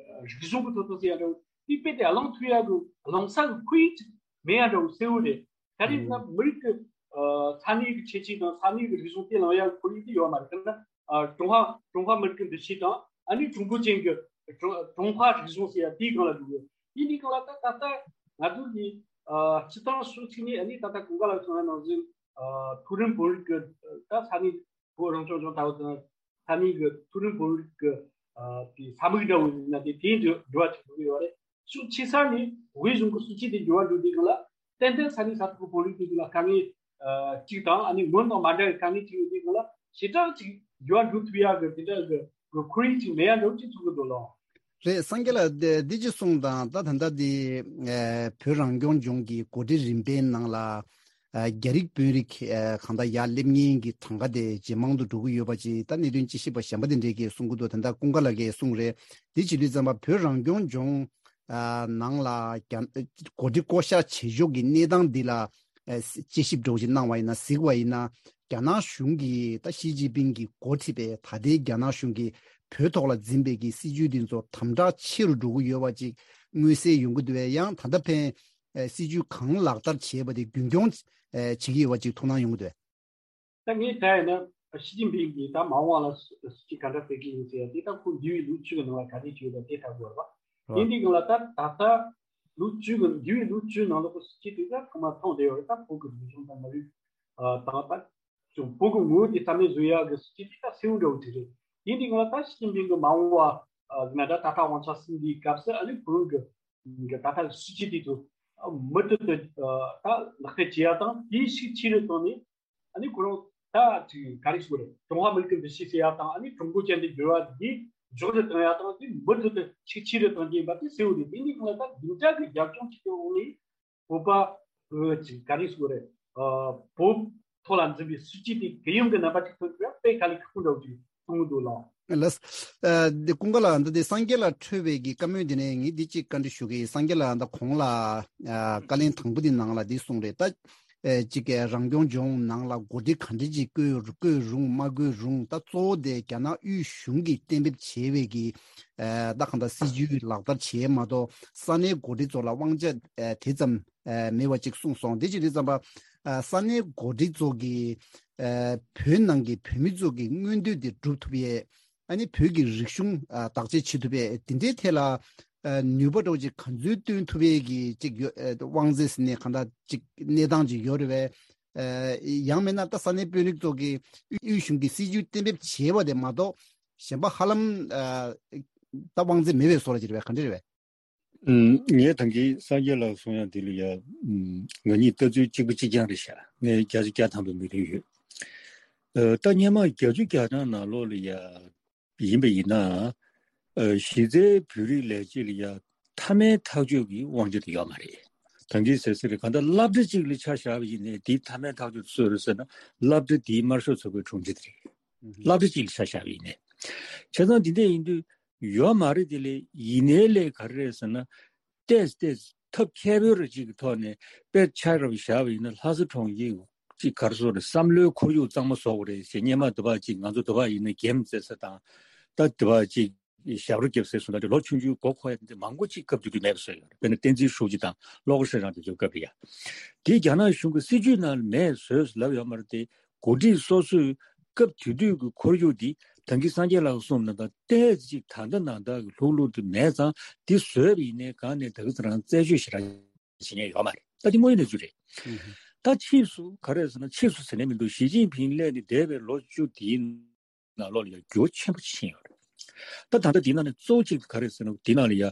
རིག་གཞུང་གི་ཐོབ་ཐང་ཟེར་ཡ་འདྲ་བོ། དེ་དཔེ་དེ་གླེང་ཐུབ་ཡ་གི་གླེང་ས་གི་ཁོར་ཡུག་ཅིག་མེད་ཡ་འདྲ་བོ་གསལ་བོ་རེད། ག་རེ་ཡིན་ན་མི་རིགས་ཀྱི་ཨ་ས་གནས་ཀྱི་ཁྱད་ཆོས་དང་ས་གནས་ཀྱི་རིག་གཞུང་དེ་གླེང་ཡ་གི་ཁོར་ཡུག་དེ་ཡོད་མ་རེད། དཔེར་ན་ཨ་ཀྲུང་ཧྭ་ཀྲུང་ཧྭ་མི་རིགས་ཀྱི་འདུ་ཤེས་དང་། ཨ་ནི་ཀྲུང་གོ་ཅན་གྱི་ཀྲུང་ཀྲུང་ཧྭ་རིག་གཞུང་ཟེར་ཡ་དེའི་སྒང་ལ་འགྲོ་གི་ཡོད། དེ་འདྲའི་སྒང་ལ་ད་ད་ལྟ་ང་ཚོ་གི་ཨ་སྤྱི་བཏང་ཕྱོགས་གཅིག་ནས་ཨ་ནི་ད་ལྟ་གོང་དཀར་ལགས་གསུངས་པ་ནང་བཞིན་ཨ་མཐོ་རིམ་བོད་རིགས་ཀྱི་ད་ས་གནས་བོད་རང་སྐྱོང་ལྗོངས་ལྟ་བུ་དང་། ས་གནས་ཀྱི་མཐོ་རིམ་བོད་རིགས་ཀྱི་ཨ་དེ་ས་མིག་འདྲ་བོ་ཡིན་ན་དེ་དེའི་འགྱུར་འགྱུར་བ་ཅིག་འགྲོ་གི་ཡོད་རེད། ཕྱོགས་ཆེ་ས་ནས་དབུས་གཞུང་གི་སྲིད་ཇུས་དེ་འགྱུར་བ་འགྲོ་དུས་སྒང་ལ། ཏན་ཏན་ས་གནས་ས་ཐོག་གི་བོད་རིགས་དེ་ཚོ་ལ་དཀའ་ངལ་ཨ་གཅིག་དང་། ཨ་ནི་སྔོན་དང་མ་འདྲ་བའི་དཀའ་ངལ་ཅིག་ཡོད་དུས་སྒང་ལ་ཞེ་དྲག་ཅིག་འགྱུར་བ་འགྲོ་ཐུབ་ཡག་གི་དེ་འདྲ་གི་གི་ཁོར་ཡུག་ཅིག་མེད་ཡག་འདྲ་བོ་ཅིག་མཚོན་གྱི་འདུག་ལགས། རེད། སངས་རྒྱས་ལགས། འདི་འདི་ཅིག་གསུངས་དང་། ད་ད་ལྟ་འདི་ཨ་བོད་རང་སྐྱོང་ལྗོངས་ཀྱི་འགོ་ཁྲིད་རིམ་པའི་ནང་ལ་ཨ་རྒྱ་རིགས་དཔོན་རིགས་ཨ་གང་ལྟར་ཡར་སླེབས་མཁན་གྱི་གྲངས་ཀ་དེ་ཇེ་མང་དུ་འགྲོ་གི་ཡོད་པ་ཅིག་ད་གནད་དོན་དཔྱད་ཞིབ་པ་གཞན་པ་དེ་འདྲས་ཀྱིས་གསུང་གི་འདུག་ད་ལྟ་ཀུན་དགའ་ལགས་ཀྱིས་གསུངས་རེད། འདི་བྱེད་དུས་ཙམ་པ་བོད་རང་སྐྱོང་ལྗོངས་ཨ་ནང་ལ་རྒྱ་འགོ་ཁྲིད་བསྐོ་གཞག་བྱེད་ཕྱོགས་ཀྱི་གནས་སྟངས་འདི་ལ་ཨ་དཔྱད་ཞིབ་འདྲ་བོ་ཞིག་གནང་བ་ཡིན་ན། གཟིགས་པ་ཡིན་ན། རྒྱ་ནག་གཞུང་གིས་ད་ཞི་ཅིན་ཕིང་གིས་འགོ་ཁྲིད་པའི་ད་ལྟའི་རྒྱ་ནག་གཞུང་གིས་བོད་ཐོག་ལ་འཛིན་པའི་གི་སྲིད་ཇུས་འདི་ཚོ་དམ་དྲག་ཆེ་རུ་འགྲོ་གི་ཡོད་པ་ཅིག་མངོན་གསལ་ཡོང་གི་འདུག་པས། ཡང་ད་ལྟ་ཕན་ཨ་སྲིད་ཇུས་གང་ལག་བསྟར་བྱས་པ་དེ་རྒྱུན་འཁྱོངས་ཨ་བྱེད་ཀྱི་ཡོད་པ་ཅིག་ཐུགས་སྣང་ཡོང་གི་འདུག་པས། ད་ངས་ད་ཡིན་ན་ཞི་ཅིན་ཕིང་གིས་ད་མ་འོངས་པ་ལ་སྲིད་ཇུས་ག་འདྲ་སྤེལ་གི་ཡིན་ཟེར་ཡ་དེ་ད་ཁོ་འདས་པའི་ལོ་བཅུ་གི་ནང་ལ་ག་རེ་བྱས་ཡོད་པ་དེ་ལྟ་དགོས་རེད་པ། ཡིན་དུས་སྒང་ལ་ད་ད་ལྟ་ལོ་བཅུ་གི་འདས་པའི་ལོ་བཅུའི་ནང་ལོགས་ཀྱི་སྲིད་ཇུས་དེ་ད་ཚང་མ་མཐོང་བསྡད་ཡོད་རེད། ད་བོད་ཀྱི་རིག་གཞུང་དང་མི་རིགས་ཨ་དང་། ད་ཅུང་བོད་ཀྱི་ངོ་བོ་དེ་རྩ་མེད་བཟོ་ཡག་གི་སྲིད་ཇུས་དེ་ད་གསལ་བོ་འདྲ་བོ་ཅིག་རེད། ཡིན་དུས་སྒང་ལ་ད་ཞི་ཅིན་ཕིང་གི་མ་འོངས་ ཨ་ང་ད་ད་ལྟ་དབང་ཆ་ཟིན་པའི་སྐབས་སུ་ཨ་ནི་ཁོ་རང་གི་གི་ད་ལྟ་སྲིད་ཇུས་དེ་ཚོ་མུ་མཐུད་དུ་ད་ལག་བསྟར་བྱེད་ཡ་དང་དེའི་ཤུགས་ཆེ་རུ་བཏང་ནས། ཨ་ནི་ཁོ་རང་ད་ཅིག་ག་རེ་ཞུ་དགོས་རེད། ཀྲུང་ཧྭ་མི་རིགས་ཀྱི་འདུ་ཤེས་ཟེར་ཡ་དང་ཨ་ནི་ཀྲུང་གོ་ཅན་དུ་འགྱུར་བ་འདི་མགྱོགས་རུ་བཏང་ཡ་དང་དེ་མུ་མཐུད་དུ་ཤུགས་ཆེ་རུ་གཏོང་རྒྱུ་ཡིན་པ་དེ་གསལ་བོ་རེད། དེ་ནི་ཁོང་ལ་ད་བདུན་ཕྲག་གི་རྒྱབ་ལྗོངས་ཅིག་གི་འོག་ནས་བོད་པ་གི་ཅིག་ག་རེ་ཞུ་དགོས་རེད། ཨ་བོད་ཐོག་ལ་འཛིན་པའི་སྲིད་ཇུས་དེ་གུ་ཡངས་ཀྱི་རྣམ་པ་ཅིག་ཐོན་པ་དཔེ་དཀའ་ལས་ཁག་པོ་འདྲ་བོ་ཅིག་མཐོང་གི་འདུག་ལགས། ལགས། ཨ་འདི་ཀུན་དགའ་ལགས། འདི་འདི་སངས་རྒྱས་ལགས་འཕྲོས་པའི་གི་བཀའ་མོལ་འདི་ནས་ངས་འདི་གཅིག་བཀའ་འདྲི་ཞུ་གི་ཡིན། སངས་རྒྱས་ལགས་ད་གོང་ལ་ཨ་བཀའ་ལན་དང་པོ་འདི་ནང་ལ་འདི་གསུངས་རེད། ད་ཨེ་གཅིག་གི་རང་སྐྱོང་ལྗོངས་ནང་ལ་འགོ་ཁྲིད་ག་འདྲ་ཅིག་བསྐོས་བསྐོས་རུང་མ་བསྐོས་རུང་ད་གཙོ་བོ་དེ་རྒྱ་ནག་དབུས་གཞུང་གིས་གཏན་འབེབས་བྱས་པའི་གི་ཨེ་ད་གང་ལྟར་སྲིད་ཇུས་ལག་བསྟར་བྱས་མ་གཏོགས་ས་གནས་འགོ་ཁྲིད་ཚོ་ལ་དབང་ཆ་ཨེ་དེ་ཙམ་ཨེ་མེད་པ་ཅིག་གསུངས་སོང་། དེ་ཅིག་དེ་ཙམ་པ་ཨེ་ས་གནས་འགོ་ཁྲིད་ཚོ་གིས་ཨེ་བོད་ནང་གི་བོད་མི་ཚོ་གི་མངོན་འདོད་དེ་སྒྲུབ་ཐུབ་ཡས། ཨ་ནི་བོད་ཀྱི་རིག་གཞུང་ཨ་བདག་གཅེས་བྱེད་ཐུབ་པའི་དེ་འདྲའི་ཐད་ལ་ཨ་ནུས་པ་འདྲ་བོ་ཅིག་ག་ཚོད་བཏོན་ཐུབ་པའི་གི་ཅིག་ཡོད་ཨ་དབང་ཚད་ཟེར་ནས་གང་ལྟར་ཅིག་གནས་སྟངས་ཅིག་ཡོད་རེད་པས། ཨ་ཡང་མིན་ན་ད་ས་གནས་དཔོན་རིགས་ཚོ་གི་དབུས་གཞུང་གི་སྲིད་ཇུས་གཏན་འབེབས་བྱས་པ་དེ་མ་གཏོགས་གཞན་པ་ཧ་ལམ་ཨ་ད་དབང་ཚད་མེད་པའི་བཟོ་འདྲ་ཅིག་རེད་པས། ག་འདྲ་རེད་པས། ཨུམ། ངས་ད་གིན་སངས་རྒྱས་ལགས་གསུང་ཡག་འདི་ལ་ཡ། ཨུམ། ང་གཉིས་ལྟ་ཚུལ་གཅིག་པ་གཅིག་རྐྱང་རེད་ཤག་ངས་བརྒྱ་ཆ་བརྒྱ་ཐམ་པའི་མོས་མཐུན་ཡོད། ཨ་ད་སྔོན་མ་བརྒྱད་ཅུ་གྱ་གྲངས་ནང་ལོགས་ལ་ཡ་ཡིན་པ་ཡིན་ན། ཨ་གཞི་རྩའི་བོད་རིགས་ལས་བྱེད་ལ་ཡ་མཐའ་མའི་ཐག་གཅོད་ཀྱི་དབང་ཆ་དེ་ཡོད་མ་རེད། ད་གིན་ཟེར་ཟེར་རེད། གང་ལྟར་སློབ་གྲྭ་གཅིག་ལ་ཆ་བཞག་པ་ཡིན་ནའི་དེའི་མཐའ་མའི་ཐག་གཅོད་སུས་རེད་ཟེར་ན་སློབ་གྲྭ་དེའི་དམར་ཤོག་ཚོགས་པའི་དྲུང་ཆེ་དེ་རེད། སློབ་གྲྭ་གཅིག་ལ་ཆ་བཞག་པ་ཡིན་ནའི། བྱས་ཙང་འདི་འདྲ་ཡིན་དུས། ཡོད་མ་རེད། དེ་ལས་ཡིན་ནའི་ལས་ག་རེ་རེད་ཟེར་ན། ཏོག་ཙམ་ཏོག་ཙམ་ཐབས་མཁས་པོའི་རིགས་ཅིག་གི་ཐོག་ནས་དཔེ་ཆ་རབ་བཞག་པ་ཡིན་ན་ལྷ་ས་གྲོང་ཁྱེར་ཅིག་ག་རེ་ཟེར་དགོས་རེད། བསམ་བློའི་ཁོར་ཡུག་གཙང་མ་བཟོ་དགོས་རེད་ཟེར། སྔོན་མ་དེ་བ་ཅིག་ང་ཚོ་དེ་བ་ཡིན་ན་འགེམས་རྩེད་ས་དང་། ད་དེ་བ་ཅིག་ཞབས་བྲོ་རྒྱབ་སའི་སུ་འདྲ་ལོ་ཆུང་ཆུང་མགོ་འཁོར་ཡ་དེ་མང་པོ་ཅིག་སྐབས་དེ་དུས་མེད་པ་བཟོས་ཡོད་རེད། དཔེར་ན་བསྟན་འཛིན་ཧྲུའུ་ཅི་དང་བློ་དགའ་ཧྲི་ཀྲང་དེ་ཚོའི་སྐབས་རེད་ཡ། དེ་རྒྱ་ནག་གཞུང་གི་སྲིད་ཇུས་ནང་ལ་མེད་བཟོས་ལབ་ཡོད་མ་རེད་དེ། འགོ་ཁྲིད་སོ་སོས་སྐབས་དེ་དུས་ཀྱི་ཁོར་ཡུག་འདི་ད་གིན་སངས་རྒྱས་ལགས་གསུངས་ནང་ལྟར་ཏོག་ཙམ་ཅིག་ད་ལྟ་ནང་ལྟར་གྱི་ལྷུག་ལྷུག་ཏུ་མེད་ཙང་འདི་བཟོས་པ་ཡིན་ནའི་གང་ནས་ད་ག་ཚོད་རང་རྩད་གཅོད་ཞེ་དྲག་བྱེད་མཁན་ཡོད་མ་རེད། ད་འདི་དངོས་ཡོད་གནས་ཚུལ་རེད། ད་ཕྱིས་སུ་ག་རེ་ཟེར་ན། ཕྱིས་སུ་ཟེར་ནས་མི་འདུག་ཞི་ཅིན་ཕིང་སླེབས་ནས་འདས་པའི་ལོ་བཅུ་འདིའི་ནང་ལོགས་ལ་ཡང་འགྱུར་བ་ཆེན་པོ་ཕྱིན་ཡོད་རེད། ད་ད་ལྟ་འདི་ནང་ནས་གཙོ་བོ་གཅིག་ག་རེ་ཟེར་ན། འདི་ནང་ལ་ཡ་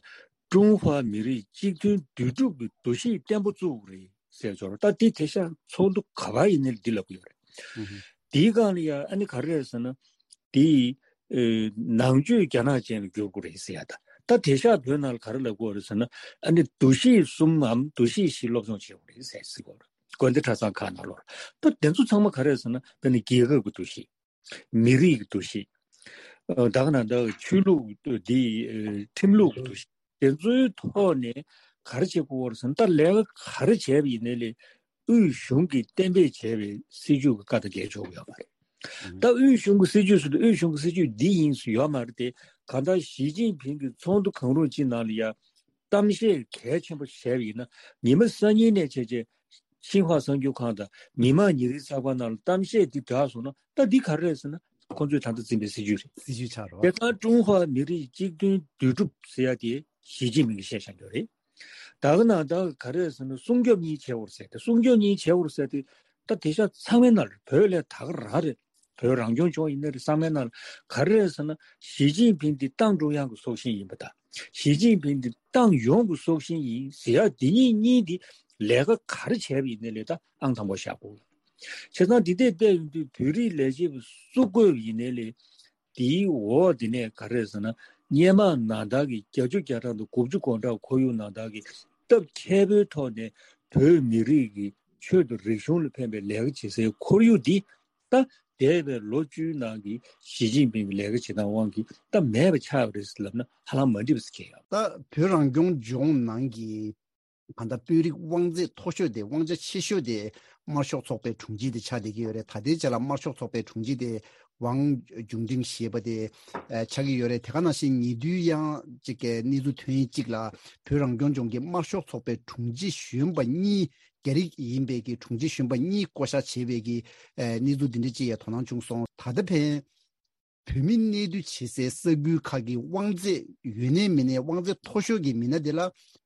ཀྲུང་ཧྭ་མི་རིགས་གཅིག་མཐུན་འདུས་གྲུབ་ཀྱི་འདུ་ཤེས་བརྟན་པོ་བཙུགས་རེད་ཟེར་ཆོག་རེད། ད་འདི་དེང་སང་ཚོགས་འདུ་ག་པར་ཡིན་ནའི་འདི་ལབ་ཀྱི་ཡོད་རེད། འདིའི་སྒང་ལ་ཡ་ཨ་ནི་ག་རེ་རེད་ཟེར་ན། འདི་ཨེ་ནང་ཆོས་རྒྱ་ནག་ཅན་ལ་བསྒྱུར་དགོས་རེད་ཟེར་ཡ་ད། ད་དེང་སང་བོད་ནང་ལ་ག་རེ་ལབ་ཀྱི་ཡོད་རེད་ཟེར་ན། ཨ་ནི་འདུ་ཤེས་གསུམ་མམ་འདུ་ཤེས་བཞི་སློབ་སྦྱོང་བྱེད་དགོས་རེད་ཟེར་ཟེར་གྱི་ཡོད་རེད། དགོན་སྡེ་གྲྭ་ཚང་ཁག་ནང་ལོགས་ལ། ད་དེ་ཚོ་ཚང་མ་ག་རེ་རེད་ཟེར་ན། དཔེར་ན་རྒྱལ་ཁབ་ཀྱི་འདུ་ཤེས། མི་རིགས་ཀྱི་འདུ་ཤེས། ཨ་ད་ག་ནང་ད་ཆོས་ལུགས་འདི་ཨེ་ཁྲིམས་ལུགས་ཀྱི་འདུ་ཤེས། དེ་ཚོའི་ཐོག་ནས་ག་རེ་བྱེད་དགོས་རེད་ཟེར་ན། ད་ལས་ཀ་ག་རེ་བྱས་པ་ཡིན་ནའི་ལས་དབུས་གཞུང་གིས་གཏན་འབེབས་བྱས་པའི་སྲིད་ཇུས་ཀྱི་བཀའ་དང་འགལ་ཆོག་གི་ཡོད་མ་རེད། ད་དབུས་གཞུང་གི་སྲིད་ཇུས་ཟེར་དུས་དབུས་གཞུང་གི་སྲིད་ཇུས་འདི་ཡིན་ཟེར་ཡོད་མ་རེད་དེ། གང་ལྟར་ཞི་ཅིན་ཕིང་གིས་ཚོགས་འདུ་གང་རུང་གཅིག་ནང་ལ་ཡ་གཏམ་བཤད་གལ་ཆེན་པོ་བྱས་པ་ཡིན་ན། ཉི་མ་སང་ཉིན་ནས་བྱས་བྱས་ཆིན་ཧྭ་གསར་འགྱུར་ཁང་དང་མི་དམངས་ཉིན་རེའི་གསར་པ་ནང་ལ་གཏམ་བཤད་འདི་བསྒྲགས་སོང་ན། ད་འདི་ག་རེ་རེད་ཟེར་ན། ཁོང་ཚོས་ད་ལྟ་འཛིན་པའི་སྲིད་ཇུས་རེད། སྲིད་ཇུས་ཆགས་རོགས། དེ་ཙང་ཀྲུང་ཧྭ་མི་རིགས་གཅིག་མཐུན་འདུས་གྲུབ་ཟེར་ཡ་དེ་ཞི་ཅིན་ཕིང་གིས་བཤད་བཞག་རྒྱུ་རེད། ད་ག་ནང་ད་ག་རེ་ཟེར་ན། སྲུང་སྐྱོབ་གཉིས་བྱེད་དགོས་ཟེར་ཏེ། སྲུང་སྐྱོབ་གཉིས་བྱེད་དགོས་ཟེར་ཏེ། ད་དེང་སང་ཚང་མའི་ནང་ལ། བོད་ལས་ད་ག་རང་རེད། བོད་རང་སྐྱོང་ལྗོངས་ཡིན་ན་རེད། ཚང་མའི་ནང་ལ་ག་རེ་རེད་ཟེར་ན། ཞི་ཅིན་ཕིང་འདི་ཏང་ཀྲུང་དབྱང་གི་སྲོག་ཤིང་ཡིན་པ་དང་། ཞི་ཅིན་ཕིང་འདི་ཏང་ཡོངས་ཀྱི་སྲོག་ཤིང་ཡིན་ཟེར་ཡ་འདི་གཉིས་གཉིས་འདི་ལས་ཀ་ག་རེ་བྱས་པ་ཡིན་ནའི་ལས་ད་ཨང་དང་པོ་བཞག་དགོས། བྱས་ཙང་འདི་ལྟར་བལྟས་ཡོང་དུས་བོད་རིགས་ལས་བྱེད་པ་སུ་བསྐོས་པ་ཡིན་ནའི་ལས། དེའི་འོག་དེ་ནས་ག་རེ་ཟེར་ན། སྔོན་མ་ནང་ལྟར་གྱི་བརྒྱད་ཅུ་གྱ་གྲངས་དང་དགུ་བཅུ་གོ་གྲངས་ཁོར་ཡུག་ནང་ལྟར་གྱི་སྟབས་མཁས་པོའི་ཐོག་ནས་བོད་མི་རིགས་ཀྱི་ཆོས་དང་རིག་གཞུང་ལ་ཕན་པའི་ལས་ཀ་བྱེད་སའི་ཁོར་ཡུག་འདི། ད་འདས་པའི་ལོ་བཅུའི་ནང་གི་ཞི་ཅིན་ཕིང་གི་ལས་ཀ་བྱེད་སྟངས་དབང་གིས་ད་མེད་པ་ཆགས་པ་རེད་ཟེར་ལབ་ན་ཧ་ལམ་མ་འགྲིག་པ་ཟེར་གྱི་ཡོད། ད་བོད་རང་སྐྱོང་ལྗོངས་ནང་གི་གང་ལྟར་དཔོན་རིགས་དབང་ཚད་མཐོ་ཤོས་དེ། དབང་ཆ་ཆེ་ཤོས་དེ་དམར་ཤོག་ཚོགས་པའི་དྲུང་ཆེ་དེ་ཆགས་བསྡད་ཀྱི་ཡོད་རེད། ད་ལྟའི་ཆ་ལ་དམར་ཤོག་ཚོགས་པའི་དྲུང་ཆེ་དེ་ཝང་ཅུན་ཀྲེང་ཞེས་པ་དེ་ཨ་ཆགས་ཀྱི་ཡོད་རེད། དེ་ག་ནང་བཞིན་ཉེ་དུས་ཡང་ཅིག་གི་གནས་ཚུལ་ཐོན་ཡས་གཅིག་ལ། བོད་རང་སྐྱོང་ལྗོངས་ཀྱི་དམར་ཤོག་ཚོགས་པའི་དྲུང་ཆེ་གཞོན་པ་གཉིས། རྒྱ་རིགས་ཡིན་པའི་གི་དྲུང་ཆེ་གཞོན་པ་གཉིས་བསྐོ་བཞག་བྱས་པའི་གི་ཨ་གནས་ཚུལ་འདི་འདྲ་ཅིག་ཡང་དོ་སྣང་བྱུང་སོང་། ད་ལྟ་ཕན། བོད་མི་གནས་སྡོད་བྱེད་སའི་ས་ཁུལ་ཁག་གི་དབང་ཚད་ཡོད་ནའི་མེད་ནའི། དབང་ཚད་མཐོ་ཤོས་ཀྱི་མི་སྣ་དེ་ལ་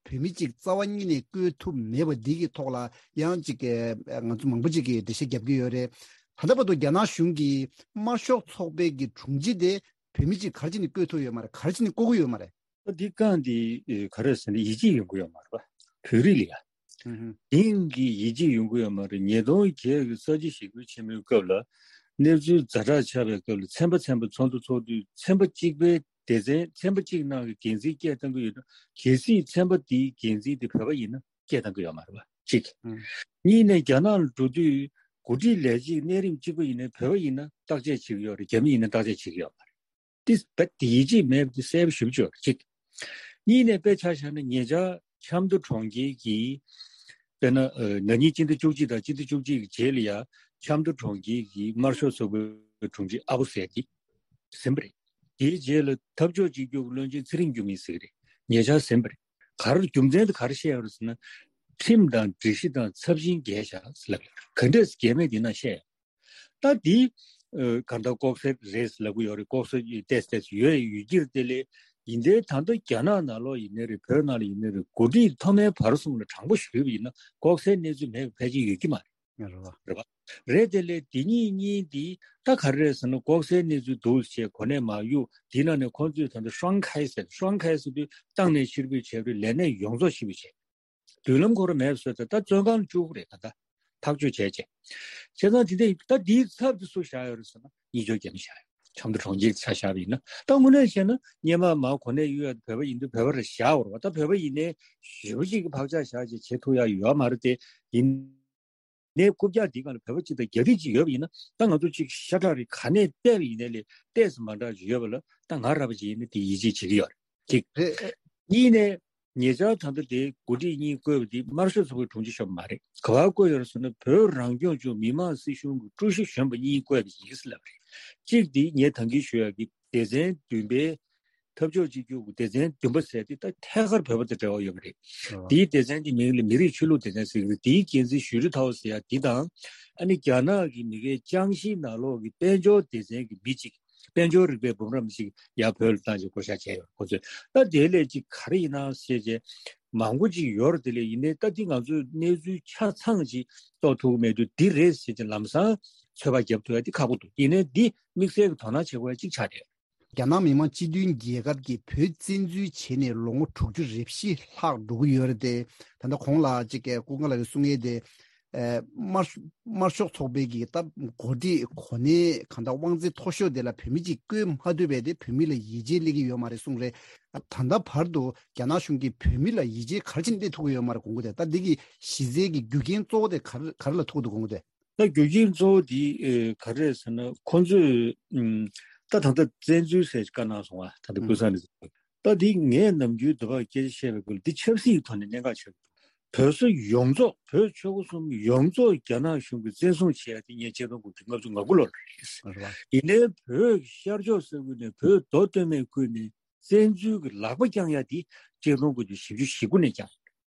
བོད་མི་གཅིག་རྩ་བ་ཉིད་ནས་བསྐོས་ཐུབ་མེད་པ་འདི་གི་ཐོག་ལ་ཡང་གཅིག་གི་ང་ཚོ་མང་པོ་ཅིག་གིས་འགྲེལ་བཤད་རྒྱབ་ཀྱི་ཡོད་རེད། ད་ལྟ་བར་དུ་རྒྱ་ནག་གཞུང་གིས་དམར་ཤོག་ཚོགས་པའི་གི་དྲུང་ཆེ་དེ་ བོད་མི་གཅིག་ག་རེ་བྱས་ནས་བསྐོས་ཐུབ་ཡོད་མ་རེད། ག་རེ་བྱས་ནས་བསྐོ་གི་ཡོད་མ་རེད། ད་འདི་རྐང་འདི་ཨེ་ག་རེ་ཟེར་ན་ཡིད་ཆེས་ཡོང་གི་ཡོད་མ་རེད་པ། བོད་རིགས་ལ་ཡ། ཧུམ་ཧུམ། དེང་གི་ཡིད་ཆེས་ཡོང་གི་ཡོད་མ་རེད། ཉིས་སྟོང་བརྒྱད་ཀྱི་གསར་བརྗེ་ཞི་རྒོལ་ཆེན་མོའི་སྐབས་ལ་གནས་ཚུལ་ཛ་དྲག་ཆགས་པའི་སྐབས་ལ་ཚན་པ་ཚན་པ་ཚོགས་འདུ་ཚོགས་དུས་ཚན་པ་གཅིག་པའི་སྡེ་ཚན་ཚན་པ་གཅིག་ནང་གི་འགན་འཛིན་སྐད་བཏང་གི་ཡོད་ན་གལ་སྲིད་ཚན་པ་དེའི་འགན་འཛིན་དེ་བོད་པ་ཡིན་ན་སྐད་བཏང་གི་ཡོད་མ་རེད་པ། གཅིག་ཧུམ། གཉིས་ནས་རྒྱ་ནག་ལ་འགྲོ་དུས་འགོ་ཁྲིད་ལས་བྱེད་གནས་རིམ་གཅིག་པ་ཡིན་ན་བོད་པ་ཡིན་ན་བརྟག་དཔྱད་བྱེད་ཀྱི་ཡོད་རེད། རྒྱ་མི་ཡིན་ན་བརྟག་དཔྱད་བྱེད་ཀྱི་ཡོད་མ་རེད། ཏི་བད་དེ་ཡིད་ཆེས་མེད་པ་དེ་གསལ་པོ་ཞེ་པོ་ཅིག་ཡོད་རེད། གཅིག་གཉིས་ནས་དཔེ་ཆ་བཞག་ན་ཉེ་ཆར་ཆབ་མདོ་གྲོང་ཁྱེར་གྱི་དཔེར་ན་ཨ་ན་ནིང་སྤྱི་ཟླ་བཅུ་གཅིག་དང་སྤྱི་ཟླ་བཅུ་གཅིག་གི་རྗེས་ལ་ཡ་ཆབ་མདོ་གྲོང་ཁྱེར་གྱི་དམར་ཤོག་ཚོགས་པའི་དྲུང་ཆེ་ཨ་བོ་ཟེར་གྱི་ཟིན་པ་རེད། དེའི་རྗེས་ལ་འཐབ་ཕྱོགས་གཅིག་གྱུར་གྱི་བློན་ཆེན་ཚེ་རིང་འགྱུར་མེད་ཟེར་གྱི་རེད། ཉེ་ཆར་ཟིན་པ་རེད། ག་རེ་རྒྱུ་མཚན་དེ་ག་རེ་བཤད་ཡོད་རེད་ཟེར་ན། ཁྲིམས་དང་སྒྲིག་གཞི་དང་ཚབས་ཆེན་འགལ་བཞག་ཟེར་ལབ་ཡོད་རེད། ག་འདྲས་འགལ་མེད་དེ་ན་བཤད་ཡོད། ད་འདི་ཨ་གང་ལྟར་ལྐོག་ཟ་རེད་ལབ་གི་ཡོད་རེད། ལྐོག་ཟ་ཏོག་ཙམ་ཡོད་ཡོད་ཀྱི་རེད། དེ་ལས་ཡིན་དེ་ད་ལྟ་རྒྱ་ནག་ནང་ལོགས་ཡིན་ནའི་རེད། བོད་ནང་ལ་ཡིན་ནའི་རེད། འགོ་ཁྲིད་མཐོ་དམན་བར་གསུམ་ལ་དྲང་པོ་ཞུས་པ་ཡིན་ན་ལྐོག་ཟའི་གནས་ཚུལ་མེད་པ་ཕལ་ཆེར་ཡོད་ཀྱི་མ་རེད། རེད་བ། རེད་བ། རེད་དེ་ལས་དེ་གཉིས་གཉིས་འདི་ད་ག་རེ་རེད་ཟེར་ན་ལྐོག་ཟའི་གནས་ཚུལ་འདུག་ཅེས་གོ་གནས་མ་གཡུག་དེ་ནང་ནས་ཁོང་ཚོས་ད་ལྟ་ཧྲང་ཁའི་ཟེར། ཧྲང་ཁའི་ཟེར་དུས་ཏང་ནས་ཕྱིར་འབུད་བྱས་པའི་ལས་གནས་ཡོངས་རྫོགས་ཕྱིར་འབུད་བྱས། མདུན་ལམ་ཁོ་རང་མེད་པ་བཟོས་ཏེ་ད་བཙོན་ཁང་བཅུག་རེད། ད་ལྟ་ཐག་གཅོད་བྱས་རྗེས། བྱས་ཙང་དེ་འདྲ་ད་འདིའི་ཚབ་དེ་སུ་བཞག་ཡོད་རེད་ཟེར་ན་གཉིས་སྐྱོར་རྒྱ་མི་བཞག་ཡོད། ཆབ་མདོ་གྲོང་ཁྱེར་ཆ་བཞག་པ་ཡིན་ན་ད་དངོས་གནས་བཤད་ན་སྔོན་མ་མ་གོ་གནས་གཡུག་ཡ་བོད་པ་ཡིན་དུས་བོད་པ་རེད་བཞག་འོར་བ། ད་བོད་པ་ཡིན་ནའི་ཞེ་པོ་ཅིག་གི་བག་ཆགས་བཞག་རྗེས་བྱེད་ཐུབ་ཡ་ཡོད་མ་རེད་དེ། ཡིན་ནའི་རྐུབ་བཀྱག་འདི་སྒང་ལ་བོད་པ་གཅིག་དང་རྒྱ་རིགས་གཅིག་ཡོད་པ་ཡིན་ན་ད་ང་ཚོ་གཅིག་ཤ་ཁྲག་རེད། ག་ནས་བལྟས་པ་ཡིན་ནའི་ལས་ཏོག་ཙམ་མ་འདྲ་ཅིག་ཡོད་པ་ལ་ད་ང་ར་བ་ཅིག་ཡིན་ན་དེ་ཡིད་ཆེས་བྱེད་ཀྱི་ཡོད་རེད། གཅིག་རེད། གཉིས་ནས། ཉེ་ཆར་ད་ལྟ་དེ་འགོ་ཁྲིད་གཉིས་བསྐོས་པ་དེ་དམར་ཤོག་ཚོགས་པའི་དྲུང་ཆེ་ཤོག་མ་རེད། ག་པར་བསྐོས་ཡོད་རེད་ཟེར་ན་བོད་རང་སྐྱོང་ལྗོངས་མི་དམངས་སྲིད་གཞུང་གི་ཀྲུའུ་ཞི་གཞོན་པ་གཉིས་བསྐོས་པ་ཡིན་ཟེར་ལབ་རེད། གཅིག་དེ་ངས་ད་གིན་ཞུ་ཡག་གི་སྡེ་ཚན་བདུན་པའི་འཐབ་ཕྱོགས་གཅིག་གྱུར་གྱི་སྡེ་ཚན་བདུན་པ་ཟེར་དེ་ད་ཐད་ཀར་བོད་པ་དང་འབྲེལ་བ་ཡོད་པ་རེད། ཨོ། དེའི་སྡེ་ཚན་དེ་མིང་ལ་མི་རིགས་ཆོས་ལུགས་སྡེ་ཚན་ཟེར་གི་རེད། དེའི་འགན་འཛིན་ཞུ་རི་ཐའོ་ཟེར་ཡག་དེ་དང་། ཨ་ནི་རྒྱ་ནག་གི་མི་སྒེར་ཅང་ཞི་ནང་ལོགས་ཀྱི་དཔལ་འབྱོར་སྡེ་ཚན་གྱི་མི་གཅིག་དཔལ་འབྱོར་རིག་པའི་འབུམ་རམས་ཤིག་ཡར་བོད་ལ་བཏང་ཞིག་བསྐོ་བཞག་བྱས་ཡོད། ཁོ་ཚོས་ད་དེ་ལས་ཅིག་ག་རེ་ཡིན་ན་ཞེས་བྱས་མང་པོ་ཅིག་ཡོད་རེད། དེ་ལས་ཡིན་ནའི་ད་འདི་ང་ཚོས་གནས་ཚུལ་ཆ་ཚང་ཅིག་རྟོགས་ཐུབ་ཀྱི་མེད་དུས་འདི་རེད་ཞེས་བྱས་ལམ་སང་ཚོད་དཔག་རྒྱབ་ཐུབ་ཡ་འདི་ཁག་པོ་འདུག་ཡིན་ནའི་འདི་དམིགས་བསལ་གྱི་དོ་སྣང་བྱེད་དགོས་ཡ་ཅིག་ཆགས་བསྡད་ཡོད། རྒྱ་ནག་མི་དམངས་སྤྱི་མཐུན་རྒྱལ་ཁབ་ཀྱིས་བོད་བཙན་འཛུལ་བྱས་ནས་ལོ་ངོ་དྲུག་ཅུ་རེ་བཞི་ལྷག་འགྲོ་གི་ཡོད་རེད་དེ། ད་ལྟ་གོང་ལ་ཅིག་སྐུ་ངོ་ལགས་ཀྱིས་གསུང་ཡས་དེ། ཨེ། དམར་དམར་ཤོག་ཚོགས་པའི་གི་ད་འགོ་ཁྲིད་གོ་གནས་གང་ལྟར་དབང་ཚད་མཐོ་ཤོས་དེ་ལ་བོད་མི་གཅིག་བསྐོས་མ་ཐུབ་པས་དེ་བོད་མི་ལ་ཡིད་ཆེས་སླེབས་ཀྱི་ཡོད་མ་རེད་གསུངས་རེད། ད་ལྟ་བར་དུ་རྒྱ་ནག་གཞུང་གིས་བོད་མི་ལ་ཡིད་ཆེས་ག་རེ་བྱས་ནས་སླེབས་ཐུབ་ཀྱི་ཡོད་མ་རེད་དགོངས་ཀྱི་འདུག་ད་འདི་གི་གཞི་རྩའི་གི་རྒྱུ་རྐྱེན་གཙོ་བོ་དེ་ག་རེ་ག་རེ་ལ་ཐུག་འདུག་དགོངས་ཀྱི་འདུག་ད་རྒྱུ་རྐྱེན་གཙོ་བོ་དེ་ཨེ་ག་རེ་རེད་ཟེར་ན་ཁོང་ཚོས་ཨམ་ད་ད་ལྟ་བཙན་འཛུལ་ཟེར་བཀའ་གནང་སོང་བ། ད་ལྟ་ཀུན་བཟང་ནས། ད་འདི་ངས་ནམ་རྒྱུན་འདི་བར་སྐད་ཆ་བཤད་པའི་སྐོར་འདི་ཆབ་སྲིད་ཀྱི་ཐོག་ནས་གནད་འགག་ཆེ་བོ་འདུག་བོད་ས་ཡོངས་རྫོགས་བོད་ཆོལ་ཁ་གསུམ་ཡོངས་རྫོགས་རྒྱ་ནག་གཞུང་གིས་བཙན་བཟུང་བྱས་ཡ་དེ་ངས་ཆིག་སྟོང་དགུ་བརྒྱ་ལྔ་བཅུ་ང་དགུ་ལོ་ལ་རེད། རེད་བ། ཡིན་ནའི་བོད་ཤར་ཕྱོགས་ས་ཁུལ་ནས་བོད་མདོ་སྟོད་སྨད་ཁུལ་ནས་བཙན་འཛུལ་གྱི་ལག་པ་བརྐྱངས་ཡ་དེ་ཆིག་སྟོང་དགུ་བརྒྱ་བཞི་བཅུ་ཞེ་དགུ་ནས་བརྐྱངས་ཡ་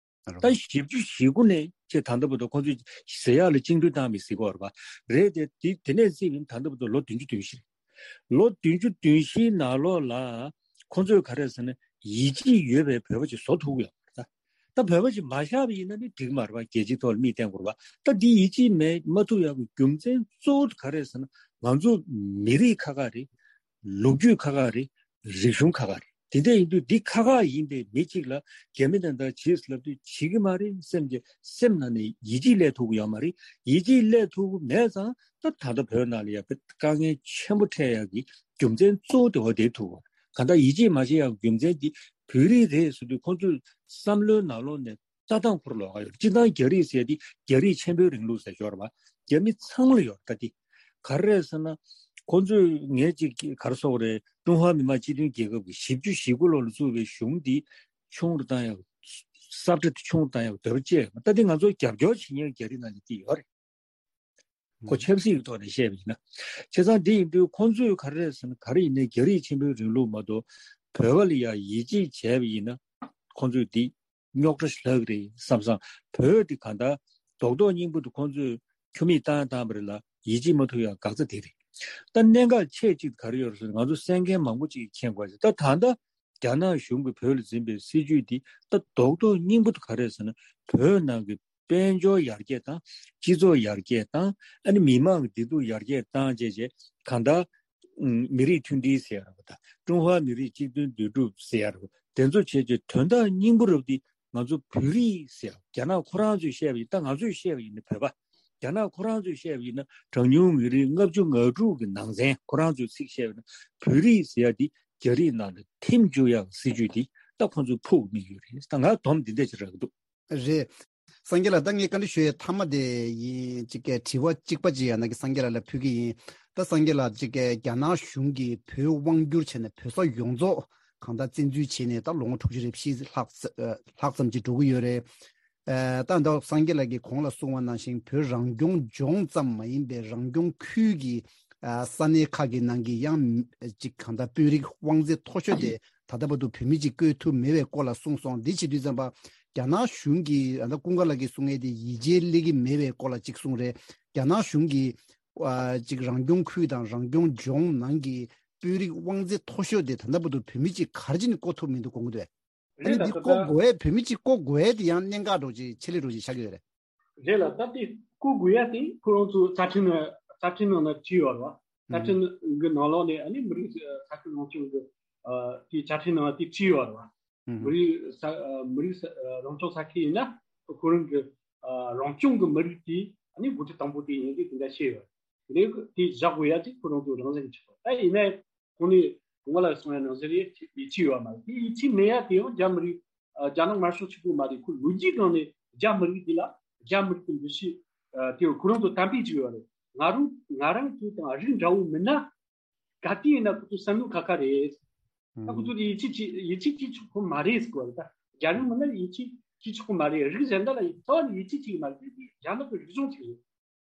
རེད། ད་བཞི་བཅུ་ཞེ་དགུ་ནས་ཆེ་ད་ལྟ་བར་དུ་ཁོང་ཚོས་ཟེར་ཡག་ལ་བཅིངས་འགྲོལ་བཏང་མི་སྲིད་གོ་རེད་པ། རེད་དེ་དེ་དེ་ནས་བརྩིས་པ་ཡིན་ད་ལྟ་བར་དུ་ལོ་བདུན་ཅུ་དོན་བཞི་རེད། ལོ་བདུན་ཅུ་དོན་བཞིའི་ནང་ལོགས་ལ་ཁོང་ཚོས་ག་རེ་ཟེར་ན་ཡིད་ཆེས་ཡོད་པའི་བོད་པ་ཅིག་བཟོ་ཐུབ་ཀྱི་ཡོད་རེད་ད། ད་བོད་པ་ཅིག་མ་བཞག་པ་ཡིན་ན་ནི་འགྲིག་མ་རེད་པ། རྒྱལ་སྤྱིའི་ཐོག་ལ་མིས་བསྟན་དགོས་རེད་པ། ད་འདི་ཡིད་ཆེས་མེད་མ་ཐུབ་ཡག་གི་རྒྱུ་མཚན་གཙོ་བོ་ག་རེ་ཟེར་ན་ང་ཚོ་མི་རིགས་ཁག་ཁག་རེད། ལོ་རྒྱུས་ཁག་ཁག་རེད། རིག་གཞུང་ཁག་ཁག་རེད། དེ་འདྲ་ཡིན་དུས་འདི་ཁག་ཁག་ཡིན་པའི་མི་གཅིག་ལ་རྒྱ་མི་དང་འདྲ་བྱེད་ཟེར་ལབ་དུས་བྱེད་ཀྱི་མ་རེད་སེམས་ཀྱི་སེམས་ནང་ནས་ཡིད་ཆེས་སླེབས་ཐུབ་ཀྱི་ཡོད་མ་རེད། ཡིད་ཆེས་སླེབས་ཐུབ་ཀྱི་མེད་ཙང་ད་ད་ལྟ་བོད་ནང་ལ་ཡ་དཀའ་ངལ་ཆེན་པོ་འཕྲད་ཡག་གི་རྒྱུ་མཚན་གཙོ་བོ་དེ་འོ་དེ་ཐུག་པ་གང་ལྟར་ཡིད་ཆེས་མ་བྱེད་ཡག་གི་རྒྱུ་མཚན་འདི་བོད་རིགས་རེད་ཟེར་དུས་ཁོང་ཚོའི་བསམ་བློའི་ནང་ལོགས་ནས་ལྟ་སྟངས་ཁུར་ལོག་ག་ཡོད། སྤྱིར་བཏང་རྒྱ་རིགས་ཟེར་དེ་རྒྱ་རིགས་ཆེན་པོའི་རིང་ལུགས་ཟེར་ཞོར་བ་རྒྱ་མི་ཚང་མ་ལ་ཡོད་ད་དེ། ག་རེ་རེད་ཟེར་ན་ཁོང་ཚོས་ངས་ཅིག་ག་རེ་ཟེར་དགོས་རེད། ཀྲུང་ཧྭ་མི་དམངས་སྤྱི་མཐུན་རྒྱལ་ཁབ་ཀྱི་བཞི་བཅུ་ཞེ་དགུ་ལོ་ལ་བཙུགས་པའི་གཞུང་འདི་ཆུང་རུ་བཏང་ཡག་སབ་ཁྲ་དེ་ཆུང་རུ་བཏང་ཡག་འདོད་པ་བཅས་ད་དེ་ང་ཚོ་རྒྱབ་སྐྱོར་བྱེད་མཁན་རྒྱ་རིགས་ནང་ལ་དེ་ཡོད་རེད། ཁོ་ཆབ་སྲིད་ཀྱི་ཐོག་ནས་བཤད་པ་ཡིན་ན། བྱས་ཙང་འདི་ཡིན་དུས་ཁོང་ཚོས་ག་རེ་རེད་ཟེར་ན་ག་རེ་ཡིན་ནའི་རྒྱ་རིགས་ཆེན་པོའི་རིང་ལུགས་མ་གཏོགས་བོད་པ་ལ་ཡང་ཡིད་ཆེས་བྱས་པ་ཡིན་ན་ཁོང་ཚོས་འདི་རྙོག་དྲ་ཞིག་ལྷག་གི་རེད་བསམ་སང་བོད་འདི་གང་ལྟར་རྡོག་རྡོག་རྙིང་པོ་འདི་ཁོང་ཚོས་ཁྱུར་མིད་བཏང་བཏང་བ་རེད་ལ་ཡིད་ཆེས་མ་ཐུབ་ཡང་འགག་རྩ་དེ་རེད། ད་གནད་འགག་ཆེ་གཅིག་ག་རེ་ཡོད་རེད་ཟེར་ན་ང་ཚོ་གསན་མཁན་མང་པོ་ཅིག་མཁྱེན་དགོས་རེད། ད་ད་ལྟ་རྒྱ་ནག་གཞུང་གིས་བོད་ལ་འཛིན་པའི་སྲིད་བྱུས་འདི་ད་རྡོག་རྡོག་རྙིང་པོ་འདི་ག་རེ་རེད་ཟེར་ན་བོད་ནང་གི་དཔལ་འབྱོར་ཡར་རྒྱས་དང་སྤྱི་ཚོགས་ཡར་རྒྱས་དང་ཨ་ནི་མི་མང་གི་བདེ་སྡུག་ཡར་རྒྱས་བཏང་བྱས་བྱས་གང་ལྟར་ མི་རིགས་མཐུན་སྒྲིལ་ཟེར་ཡ་རེད་པ། ད་ཀྲུང་ཧྭ་མི་རིགས་གཅིག་མཐུན་འདུས་གྲུབ་ཟེར་ཡ་རེད་པ། དེ་ཚོ་བྱས་རྗེས་དོན་དག་སྙིང་པོ་རེད་པ། དེ་ང་ཚོ་བོད་རིགས་ཟེར་ཡ་རྒྱ་ནག་ཁོ་རང་ཚོས་བཤད་པ་ཡིན། ད་ང་ཚོས་བཤད་པ་ཡིན་ན་བོད་པ། རྒྱ་ནག་ཁོ་རང་ཚོས་བཤད་པ་ཡིན་ན་གྲངས་ཉུང་མི་རིགས་ལྔ་བཅུ་ང་དྲུག་གི་ནང་ཚན། ཁོ་རང་ཚོས་ཚིག་བཤད་པ་ཡིན་ན་བོད་རིགས་ཟེར་ཡ་དེ་རྒྱ་རིགས་ནང་ལ་ཐིམ་བཅུག་ཡག་སྲིད་ཇུས་དེ་ད་ཁོ་ཚོ་ཕུགས་དམིགས་ཡོད་རེད། ད་ང་སྡོམ་འདི་འདྲ་ཅིག་རག་གི་འདུག་རེད། སངས་རྒྱས་ལགས། ད་ངས་བཀའ་འདྲི་ཞུ་ཡའི་མཐའ་མ་དེ་ཡིན། ཅིག་གི་དྲི་བ་གཅིག་པ་ཅིག་ཡང་ན་གི་སངས་རྒྱས་ལགས་ལ་ཕུལ་གི་ཡིན། ད་སངས་རྒྱས་ལགས། ཅིག་གི་རྒྱ་ནག་གཞུང་གིས་བོད་དབང་བསྒྱུར་བྱས་ནས་བོད་ས་ཡོངས་རྫོགས་གང་ལྟར་བཙན་འཛུལ་བྱས་ནས་ད་ལོ་ངོ་དྲུག་ཅུ་རེ་བཞི་ལྷག་ཙ་ལྷག་ཙམ་ཅིག་འགྲོ་གི་ཡོད་རེད། ཨ། ད་ད་སངས་རྒྱས་ལགས་ཀྱིས་གོང་ལ་གསུངས་པ་ནང་བཞིན་བོད་རང་སྐྱོང་ལྗོངས་ཙམ་མ་ཡིན་པའི་རང་སྐྱོང་ཁུལ་གྱི་ཨ། ས་གནས་ཁག་གི་ནང་གི་ཡང་ཅིག་གང་ལྟར་དཔོན་རིགས་དབང་ཚད་མཐོ་ཤོས་དེ་ད་ལྟ་བར་དུ་བོད་མི་ཅིག་བསྐོས་ཐུབ་མེད་པའི་སྐོར་ལ་གསུངས་སོང་། འདི་བྱེད་དུས་ཙམ་པ་རྒྱ་ནག་གཞུང་གིས། ད་ལྟ་ཀུན་དགའ་ལགས་ཀྱིས་གསུང་ཡས་དེ་ཡིད་ཆེས་སླེབས་ཀྱི་མེད་པའི་སྐོར་ལ་ཅིག་གསུངས་རེད། རྒྱ་ནག་གཞུང་གིས་ཨ། ཅིག་རང་སྐྱོང་ཁུལ་དང་རང་སྐྱོང་ལྗོངས་ནང་གི་དཔོན་རིགས་དབང་ཚད་མཐོ་ཤོས་དེ་ད་ལྟ་བར་དུ་བོད་མི་ཅིག་ག་རེ་བྱས་ནས་བསྐོ་ཐུབ་མི་འདུག་དགོངས་ཀྱི་འདུག་ཨ་ནི་རེད་ལ། འདི་ད་བསྐོ་ལྟ་དགོས་ཡས། བོད་མི་གཅིག་བསྐོ་དགོས་ཡས་དེ་ཡང་གནད་འགག་འདྲ་ཅིག་ཆེད་ལས་འདྲ་ཅིག་ཆགས་ཀྱི་ཡོད་རེད། རེད་ལ། ད་དེ་བསྐོ་དགོས་ཡས་དེ་ཁོ་རང་ཚོ་རྩ་ཁྲིམས་ནང་། རྩ་ཁྲིམས་ནང་ན་བྲིས་ཡོད་རེད་བ། རྩ་ཁྲིམས་ཀྱི་ནང་ལོགས་ནས་ཨ་ནི་མི་རིགས་ས་ཁུལ་རང་སྐྱོང་གི་ཨ་དེ་རྩ་ཁྲིམས་ནང་དེ་བྲིས་ཡོད་རེད་བ། ཨུ་ཧུམ། མི་རིགས་ས་ཨ་མི་རིགས་ས་ཨ་རང་སྐྱོང་ས་ཁུལ་ཡིན་ན་ཁོ་རང་གི་ཨ་རང་སྐྱོང་གི་མི་རིགས་དེ་ཨ་ནི་འགོ་ཁྲིད་དང་པོ་དེ་ཡིན་དེ་དེ་འདྲ་བཤད་ཡོད་རེད། དེ་ནས་དེ་བཞག་དགོས་ཡ་དེ་ཁོ་རང་ཚོ་རང་བཞིན་གྱི་ཆགས་པ། ད་ཡིན་ནའི་ཁོང་ནས་གོང་མ་ལ་གསུང་ཡ་ནང་བཞིན་རེད། ཡིད་ཆེས་ཡོད་མ་རེད། དེ་ཡིད་ཆེས་མེད་ཡ་དེ་ཡང་རྒྱ་མི་རིགས་ཨ་རྒྱ་ནག་དམར་ཤོག་གཅིག་པུ་མ་རེད། ཁོ་ལོ་རྒྱུས་སྒང་ནས་རྒྱ་མི་རིགས་དེ་ལ་རྒྱ་མི་རིགས་ཀྱི་འདུ་ཤེས་ཨ་དེ་ཁོ་རང་ཚོ་དམ་པའི་ཅིག་ཡོད་རེད། ང་རང་ང་རང་ཚོ་དང་རིགས་འདྲ་བོ་མིན་ན་ག་དུས་ཡིན་ན་ཁོ་ཚོ་བསམ་བློ་ཁ་ཁ་རེད། ད་ཁོ་ཚོ་དེ་ཡིད་ཆེས་ཅིག་ཡིད་ཆེས་ཅིག་ཆོག་གི་མ་རེད་ཟེར་གོ་རེད། ད་རྒྱ་རིགས་མིན་ན་ཡིད་ཆེས་ཅིག་ཆོག་གི་མ་རེད། རིགས་གཞན་དག་ལ་རྩ་བ་ནས་ཡིད་ཆེས་བྱེད་ཀྱི་མ་རེད། རྒྱ་ནག་གི་རིག་གཞུང་ཅིག་རེད།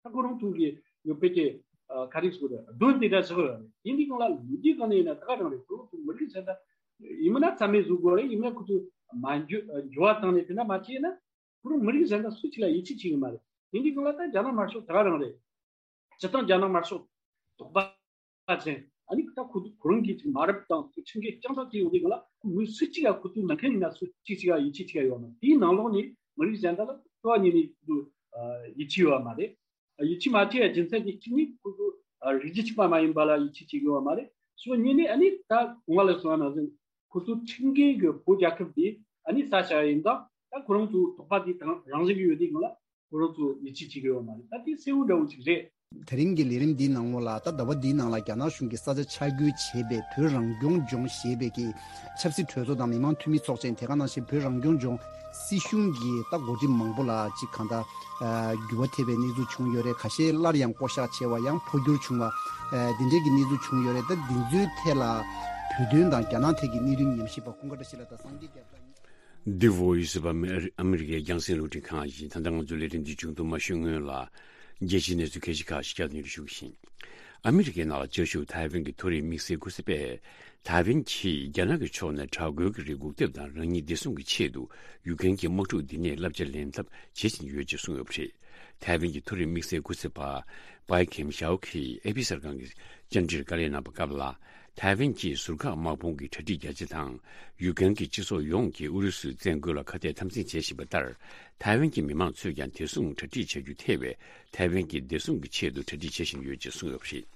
ད་ཁོ་རང་ཚོ་གི་ཡོད་པའི་གི་ཨ་ག་རེ་ཟེར་དགོས་རེད། གདོན་དེ་འདྲ་ཟེར་དགོས་ཡོད་རེད། ཡིན་དུས་སྒང་ལ་ལོ་རྒྱུས་སྒང་ནས་ཡིན་ན་ད་ག་རང་རེད། ཁོ་རང་ཚོ་མི་རིགས་གཞན་དག་ཡིན་མིན་ན་རྩ་མེད་བཟོ་དགོས་རེད། ཡིན་མིན་ན་ཁོ་ཚོ་མ་འགྱུར་འགྱུར་བ་བཏང་ནས་དེ་འདྲ་མ་བྱས་ན་ཁོ་རང་མི་རིགས་གཞན་དག་སུ་གཅིག་ལ་ཡིད་ཆེས་བྱེད་ཀྱི་མ་རེད། ཡིན་དུས་སྒང་ལ་ད་རྒྱ་ནག་དམར་ཤོག་ད་ག་རང་རེད། སྤྱིར་བཏང་རྒྱ་ནག་དམར་ཤོག་དོགས་པ་ཅན། ཨ་ནི་ད་ཁོ་ཁོ་རང་གིས་ཅིག་མ་རབས་དང་ཁྲིམས་འགལ་རྐྱང་ཐག་བྱས་ཡོང་དུས་སྒང་ལ་མི་སུ་གཅིག་ལ་ཁོ་ཚོའི་ནང་ཁུལ་ཡིན་ན་སུ་གཅིག་གཅིག་ལ་ཡིད་ཆེས་བྱེད་ཀྱི་ཡོད་མ་རེད། དེའི་ནང་ལོགས་ནས་མི་རིགས་གཞན་དག་ལ་ལྟོ་བ་ཉིད་ནས་ཁོ་ཚོ་ཡིད་ཆེས་ཡོད་མ་རེད། ཡིད་ཆེས་མ་བྱེད་ཡ་རྒྱུ་མཚན་དེ་གཅིག་ནི་ཁོ་ཚོ་རིགས་རྒྱུད་གཅིག་པ་མ་ཡིན་པ་ལ་ཡིད་ཆེས་བྱེད་ཀྱི་ཡོད་མ་རེད། ཕྱོགས་གཉིས་ནས་ཨ་ནི་ད་གོང་མ་ལ་གསུངས་པ་ནང་བཞིན་ཁོ་ཚོ་ཁྲིམས་འགལ་གྱི་བོད་རྒྱལ་ཁབ་དེ་ཨ་ནི་ས་ཆ་ཡིན་ཙང་ད་ཁོ་རང་ཚོ་དོགས་པ་དེ་དང་རང་བཞིན་གྱི་ཡོད་དུས་སྒང་ལ་ཁོ་རང་ཚོ་ཡིད་ཆེས་བྱེད་ཀྱི་ཡོད་མ་རེད། ད་དེ་གསལ་བོ་འདྲ་བོ་ཅིག་རེད། དེ་རིང་གི་ལས་རིམ་འདིའི་ནང་ལོགས་ལ་ད་ཟླ་བ་འདིའི་ནང་ལ་རྒྱ་ནག་གཞུང་གིས་ས་ཆ་ཆ་བགོས་བྱས་པའི་བོད་རང་སྐྱོང་ལྗོངས་ཞེས་པའི་གི་ཆབ་སྲིད་གྲོས་ཚོགས་དང་མི་མང་འཐུས་མི་ཚོགས་ཆེན། དེ་ག་ནང་བཞིན་བོད་རང་སྐྱོང་ལྗོངས་སྲིད་གཞུང་གི་ད་འགོ་ཁྲིད་མང་པོ་ལ་ཅིག་གང་ལྟར་ཨ་འགྱུར་བ་ཐེབས་པའི་གནས་ཚུལ་བྱུང་ཡོད་རེད། ཁ་ཤས་སླར་ཡང་བསྐོ་གཞག་བྱས་པ་ཡང་འཕོ་འགྱུར་བྱུང་བ། ཨ་འདི་འདྲའི་གི་གནས་ཚུལ་བྱུང་ཡོད་རེད། ད་འདི་ཚོའི་ཐད་ལ་བོད་དོན་དང་རྒྱ་ནག་ཐད་ཀྱི་གནད་དོན་ཉམས་ཞིབ་པ་ཀུན་དགའ་བཀྲ་ཤིས་ལགས་དང་སངས་རྒྱས་རྒྱ་མཚོ། The Voice of Amer- America རྒྱང་སྲིང་རླུང་འཕྲིན་ཁང་ཡིན། ད་ལྟ་ང་ཚོའི་ལས་རིམ་འདི་མཇུག་ཏུ་མ་ཞུགས་སྔོན་ལ། རྒྱལ་སྤྱིའི་གནས་ཚུལ་ཁ་ཤས་ཁག་ཞིག་བསྐྱར་དུ་སྙན་སྒྲོན་ཞུ་གི་ཡིན། ཨ་མི་རི་ཀའི་ནང་ལ་བཅའ་བཞུགས་ཐའེ་ཝན་གྱི་མཐོ་རིམ་དམིགས་བསལ་སྐུ་ཚབ་པས། ཐའེ་ཝན་གྱིས་རྒྱ་ནག་གི་ཕྱོགས་ནས་དྲག་རྒོལ་གྱི་རེ་སྒུག་ཐེབས་དང་རང་ཉིད་བདེ་སྲུང་གི་ཆེད་དུ་ཡུཀ་རེན་གྱི་དམག་འཁྲུག་འདི་ནས་བསླབ་བྱ་ལེན་ཐབས་བྱེད་བཞིན་ཡོད་ཅེས་གསུངས་ཡོད་པ་རེད། ཐའེ་ཝན་གྱི་མཐོ་རིམ་དམིགས་བསལ་སྐུ་ཚབ་པ་པའི་ཁེམ་ཞའོ་གིས་ཨེ་པི་གསར་ཁང་གི་བཅར་འདྲིར་བཀའ་ལན་གནང་བའི་སྐབས་ལ། ཐའེ་ཝན་གྱིས་ཟུར་བཀག་དམག་དཔུང་གི་གྲ་སྒྲིག་རྒྱ་ཆེ་དང་། ཡུཀ་རེན་གྱི་སྤྱི་ཚོགས་ཡོངས་ཀྱིས་ཨུ་རུ་སུའི་བཙན་རྒོལ་ལ་ཁ་གཏད་དམ་འཛིན་བྱེད་བཞིན་པ་ལྟར། ཐའེ་ཝན་གྱི་མི་མང་ཚོས་ཀྱང་བདེ་སྲུང་གྲ་སྒྲིག་བྱ་རྒྱུ་ཐེ་བའི་ཐའེ་ཝན་གྱི་བདེ་སྲུང་གི་ཆེད་དུ་གྲ་སྒྲིག་བྱེད་བཞིན་ཡོད་ཅེས་གསུངས་ཡོད་པ་རེད།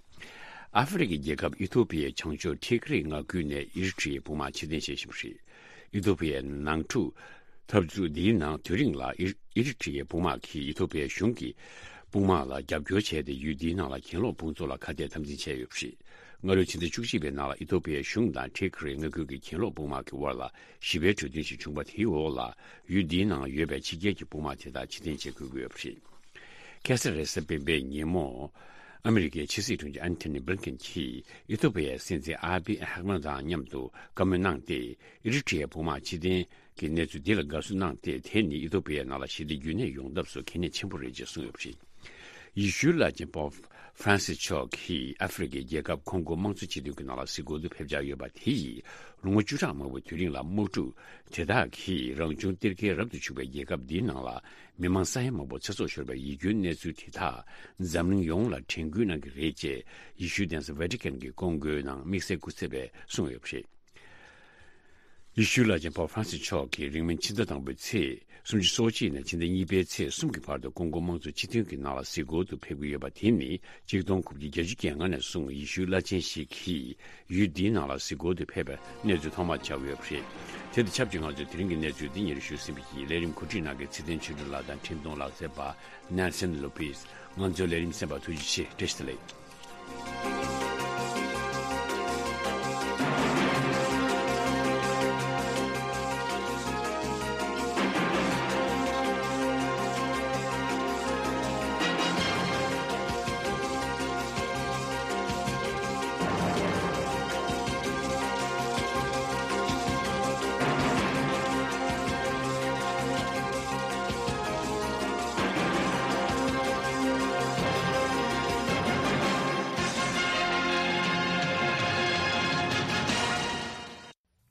ཨ་ཧྥེ་རི་ཁའི་རྒྱལ་ཁབ་ཨི་ཐོ་པི་ཡའི་བྱང་ཕྱོགས་ཊི་གྷི་རི་མངའ་ཁུལ་ནས་ཨི་རི་ཊི་ཡའི་དཔུང་དམག་ཕྱིར་འཐེན་བྱེད་བཞིན་པ་རེད། ཨི་ཐོ་པི་ཡའི་ནང་འཁྲུག་འཐབ་རྩོད་འདིའི་ནང་དུས་རིང་ལ་ཨི་ཨི་རི་ཊི་ཡའི་དཔུང་དམག་གིས་ཨི་ཐོ་པི་ཡའི་གཞུང་གི་དཔུང་དམག་ལ་རྒྱབ་སྐྱོར་བྱས་ཏེ། ཡུལ་འདིའི་ནང་ལ་གྱེན་ལོག་དཔུང་ཚོགས་ལ་ཁ་གཏད་དམ་འཛིན་བྱས་ཡོད་པ་རེད། སྔ་ལོའི་ཕྱི་ཟླ་བཅུ་གཅིག་པའི་ནང་ལ་ཨི་ཐོ་པི་ཡའི་གཞུང་དང་ཊི་གྷི་རི་མངའ་ཁུལ་གྱི་གྱེན་ལོག་དཔུང་དམག་གི་དབར་ལ་ཞི་བའི་གྲོས་མཐུན་ཞིག་བྱུང་བ། དེའི་འོག་ལ་ཡུལ་འདིའི་ནང་ཡོད་པའི་ཕྱི་རྒྱལ་གྱི་དཔུང་དམག་དེ་དག་ཕྱིར་འཐེན་བྱེད་དགོས་ཀྱི་ཡོད་པ་རེད། ཁ་སང་རེས་གཟའ་སྤེན་པའི་ཉིན་མོ། ཨ་མི་རི་ཀའི་ཕྱི་སྲིད་དྲུང་ཆེ་ཨན་ཐོ་ནི་བྷི་ལིན་ཀེན་གྱིས་ཨི་ཐོ་པི་ཡའི་སྲིད་འཛིན་ཨ་བི་ཨ་ཧག་མན་དང་མཉམ་དུ་བཀའ་མོལ་གནང་སྟེ། ཨི་རི་ཊི་ཡའི་དཔུང་དམག་ཕྱིར་འཐེན་གྱི་གནས་ཚུལ་འདི་ལ་དགའ་བསུ་གནང་སྟེ། དེ་ནི་ཨི་ཐོ་པི་ཡའི་ནང་ལ་ཞི་བདེ་རྒྱུན་གནས་ཡོང་ཐབས་སུ་གལ་གནད་ཆེན་པོ་རེད་ཅེས་གསུངས་ཡོད་པ་རེད། ཡེ་ཤུའི་བླ་ཆེན་པོབ་ཧྥ་རན་སིས་མཆོག་གིས་ཨ་ཧྥེ་རི་ཁའི་རྒྱལ་ཁབ་ཁོང་གོ་དམངས་གཙོ་སྤྱི་འཐུས་ཀྱི་ནང་ལ་གཟིགས་སྐོར་དུ་ཕེབས་འཆར་ཡོད་པ། དེ་ཡིས་ལོ་ངོ་བཅུ་ཕྲག་མང་པོའི་དུས་རིང་ལ་དམག་འཁྲུག་དེ་དག་གིས་རང་བྱུང་གཏེར་ཁའི་རབ་ཏུ་བྱུང་བའི་རྒྱལ་ཁབ་འདིའི་ནང་ལ་མི་མང་ས་ཡ་མང་པོ་ཚེ་སྲོག་ཤོར་བའི་ཡིད་སྐྱོའི་གནས་ཚུལ་དེ་དག་འཛམ་གླིང་ཡོངས་ལ་དྲན་སྐུལ་གནང་གི་རེད་ཅེས་ཡེ་ཤུའི་གདན་ས་ཝེ་ཏི་ཀན་གྱི་ཀོང་སྒོའི་ནང་དམིགས་བསལ་སྐུ་ཚབ་པས་གསུངས་ཡོད་པ་རེད། ཡེ་ཤུའི་བླ་ཆེན་པོབ་ཧྥ་རན་སིས་མཆོག་གིས་རིང་མིན་ཕྱི་ཟླ་དང་པོའི་ཚེས་སུམ་ཅུ་སོ་གཅིག་ནས་ཕྱི་ཟླ་གཉིས་པའི་ཚེས་གསུམ་གྱི་བར་དུ་ཀོང་ཀོ་དམངས་གཙོའི་སྤྱི་མཐུན་གྱི་ནང་ལ་གཟིགས་སྐོར་དུ་ཕེབས་ཀྱི་ཡོད་པ་དེ་ནི་ཆིག་སྟོང་དགུ་བརྒྱ་བརྒྱད་ཅུ་གྱ་ལྔ་ནས་བཟུང་ཡེ་ཤུའི་བླ་ཆེན་ཞིག་གིས་ཡུལ་འདིའི་ནང་ལ་གཟིགས་སྐོར་དུ་ཕེབས་པའི་གནས་ཚུལ་ཐོག་མར་བྱུང་ཡོད་པ་རེད། དེ་དང་ཆབས་ཅིག་ང་ཚོས་དེ་རིང་གི་གནས་ཚུལ་འདི་སྙན་ཞུ་ཟིན་པ་ཡིན། ལས་རིམ་གོ་སྒྲིག་གནང་མཁན་ཚེ་བརྟན་ཆོས་སྒྲོན་ལགས་དང་འཕྲིན་གཏོང་ལག་རྩལ་པ་ནེལ་སན་ལོ་པིས། ང་ཚོའི་ལས་རིམ་གསན་པར་ཐུགས་རྗེ་ཆེ། བཀྲ་ཤིས་བདེ་ལེགས།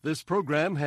This program has